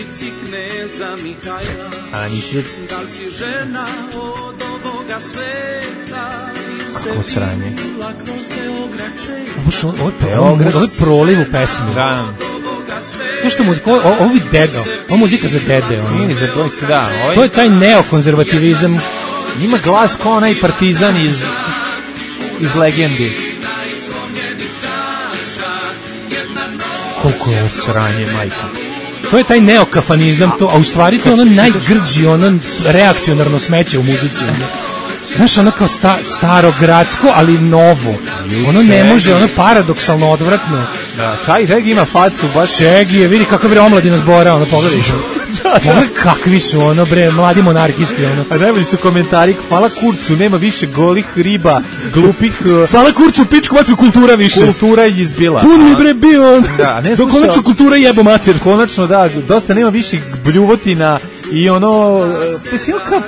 A nisi... Kako sranje. Ovo je proliv u pesmi. Da. Što muzika, ovo je dede, ovo muzika za dede. To je taj neokonzervativizam. Ima glas kao onaj partizan iz legendi. Koliko je sranje, majko. To je taj neokafanizam, a u stvari to je ono najgrđi, ono reakcionarno smeće u muzici. Znaš, ono kao starogradsko, ali novo. Ono ne može, ono paradoksalno odvratno. Da, Čegi ima facu, baš. Čegi je, vidi kako bre omladina zbora, ono, pogledaš. Pogledaj kakvi su, ono, bre, mladi monarhisti, ono. A najbolji su komentari, hvala Kurcu, nema više golih riba, glupih... Hvala Kurcu, pičku matru, kultura više. Kultura je izbila. Pun mi bre bio, do konačno kultura jebo mater. Konačno, da, dosta nema više bljuvotina i ono, pesilka...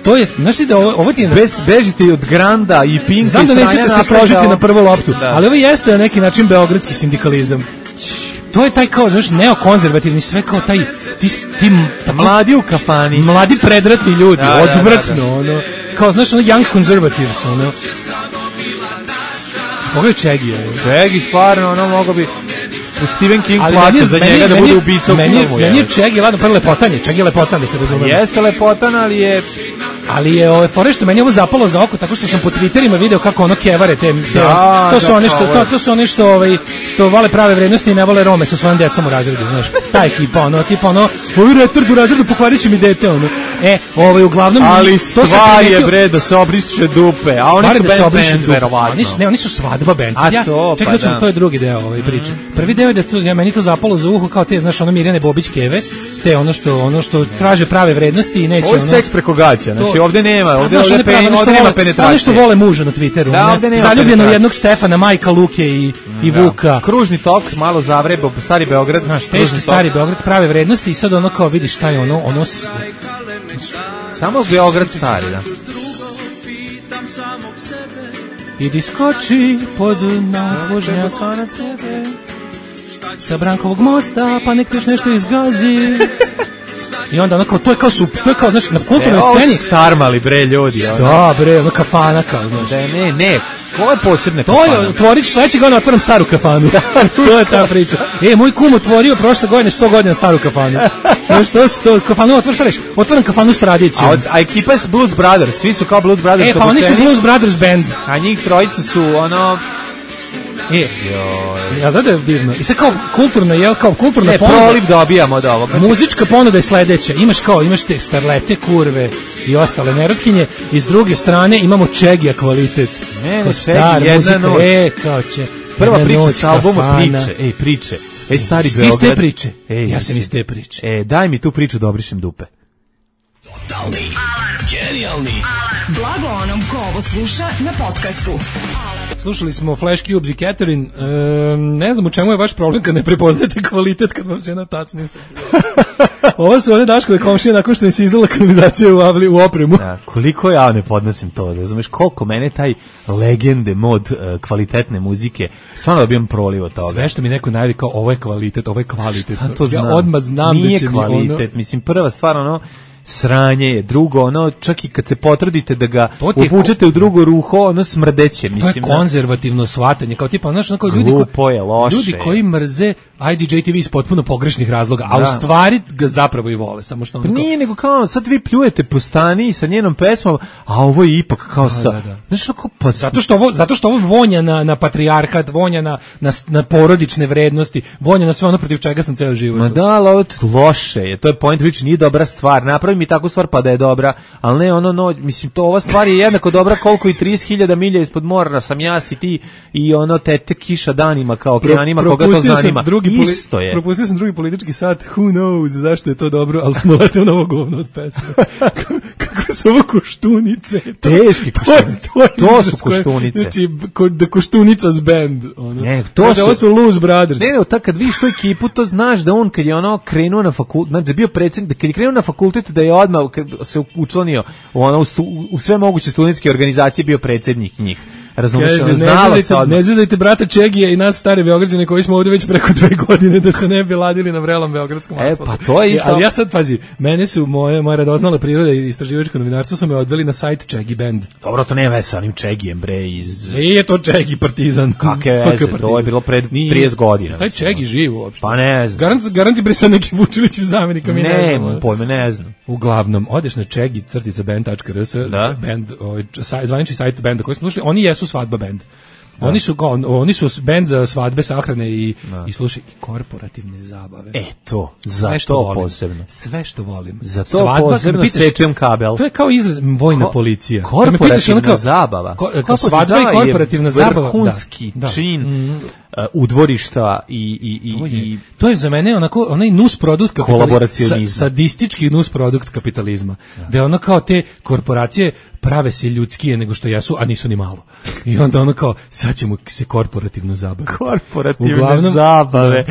To je, znaš ti da ovo ti je... Bežite od Granda i Pinka i znam da nećete se složiti na prvu loptu, ali ovo jeste na neki način beogradski sindikalizam. to je taj kao, znaš, neokonzervativni, sve kao taj, mladi u kafani. Mladi predratni ljudi, odvratno, ono, kao, znaš, ono, young conservatives, ono. Ovo je Čegi. Čegi, stvarno, ono, mogo bi... Stephen King plaća za njega da bude ubica u filmu. Meni je Čegi, ladno, prvo lepotan je, Čegi je lepotan, da se razumemo. Jeste lepotan, ali je fore što meni ovo zapalo za oko, tako što sam po Twitterima video kako ono kevare te to su one što vole prave vrednosti i ne vole Rome sa svojom decom u razredu, znaš. Ta ekipa, ono, tipa ono, ovi retard u razredu pokvarit će mi dete, ono. Uglavnom... Ali stvar je, bre, da se obriše dupe, a oni su band, verovatno. Oni su svadba band. Čekaj, to je drugi deo ove priče. Prvi deo je da meni to zapalo za uho kao te, znaš, ono Mirjane Bobić keve, te ono što traže prave vrednosti i neće ono... Ovo je seks preko gaća, znači ovde nema, ovde nema penetracije. Ono što vole muža na Twitteru, zaljubljeno jednog Stefana, Majka, Luke i Vuka. Kružni tok, malo zavrebo, stari Beograd. Znaš, teški stari Beograd, prave vrednosti i sad ono kao vidiš šta je ono... Samo Beograd stari, da. Idi skoči pod nadvožnjak sa Brankovog mosta, pa nek još nešto izgazi. I onda onako, to je kao, znaš, na kulturnoj sceni. Starmali, bre, ljudi. Da, bre, ono kafana kao, znaš. Ne, ovo je posebne kafana. To je, otvoriš sledećeg godina, otvorim staru kafanu. To je ta priča. Moj kum otvorio prošle godine 100 godina staru kafanu. Znaš, to kafanu otvoriš, šta reći? Otvorim kafanu s tradicijom. A ekipa je Blues Brothers, svi su kao Blues Brothers. Pa oni su Blues Brothers band. A njih trojica su, ono... Ja znam da je divno. I sad kao kulturna ponuda. Proliv dobijamo od ovog. Muzička ponuda je sledeća. Imaš te starlete, kurve i ostale nerotkinje. I s druge strane imamo Čegija kvalitet. Čegi, jedna noć. Prva priča sa albuma Priče. Stari Beograd. Iz te priče. Ja sam iz te priče. Daj mi tu priču da obrišem dupe. Totalni alarm. Genijalni alarm. Blago onom ko ovo sluša na podcastu. Slušali smo Flash Cubes i Catherine. Ne znam u čemu je vaš problem kad ne prepoznajete kvalitet kad vam se na tacni se. Ovo su one Daškove komšije nakon što mi se izdala kanalizacija u opremu. Da, koliko ja ne podnosim to, razumeš, koliko mene taj legende mod kvalitetne muzike, stvarno dobijem proliv od toga. Sve što mi neko najvi kao ovo je kvalitet, ovo je kvalitet. Šta to znam? Ja odmah znam nije da će kvalitet, mi ono... mislim, prva stvar, ono, sranje je, drugo, ono, čak i kad se potrudite da ga upučete u drugo ruho, ono smrdeće, mislim. To je konzervativno shvatanje, kao tipa, znaš, onako ljudi koji mrze IDJ TV iz potpuno pogrešnih razloga, a u stvari ga zapravo i vole, samo što onako... Nije, nego kao, sad vi pljujete po Stani sa njenom pesmom, a ovo je ipak kao znaš, onako, pa... Zato što ovo vonja na patrijarhat, vonja na porodične vrednosti, vonja na sve ono protiv čega sam ceo život. Ma da, ali ovo loše je, to je point, više nije dobra stvar, napravi mi takvu stvar pa da je dobra, ali ne ono, mislim, to ova stvar je jednako dobra koliko i 30.000 milja ispod mora sam ja si ti i ono tete kiša danima kao okeanima, koga to zanima. Isto je. Propustio sam drugi politički sat, who knows zašto je to dobro, ali smo leteli na ovo govno od pesme. Kako su ovo koštunice? Teški koštunice. To su koštunice. Znači, da Koštunicas band. Ono. Ne, ovo su Loose Brothers. Ne, kad vidiš tu ekipu, to znaš da on kad je ono krenuo na fakultet, znači bio predsjednik, kad je krenuo na fakultet da je odmah se učlanio u sve moguće studentske organizacije bio predsjednik njih. Razumiješ, ne zezajte brata Čegije i nas stare Beograđane koji smo ovdje već preko 2 godine da se ne bi ladili na vrelom beogradskom asfaltu. Pa to je isto. Ali ja sad, pazi, mene su moja radoznala priroda i istraživačko novinarstvo su me odveli na sajt Čegi Band. Dobro, to nema veze sa onim Čegijem, bre, Nije to Čegi Partizan. Kakve veze, to je bilo pred 30 godina. Taj Čegi živ uopšte. Pa ne znam. Garanti bre sad neki Vučilićev zamjenika mi ne znam. Ne, pojme, ne znam. Uglavnom, odeš na Čegi-band.rs, band, zvanični sajt benda koji smo slušali, oni jesu svadba band. Oni su bend za svadbe, sahrane i slušaj, i korporativne zabave. To, za to posebno. Sve što volim. Za to posebno sečem kabel. To je kao izraz vojna policija. Korporativna zabava. Svadba i korporativna zabava. Vrhunski čin udvorišta i to je za mene onaj nus produkt kapitalizma. Sadistički nus produkt kapitalizma. Da je ono kao te korporacije prave se ljudskije nego što jesu, a nisu ni malo. I onda ono kao, sad ćemo se korporativno zabaviti. Korporativne zabave.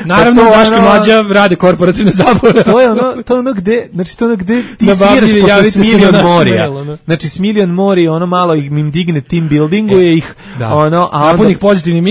Naravno, Daško Mlađa rade korporativne zabave. To je ono gde, znači to ono gde ti sviraš posle Smiljan Morija. Znači Smiljan Mori, ono malo im digne team buildinguje ih, ono, a onda njih pozitivnim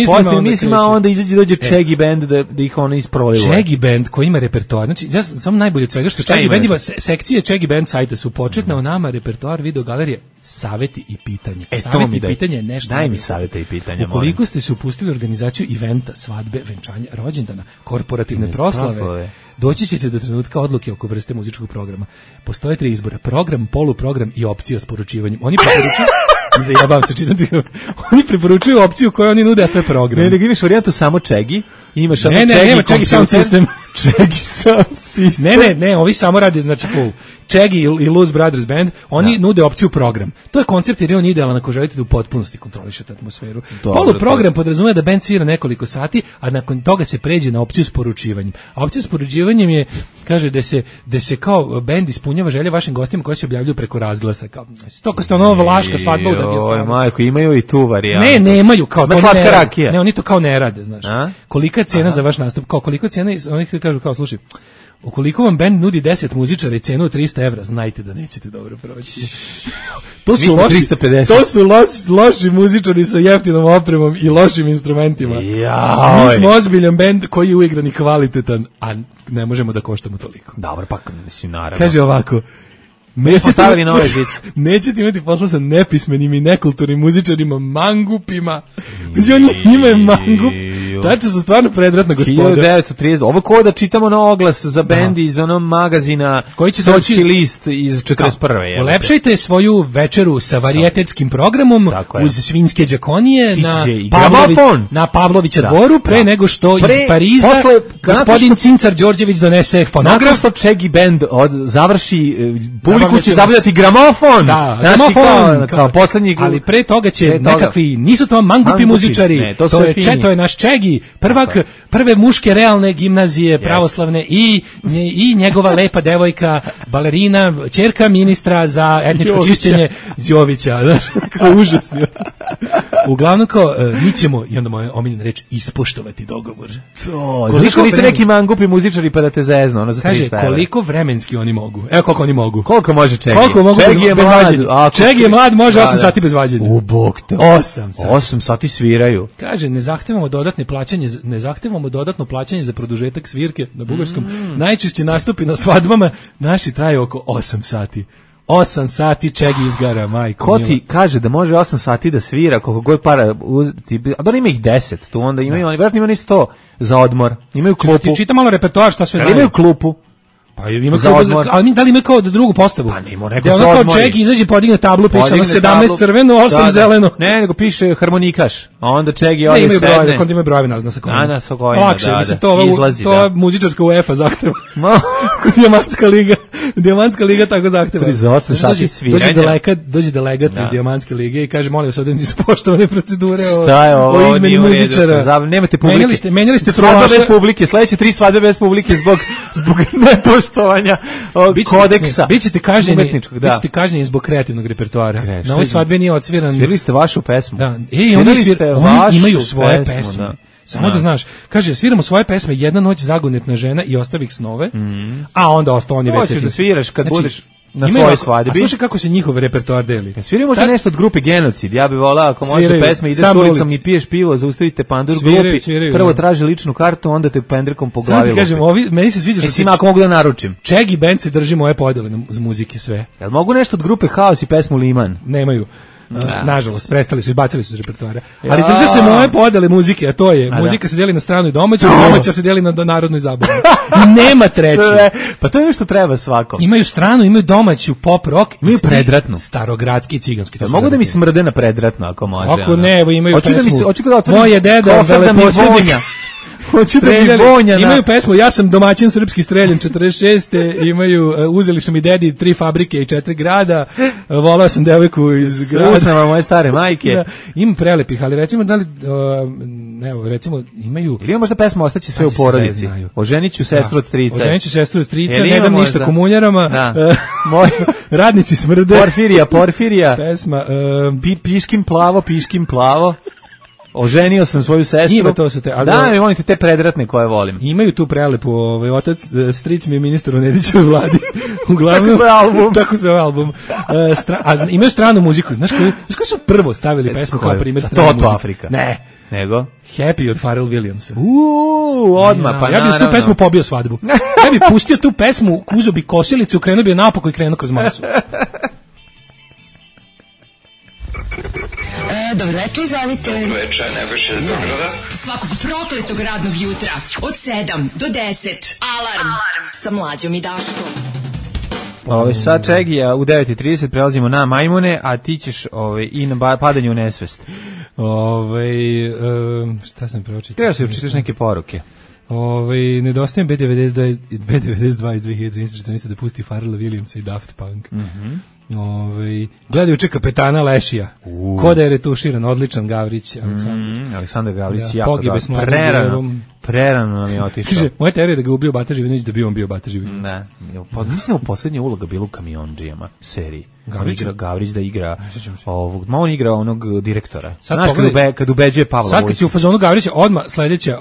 mislima, onda dođe Čegi band da ih ono isproliva. Čegi band koji ima repertoar. Znači ja sam najbolje od svega što Čegi band ima sekcije Čegi band sajta su početna o nama, repertoar, video galerije, saveti i pitanje. Saveti i pitanje je nešto. Daj mi savete i pitanja. Ukoliko ste se upustili u organizaciju eventa, svadbe, venčanja, rođendana, korporativne proslave, doći ćete do trenutka odluke oko vrste muzičkog programa. Postoje 3 izbora: program, poluprogram i opcija s poručivanjem. Oni preporučuju zajebam se čitati. Oni preporučuju opciju koju oni nude, a to je program. Ne, imaš varijantu samo Čegi. Imaš samo Čegi sound system. Čegi sound system. Ne, ovi samo radi, znači full. Čegi i Luz Brothers Band, oni nude opciju program. To je koncept jer je on idealan ako želite da u potpunosti kontrolišete atmosferu. Poluprogram podrazumeva da band svira nekoliko sati, a nakon toga se pređe na opciju s poručivanjem. A opcija s poručivanjem je, kaže, da se kao band ispunjava želje vašim gostima koji se objavljuju preko razglasa. Kao, to ste ono vlaška svadba u Dagestan. Majko, imaju i tu varijantu. Ne, nemaju, kao to ne, oni to kao ne rade, znaš. Kolika je cena za vaš nastup? Kao koliko je cena, oni kažu kao, slušaj, ukoliko vam band nudi 10 muzičara i cenu 300 evra, znajte da nećete dobro proći. To su loši muzičari sa jeftinom opremom i lošim instrumentima. Mi smo ozbiljan band koji je uigran i kvalitetan, a ne možemo da koštamo toliko. Dobro, pa mislim, naravno. Kaže ovako, nećete imati posla sa nepismenim i nekulturnim muzičarima, mangupima. Oni imaju mangup. Tačno su stvarno predratna gospoda. 1930. Ovo ko da čitamo na oglas za bendi iz onog magazina koji će doći list iz 41. Ulepšajte svoju večeru sa varijetetskim programom uz svinjske džakonije na Pavlovića dvoru pre nego što iz Pariza gospodin Cincar Đorđević donese fonograf. Nakon što Čegi band završi publiku će zabavljati gramofon. Da, gramofon. Kao poslednji. Ali pre toga će nekakvi, nisu to mangupi muzičari, to je naš Čegi, prve muške realne gimnazije pravoslavne i njegova lepa devojka, balerina, ćerka ministra za etničko čišćenje Jovića. Kao užasno. Uglavnom kao, mi ćemo, i onda moja omiljena reč, ispoštovati dogovor. Koliko nisu neki mangupi muzičari pa da te zezno, ono za 300 evra. Kaže, koliko vremenski oni mogu. Evo koliko oni mogu. Koliko može Čegi? Koliko mogu bez vađenja? Čegi je mlad, može 8 sati bez vađenja. U bog te. 8 sati. 8 sati sviraju. Kaže, ne zahtevamo dodatno plaćanje za produžetak svirke na bugarskom. Najčešće nastupi na svadbama naši traju oko 8 sati. 8 sati Čegi izgara, majko. Ko ti kaže da može 8 sati da svira, koliko god para, a da ima ih 10, tu onda imaju, oni vjerojatno imaju 100 za odmor, imaju klupu. Ti čita malo repertoar, šta sve znaju. Imaju klupu. Pa ima za odmor. Ali da li ima kao drugu postavu? Pa nemo neko za odmor. Kao Čegi izađe, podigne tablu, piše 17 crveno, 8 zeleno. Ne, nego piše harmonikaš. A onda Čegi ovdje sedne. Ne, imaju brojeve, brojevi na sekundu. Na svakojno, lakše, to je muzičarska UEFA zahteva. Dijamantska liga tako zahteva. 38 sati sviranja. Dođe delegat iz Dijamantske lige i kaže, molim vas, ovdje nisu poštovane procedure o izmeni muzičara. Nemate publike. Menjali ste svadbe bez publike, sledeće 3 svadbe bez publike zbog nepoštovanja kodeksa. Bićete kažnjeni zbog kreativnog repertoara. Na ovoj svadbi nije odsviran. Svirali ste vašu pesmu. Da. Oni imaju svoje pesme. Samo da znaš, kaže, sviramo svoje pesme, Jedna noć, Zagonetna žena i Ostavih snove, a onda ostao on je već. Hoćeš da sviraš kad budeš na svojoj svadbi. A slušaj kako se njihov repertoar deli. Sviraju možda nešto od grupe Genocid. Ja bih volao, ako može pesme, ideš ulicom i piješ pivo, zaustavite pandur grupi, prvo traži ličnu kartu, onda te pendrekom po glavi. Sad kažem, meni se sviđa što ako mogu da naručim. Čegi band se drži moje podele z muzike sve. Jel mogu nešto od grupe Haos i pesmu Liman? Nemaju. Nažalost, prestali su i bacili su iz repertoara. Ali drže se moje podele muzike, a to je, muzika se deli na stranu i domaću, domaća se deli na narodnoj zabavi. Nema treće. Pa to je nešto treba svako. Imaju stranu, imaju domaću pop rock, imaju predratnu. Starogradski i ciganski. Mogu da mi smrde na predratno, ako može. Ako ne, evo imaju pesmu. Moje Moje deda, veleposjednik. Imaju pesmu Ja sam domaćin srpski streljan 46. Imaju uzeli su mi dedi 3 fabrike i 4 grada. Volao sam devojku iz grada. Usnama moje stare majke. Da, ima prelepih, ali recimo da li evo recimo imaju. Ili ima možda pesma Ostaće sve u porodici. Oženiću sestru od strica. Oženiću sestru od strica, ne dam ništa komunjarama. Radnici smrde. Porfirija. Pesma Piškim plavo. oženio sam svoju sestru. Ima to su te, ali da, volite te predratne koje volim. Imaju tu prelepu, otac, stric mi je ministar u Nedićevoj vladi. Uglavnom, tako se album. A imaju stranu muziku. Znaš koji su prvo stavili pesmu kao primjer stranu muziku? Afrika. Ne. Nego? Happy od Pharrell Williamsa. Odmah, pa ja bih s tu pesmu pobio svadbu. Ja bih pustio tu pesmu, uzeo bi kosilicu, krenuo bi napako i krenuo kroz masu. Dobro večer, izvolite. Dobro večer, Nebojša iz Zagrada. Svakog prokletog radnog jutra od 7 do 10. Alarm sa Mlađom i Daškom. Sad Čegija u 9:30 prelazimo na majmune, a ti ćeš i na padanje u nesvest. Šta sam pročitao? Treba se učitaš neke poruke. Nedostajem B92 iz 2013 da pusti Pharrella Williamsa i Daft Punk. Gledajuće kapetana Lešija. Ko da je retuširan, odličan Gavrić. Aleksandar Gavrić, jako dobro. Prerano nam je otišao. Kaže, moja teorija je da ga ubio Bata Živinović, da bi on bio Bata Živinović. Ne, mislim da u poslednja uloga bila u Kamionđijama seriji. Gavrić da igra ovog, on igra onog direktora. Znaš, kad ubeđuje Pavla Vojsića. Sad kad si u fazonu Gavrića, odmah sledeća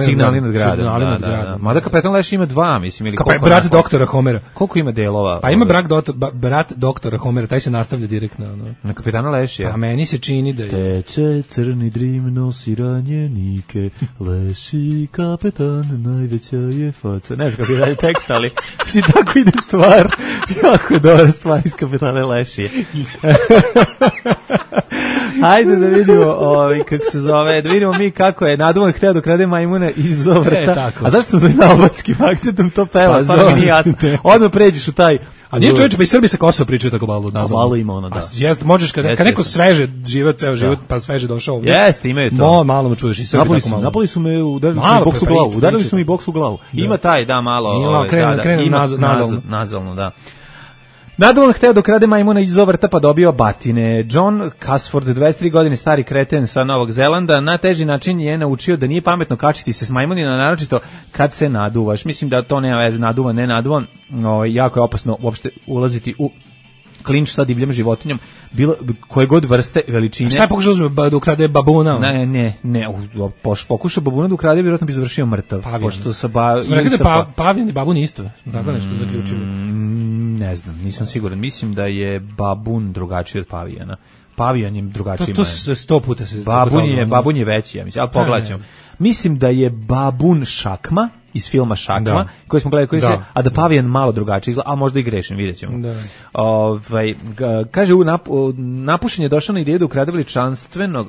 Signali nad gradom. Mada Kapetan Leš ima 2, mislim. Brat doktora Homera. Koliko ima delova? Pa ima brat doktora Homera, taj se nastavlja direktno. Na Kapetana Lešija. A meni se čini da je... Teče crni drim, nosi ranjenike, Leši kapetan, najveća je faca. Ne znam kako je dalje tekst, ali si tako ide stvar. Jako je dobra stvar iz Kapetana Lešije. Ajde da vidimo kako se zove, da vidimo mi kako je Naduvan hteo da krade majmune iz Zovrta. A zašto sam svojim albanskim akcentom to peva? Samo mi nije jasno. Odmah pređeš u taj... A nije čovječe, pa i Srbi sa Kosova pričaju tako malo nazavno. Malo ima ono, da. Možeš, kad neko sveže život, ceo život, pa sveže došao ovdje. Jeste, imaju to. Malo me čuješ i Srbi tako malo. Napali su me, udarili su mi boks u glavu. Ima taj, da, malo. Krenu nazalno, da. Nadovan hteo da krade majmuna iz Zovrta pa dobio batine. John Casford, 23 godine stari kreten sa Novog Zelanda, na teži način je naučio da nije pametno kačiti se s majmunima, naročito kad se naduvaš. Mislim da to nema veze, naduvan, ne naduvan. Jako je opasno uopšte ulaziti u klinč sa divljom životinjom, bilo koje god vrste, veličine. Šta je pokušao da ukrade babuna? Ne, pokušao babuna da ukrade, vjerojatno bi završio mrtav. Pošto sa pavijan i babun isto, tako nešto zaključili. Ne znam, nisam siguran. Mislim da je babun drugačiji od pavijana. Pavijan je drugačiji. To se 100 puta se... Babun je veći, ja mislim, ali pogledat ćemo. Mislim da je babun šakma, iz filma Šakma, koji smo gledali, a da pavijan malo drugačiji izgleda, a možda i grešim, vidjet ćemo. Kaže, napušen je došao na ideju da ukrade veličanstvenog,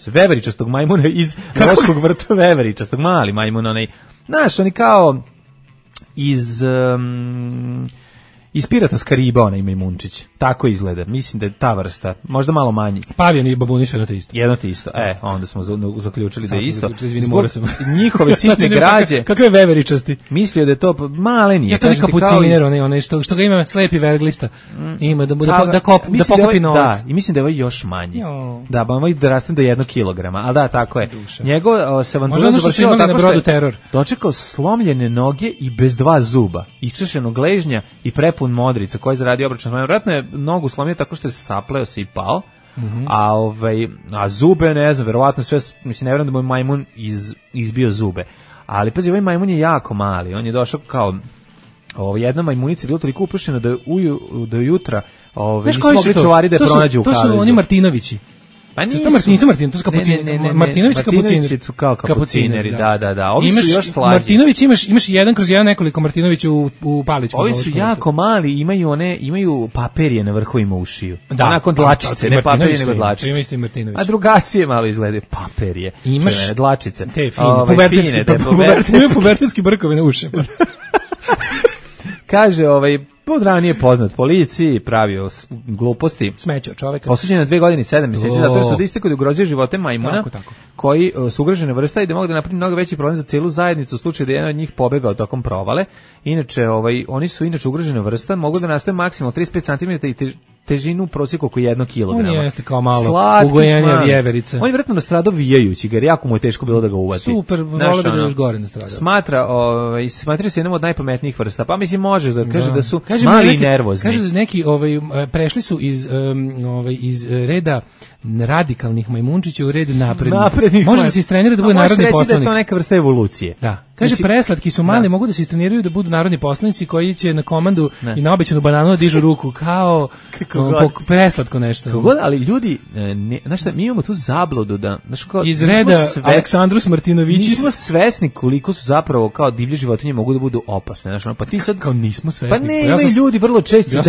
veveričastog majmuna iz Roškog vrta, veveričastog, mali majmun, onaj, znaš, oni kao iz Pirata s Kariba, onaj majmunčić. Tako izgleda. Mislim da je ta vrsta. Možda malo manji. Pavijan i babuni su jedno te isto. Jedno te isto. Onda smo zaključili da je isto. Njihove sitne građe. Kakve veveričasti. Mislio da je to male nije. Ja to je kapuciner, onaj što ga ima slepi verglista. Ima da pokupi novac. Da, i mislim da je ovaj još manji. Da, ba ovaj raste do 1 kilograma. Ali da, tako je. Njegov se avantura završila tako što je dočekao slomljene noge i bez 2 zuba. Iščešenog gležnja i prepun modrica koji je zaradio obračun. Vjerojatno je nogu slomio tako što je sapleo se i pao, a zube, ne znam, verovatno sve, mislim, ne vjerujem da moj majmun izbio zube. Ali, pazi, ovaj majmun je jako mali, on je došao kao, jedna majmunica je bila toliko upušena da jutra nisu mogli čuvari da je pronađe u kavezu. To su oni Martinovići. Pa nisu to su kapucineri. Martinovići su kao kapucineri, da. Ovi su još slađi. Martinović imaš 1/1 nekoliko Martinovića u Palićku. Ovi su jako mali, imaju paperije na vrhovima ušiju. Nakon dlačice, ne paperije nego dlačice. A drugačije malo izgledaju paperije. Imaš dlačice. Te fine, pubertetski brkovi na ušima. Kaže, podranije poznat policiji, pravio gluposti. Smećao čoveka. Osuđen na 2 godine i 7 mjeseci, zato što da istekao da ugrožuje živote majmuna, koji su ugrožene vrsta i da mogu da napravi mnogo veći problem za cijelu zajednicu u slučaju da jedan od njih pobegao tokom provale. Inače, oni su ugrožene vrsta, mogu da nastoje maksimalno 35 cm i težinu u prosjeku oko 1 kilograma. On jeste kao malo ugojenja vjeverice. On je vjerojatno nastradao vijajući ga, jer jako mu je teško bilo da ga uvati. Super, volio bi da još gore nastradao. Smatra se jednom od najpametnijih vrsta, pa mislim možeš da kaže da su mali i nervozni. Kaže da neki prešli su iz reda radikalnih majmunčića u red naprednih. Može da se istrenira da bude narodni poslanik. Da je to neka vrsta evolucije. Da. Kaže, preslatki su mali, mogu da se istreniraju da budu narodni poslanici koji će na komandu i na obećanu bananu dižu ruku, kao preslatko nešto. Ali ljudi, znaš šta, mi imamo tu zabludu da... Iz reda Aleksandrus Martinovićis. Nismo svesni koliko su zapravo kao divlje životinje mogu da budu opasne. Znaš, pa ti sad... Kao nismo svesni. Pa ne, imaju ljudi vrlo često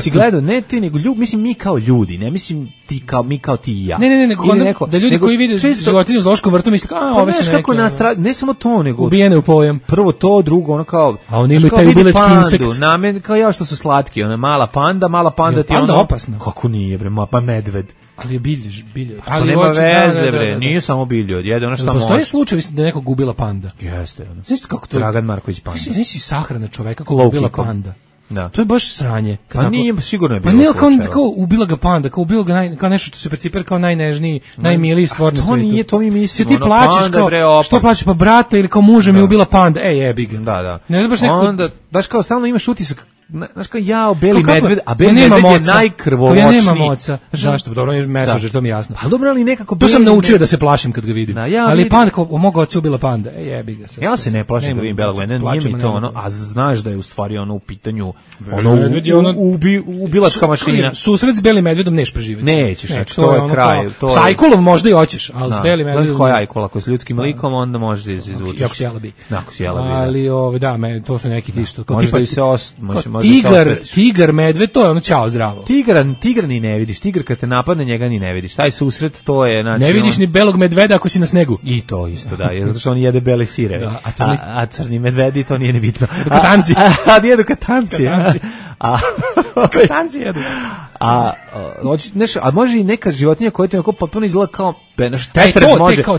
si gledao, ne ti, nego mislim mi kao ljudi, ne mislim ti kao mi kao ti i ja. Ne, da ljudi koji vide životinju u zoološkom vrtu misle, ove su neke... Ne samo to, nego ubijene u pojem. Prvo to, drugo ono kao... A oni imaju taj ubilački insekt. Kao ja što su slatki, ona mala panda ti panda ono... opasna. Kako nije, bre, pa medved. Ali je bilje. Pa nema veze, bre, nije samo bilje, jede ono što može. Postoje slučajevi da neko gubila panda. Jeste, ono. Znaš kako to... Dragan Marković panda. Znaš si sahrana čoveka kako gubila panda. Da. To je baš sranje. Pa nije, sigurno je bilo. Pa ne, kao ubila ga panda, kao ubila ga kao nešto što se percipira kao najnežniji, najmiliji stvar na svetu. To mi mislimo. Ti plačeš kao, što plačeš, pa brata ili kao muža mi ubila panda, jebi ga. Da. Ne, baš nekako... Onda, daš kao stalno imaš utisak, znaš kao beli medved, a beli medved je najkrvoločniji. Ja nema moca. Zašto? Dobro, on je mesožer, to mi je jasno. Pa dobro, ali nekako... To sam naučio da se plašim kad ga vidim. Ali panda, kao moga oca ubila panda, jebi ga se. Ja se ne plašim kad vidim belog medveda, nije mi to ono, a znaš da je u stvari ono u pitanju ubilačka mašina. Susret s belim medvedom neš preživeti. Nećeš, znači to je kraj. S ajkulom možda i hoćeš, ali s belim medvedom... Znaš koja je ajkula, ako s ljudskim likom, onda možeš da se izvučeš. Jako sjela bi. Ali, da, to su neki tišto. Možeš da se Tigar, medved, to je ono čao zdravo. Tigar ni ne vidiš. Tigar kad te napadne, njega ni ne vidiš. Taj susret, to je... Znači, ne vidiš ni belog medveda ako si na snegu. I to isto, da. Zato što on jede bele sireve. Da, a crni medvedi, to nije ni bitno. Katanci. Jedu katanci. Katanci jedu. A može i neka životinja koja te potpuno izgleda kao...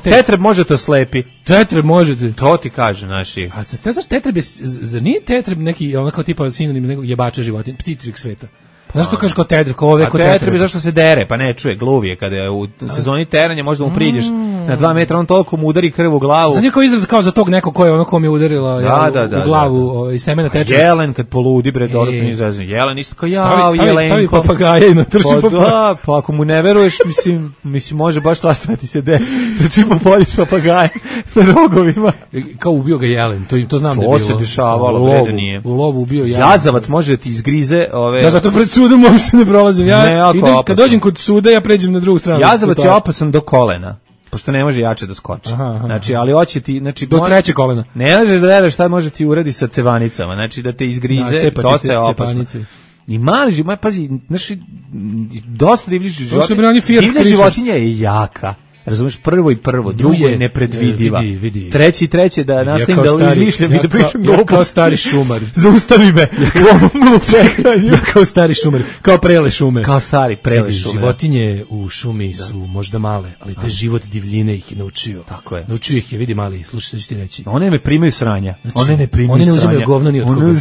Tetreb može to slepi. Tetreb možete. To ti kaže, naši. A znaš, tetreb je... Zar nije tetreb neki, ono kao tipa sinonim nekog jebača životinja, ptičeg sveta? Znaš što kažeš kao tetreb, kao ove kao tetreb? A tetreb je zašto se dere, pa ne čuje, gluv je. Kada je u sezoni teranja, možda mu priđeš na 2 metra, on toliko mu udari krv u glavu. Znam kao izraz kao za tog nekog ko je ono ko mi je udarila u glavu iz semena teče. Jelen kad poludi, bre, dodatno izrazno. Jelen isto kao jelenko. Stavi papagaja i natrči papagaja. Pa ako mu ne veruješ, mislim može baš svašta da ti se desi. Trči po poljiš papagaja na rogovima. Kao ubio ga jelen, to znam da je bilo. To se dešavalo, bre, nije. U lovu ubio jelen. Jazavac može da ti izgrize ove... Ja zato pred sudom uopšte ne prolazim. Ja idem, kad dođem kod suda, ja pređem na drugu stranu. Jazavac je opasan do kolena. Pošto ne može jače da skoči. Znači, ali hoće ti... Znači, do treće kolena. Ne možeš da veruješ šta može ti uradi sa cevanicama. Znači, da te izgrize, dosta je opasno. I mali, pazi, znači, dosta divljiš životinja. Divlja životinja je jaka. Razumeš, prvo, drugo je nepredvidiva. Treće da nastavim da izmišljam i da pričam ja kao stari šumar. Zaustavi me. Ja kao stari šumar, kao prele šume. Kao stari prele šume. Životinje u šumi su možda male, ali taj život divljine ih je naučio. Tako je. Naučio ih je, vidi mali, slušaj što ću ti reći. One ne primaju sranja. Oni ne uzimaju govno ni od koga.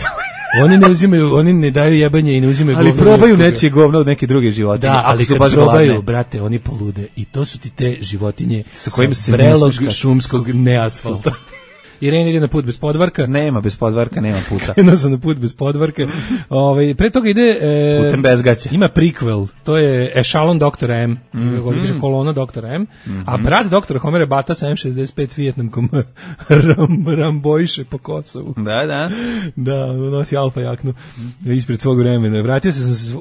Oni ne uzimaju, oni ne daju jebanje i ne uzimaju govno. Ali probaju nečije govno od neke druge životinje. Da, ali kad probaju, brate, oni polude. I to su ti te životinje sa kojim se vrelog šumskog neasfalta. Irena ide na put bez podvarka. Nema bez podvarka, nema puta. Krenuo sam na put bez podvarka. Pre toga ide... putem bez gaća. Ima prequel, to je Echelon Dr. M. Kolona Dr. M. A brat Dr. Homera Bata sa M65 Vijetnamkom rambojše po Kosovu. Da. Da, nosi alfa jaknu ispred svog vremena.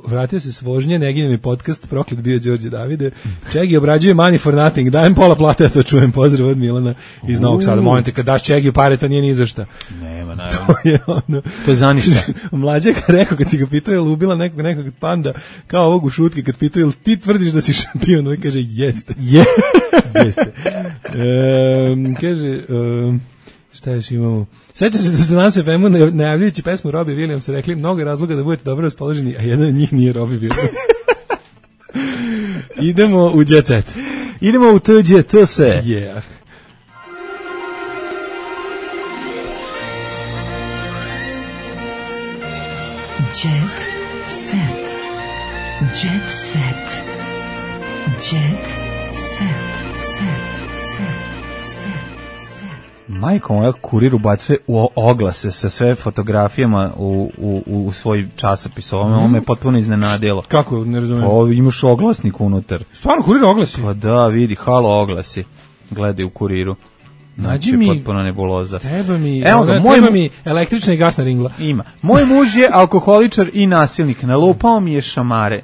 Vratio se s vožnje, Negin mi podcast, proklet bio Đorđe Davide. Čegi obrađuje Money for Nothing, dajem pola plate, ja to čujem, pozdrav od Milana iz Novog Sada. Molim te, kad daš Čegi pare, to nije ni za šta. Nema, naravno. To je za ništa. Mlađaka rekao, kad si ga pitao, je li ubila nekog panda, kao ovog u šutke, kad pitao, je li ti tvrdiš da si šampion? On kaže, jeste. Jeste. Kaže, šta još imamo? Sećam se da ste nas FM-u najavljujući pesmu Robbie Williams rekli mnogo razloga da budete dobro raspoloženi, a jedan od njih nije Robbie Williams. Idemo u Jet Set. Idemo u TGT se. Yeah. Jet set. Jet set. Jet set. Set. Majko moja, Kurir ubacuje u oglase sa sve fotografijama u svoj časopis. Ovo me potpuno iznenadilo. Kako, ne razumijem? Pa imaš oglasnik unutar. Stvarno, Kurir oglasi? Pa da, vidi, halo oglasi. Gledaj u Kuriru. Nađi mi, potpuno nebuloza. Treba mi električna i gasna ringla. Ima. Moj muž je alkoholičar i nasilnik. Nalupao mi je šamare.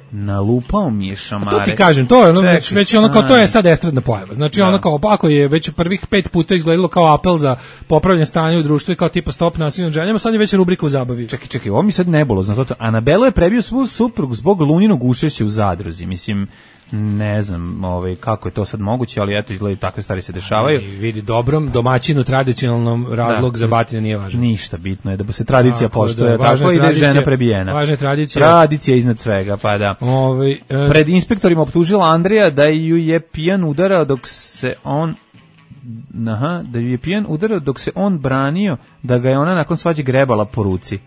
A to ti kažem, to je ono, već ono kao, to je sad estradna pojava. Znači ono kao, ako je već prvih 5 puta izgledalo kao apel za popravljanje stanja u društvu i kao tipa stop nasilnim ženama, sad je već rubrika u zabavi. Čekaj, ovo mi sad nebulozno. Anabelo je prebio svu suprugu zbog Luninog učešća u zadruzi. Mislim, ne znam kako je to sad moguće, ali eto, izgleda takve stvari se dešavaju. Vidi, dobrom domaćinu, tradicionalnom razlog za batine nije važan. Ništa, bitno je da se tradicija poštuje, tako i da je žena prebijena. Važna je tradicija. Tradicija iznad svega, pa da. Pred inspektorima optužila Andreja da ju je pijan udarao dok se on branio, da ga je ona nakon svađe grebala po ruci.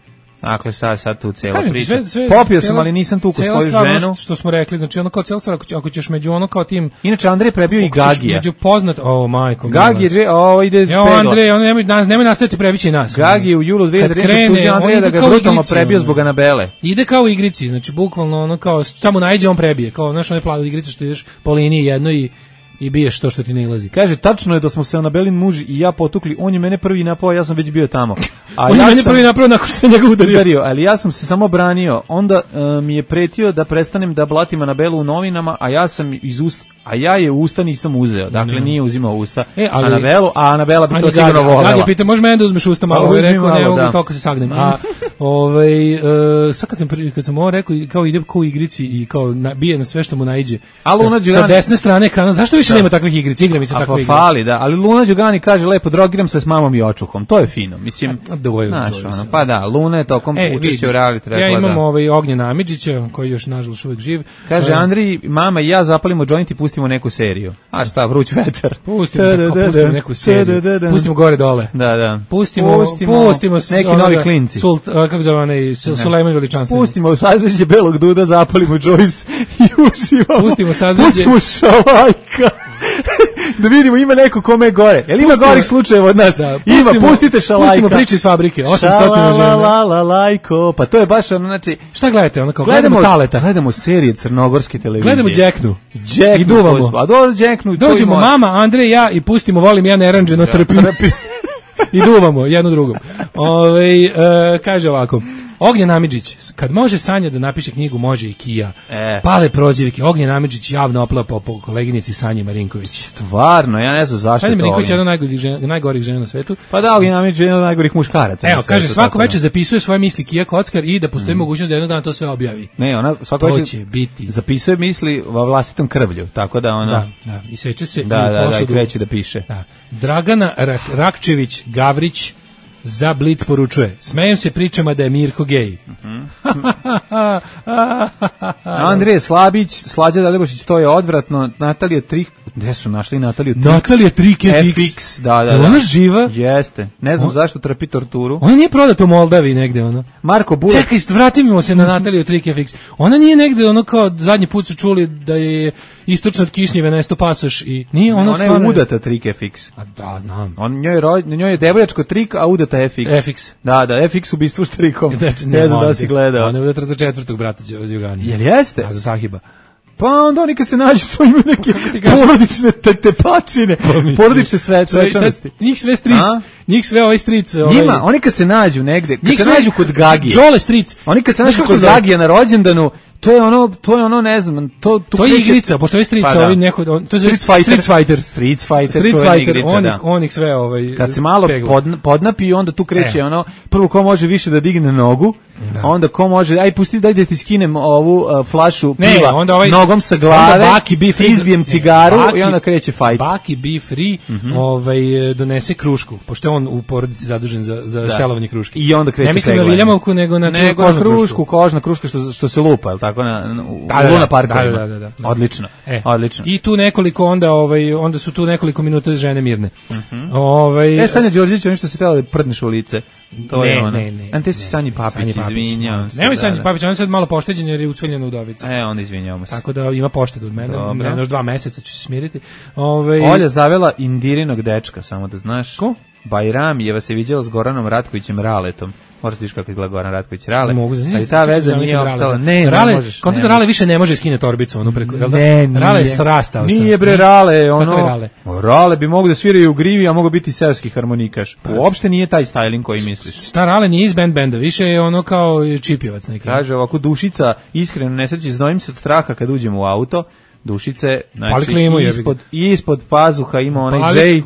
Dakle, sad tu cijela priča. Popio sam, ali nisam tukao svoju ženu. Što smo rekli, znači ono kao cijela stvar, ako ćeš među ono kao tim... Inače, Andrej prebio i Gagija. Među poznat, majko. Gagi ide pegla. Andrej, nemoj nastaviti prebići nas. Gagi u julu 2013 tuži Andreja da ga brutalno prebio zbog Anabele. Ide kao u igrici, znači bukvalno ono kao, samo najđe on prebije, kao znaš one plave igrice što ideš po liniji jednoj i biješ to što ti ne ilazi. Kaže, tačno je da smo se Anabelin muž i ja potukli, on je mene prvi napao, ja sam već bio tamo. On je mene prvi napao nakon što se njega udario. Ali ja sam se samo branio. Onda mi je pretio da prestanem da blatim Anabelu u novinama, a ja je usta nisam uzeo. Dakle, nije uzimao usta Anabelu, a Anabela bi to sigurno volela. Gagi pita, može mene da uzmeš usta malo? Rekao, ne mogu toliko se sagnem. Sad kad sam ovo rekao, kao ide kao u igrici i kao bije na sve što mu naiđe. Sa desne strane ekrana, zašto više nema takvih igrica? Igra mi se takve igre. Fali, da. Ali Luna Đugani kaže lepo, drogiram se s mamom i očuhom. To je fino. Mislim, pa da, Luna je tokom učešća u reality. Ja imam Ognjena Amidžića, koji još nažalost uvek živ. Kaže, Andrij, mama i ja zapalimo joint i pustimo neku seriju. A šta, vruć vetar. Pustimo neku seriju. Pustimo gore dole. Da. Pustimo neki novi klinci. Kako zove onaj Sulejman Veličanstveni. Pustimo sazveđe Belog Duda, zapalimo Joyce i uživamo. Pustimo sazveđe. Pustimo Šalajka. Da vidimo, ima neko kome je gore. Jel ima gorih slučajeva od nas? Ima, pustite Šalajka. Pustimo priče iz fabrike, 800 žena. Šalalajko, pa to je baš ono, znači... Šta gledate? Ono kao, gledamo Taleta. Gledamo serije crnogorske televizije. Gledamo Džeknu. I duvamo. A dobro, Džeknu. Dođemo mama, Andrej, ja i pustimo Volim ja neranđeno trpim. I duvamo jedno drugom. Kaže ovako, Ognjen Amidžić, kad može Sanja da napiše knjigu, može i Kija. Pale prozivike, Ognjen Amidžić javno oplapao po koleginici Sanji Marinković. Stvarno, ja ne znam zašto Sanja Marinković je jedna od najgorih žena na svetu. Pa da, Ognjen Amidžić je jedna od najgorih muškaraca. Evo, kaže, svako večer zapisuje svoje misli Kija Kockar i da postoji mogućnost da jednog dana to sve objavi. Ne, ona svako večer zapisuje misli vlastitom krvlju, tako da ona... Da, i seče se i kreće da piše. Dragana Rakčević Gavrić za Blic poručuje, smejem se pričama da je Mirko gej. Andrije Slabić, Slađa Dalibošić, to je odvratno. Natalija Trik, gde su našli Nataliju Trik? Natalija Trik FX. Da. Ona živa? Jeste. Ne znam zašto trpi torturu. Ona nije prodata u Moldavi negde, ono. Marko Bulak. Čekaj, vratimo se na Nataliju Trik FX. Ona nije negde, ono kao zadnji put su čuli da je istočno od Kišnjeve nesto pasoš i nije ona je udata Trik FX. A da, znam. Njoj je devojačko Trik, a udata FX. Da, FX ubistvo štrikom. Ne znam da si gledao. Ona je udata za četvrtog brata Đugani. Jel jeste? A za Sahiba. Pa onda oni kad se nađu, to imaju neke porodične tepačine, porodične svečanosti. Njih sve stric, njih sve ovaj stric. Njima, oni kad se nađu negde, kad se nađu kod Gagije. Džole stric. Oni kad se nađu kod Gagije na rođendanu, to je ono, ne znam, to je igrica, pošto je strica, ovi neko, to je Street Fighter, on ih sve kad se malo podnapi, onda tu kreće ono, prvo ko može više da digne nogu, onda ko može, aj pusti daj da ti skinem ovu flašu piva nogom sa glave, izbijem cigaru i onda kreće fight. Baki Be Free donese krušku, pošto je on u porodici zadužen za štelovanje kruške. I onda kreće ne mislim na Viljamovku, nego na kožna kruška što se lupa, je li tako, u Luna parkovima. Da. Odlično. I tu nekoliko onda su tu nekoliko minuta žene mirne. Sanja Đorđević, ono što se tela da prdneš u lice. To je ona. Ne. Ante si Sanji Papić, izvinjavam se. Nemoj Sanji Papić, ona je sad malo pošteđena jer je ucveljena udovica. Onda izvinjavamo se. Tako da ima poštedu od mene, još 2 meseca ću se smiriti. Olja zavela Indirinog dečka, samo da znaš. Ko? Bajramijeva se viđala s Goranom Ratkovićem Raletom. Možeš tiš kako izgleda Goran Ratković Rale. Ali ta veza nije opstala. Ne možeš. Konto Rale više ne može skine torbicu ono preko. Rale je srastao. Nije bre Rale, ono. Rale bi mogu da sviraju u grivi, a mogu biti seoski harmonikaš. Uopšte nije taj styling koji misliš. Šta Rale nije iz benda, više je ono kao čipjevac neki. Kaže ovako Dušica, iskreno nesreći, znojim se od straha kad uđem u auto. Dušice, znači ispod pazuha ima onaj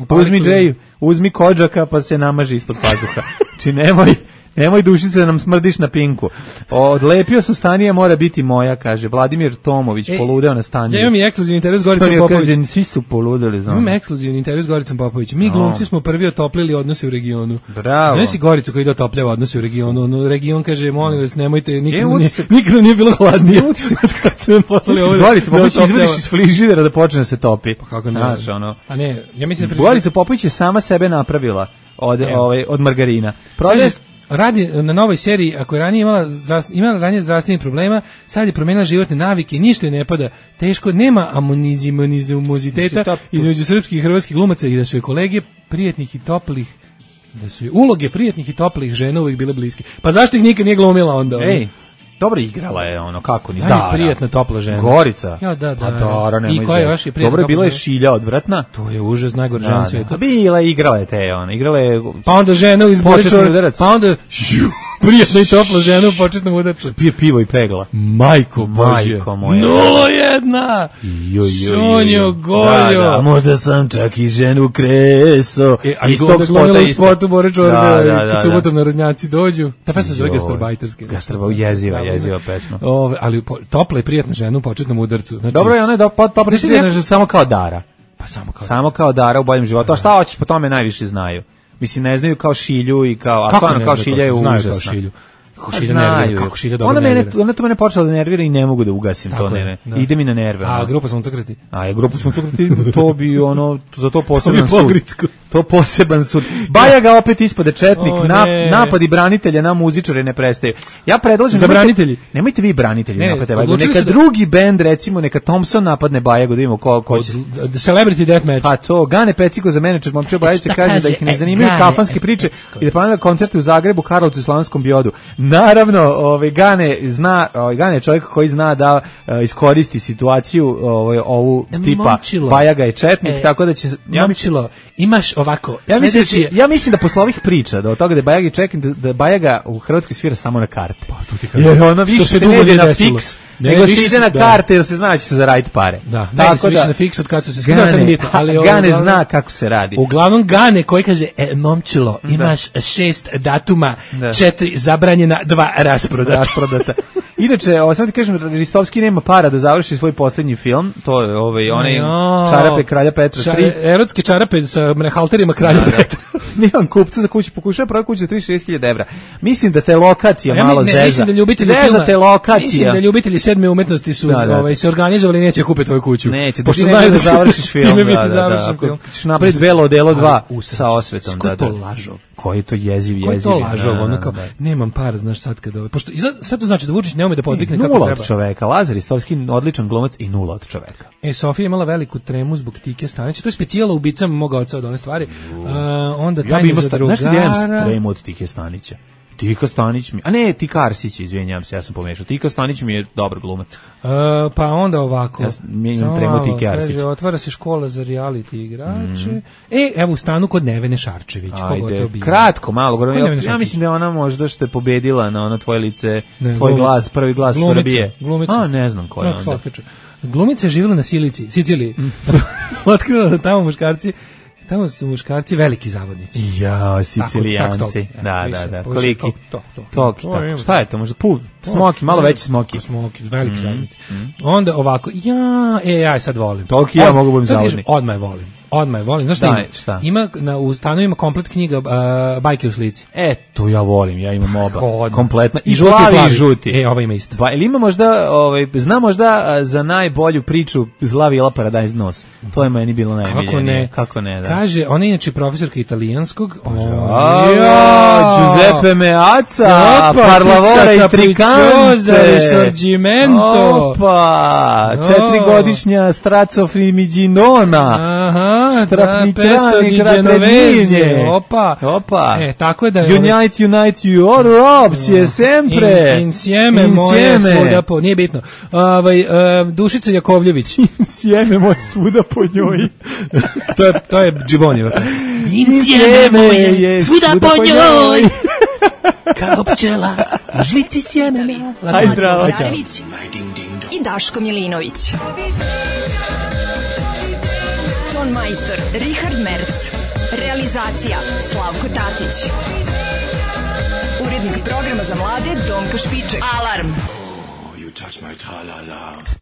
uzmi kodžaka pa se namaži ispod pazuha. Či nemoj Dušice da nam smrdiš na pinku. Odlepio sam Stanija, mora biti moja, kaže Vladimir Tomović, poludeo na Staniju. Ja imam i ekskluzivni intervju s Goricom Popović. Svi su poludeli, znam. Imam ekskluzivni intervju s Goricom Popović. Mi glumci smo prvi otoplili odnose u regionu. Bravo. Znaš si Goricu koji ide otopljava odnose u regionu? No, region kaže, molim vas, nemojte, nikada nije bilo hladnije. Kad se me poslali ovo. Gorica Popović izvadiš iz frižidera da počne da se topi. Pa kako ne? A ne, ja mislim da Gorica Popović je sama sebe napravila od margarina. Radi na novoj seriji, ako je ranije imala ranije zdravstvenih problema, sad je promenila životne navike, ništa je ne pada, teško, nema amonizimoziteta između srpskih i hrvatskih glumaca i da su je kolege prijetnih i toplih, da su je uloge prijetnih i toplih žena uvijek bile bliske. Pa zašto ih nikad nije glumila onda? Ej, dobro igrala je ono, kako ni Dara. Prijetna topla žena. Gorica. Ja, da. Dara, nemoj i koja je još i prijetna. Dobro, bila je Šilja odvratna. To je užas, najgore žena svijeta. Bila je, igrala je te, ona, igrala je... Pa onda žena iz Boričora, pa onda... Prijetna i topla žena u početnom udarcu. Pije pivo i pegla. Majko Božje. 0-1. Sonjo, Goljo. Da, možda sam čak i ženu kreso. Iz tog spota isto. U spotu Boričora, kad subotom narodnjaci dođu. Ta pesma zove Gastarbajterske. Jeziva pesma. Ali topla i prijatna žena u početnom udarcu. Dobro je, ona je topla i prijatna žena samo kao Dara. Pa samo kao Dara u boljem životu. A šta hoćeš, po tome najviše znaju. Mislim, ne znaju kao Šilju i kao... A stvarno kao Šilja je užasna. Kako Šilja nervira, kako Šilja dobro nervira. Ona to mene počela da nervira i ne mogu da ugasim to. Ide mi na nerve. A grupa Suncokreti? Grupa Suncokreti, to bi ono, za to poseban sud. To poseban sud. Bajaga opet ispade četnik, napadi branitelja na muzičare ne prestaju. Ja predlažem... Za branitelji? Nemojte vi branitelji napadate Bajagu. Neka drugi bend, recimo, neka Thompson napadne Bajagu, da vidimo ko će... Celebrity Deathmatch. Pa to, Gane Peciko za menadžer Momčilo Bajagića kaže da ih ne zanimaju kafanske priče i da planira koncerte u Zagrebu, Karlovcu i Slavonskom Biodu. Naravno, Gane je čovjek koji zna da iskoristi situaciju ovu tipa Bajaga je četnik, tako da će... Momčilo, imaš ovako. Ja mislim da posle ovih priča, da od toga da je Bajaga čeknik, da Bajaga u Hrvatskoj svira samo na karte. Pa tu ti kažem. Jer ono više se ne ide na fiks, nego se ide na karte jer se zna da će se zaraditi pare. Da, ne se više na fiks od kad su se skidao sam bitno. Gane zna kako se radi. Uglavnom Gane koji kaže, Momčilo, imaš 6 datuma, 4 zabranjena, 2 rasprodata. Inače, samo ti kažem, Ristovski nema para da završi svoj posljednji film, to je onaj Čarape kralja Petra 3. Erotske čarape sa halterima kralja Petra. Nemam kupca za kuću, pokušao pravi kuću za 36.000 evra. Mislim da te lokacija malo zeza. Mislim da ljubitelji filma, te lokacija. Mislim da ljubitelji sedme umetnosti su se organizovali i neće kupiti tvoju kuću. Neće, pošto znaju da završiš film. Ako ćeš napraviti Belo delo 2 sa osvetom. Ko je to lažov? Koji je to jeziv. Ko je to lažov? Ono kao, nemam para, znaš sad kada... Pošto sad to znači da Vučić ne ume da podvikne kako treba. 0 od čoveka. Lazar Ristovski, odličan glumac i 0 od čoveka. Sofija imala veliku tremu zbog Tike Stanića. To je specijala ubicama moga oca od one stvari. Onda ja bih imao nešto da imam tremu od Tike Stanića. Tika Stanić mi... A ne, Tika Arsić, izvinjam se, ja sam pomešao. Tika Stanić mi je dobar glumac. Pa onda ovako. Ja imam tremu Tike Arsić. Otvara se škola za reality igrače. Evo u stanu kod Nevene Šarčević. Ajde, kratko, malo. Ja mislim da je ona možda što je pobedila na ono tvoje lice, tvoj glas, prvi glas Srbije. Glumica. Ne znam ko je onda. Glumica je živjela na Siciliji. Otkrila da tamo su muškarci veliki zavodnici. Ja, Sicilijanci. Da. Koliki? Toki. Šta je to? Možda smoki, malo veći smoki. Smoki, veliki zavodnici. Onda ovako, ja sad volim. Toki ja mogu biti zavodnik. Odmah je volim. Znaš šta ima? U stanu ima komplet knjiga Bajke u slici. To ja volim, ja imam oba. Kompletna. I žuti i plavi. Žuti. Ova ima isto. Ili ima možda, zna možda za najbolju priču Zla vila Paradise nos. To je meni bilo najmiljenije. Kako ne, da. Kaže, ona je inače profesorka italijanskog. Giuseppe Meazza, Parlavora i Tricante. Risorgimento. Opa, 4-godišnja Strazzo Frimiginona. Aha. Pesto di Genovese. Opa. Tako je da je... Unite Europe, sempre. Insieme moje svuda po... Nije bitno. Dušica Jakovljević. Insieme moje svuda po njoj. To je Džibonjeva. Insieme moje svuda po njoj. Kao pčela u žlici sjemena. Aj, bravo. I Daško Milinović. Ton majstor Richard Merc. Realizacija Slavko Tatić. Urednik programa za mlade Donka Špiček. Alarm. You touch my tra-la-la.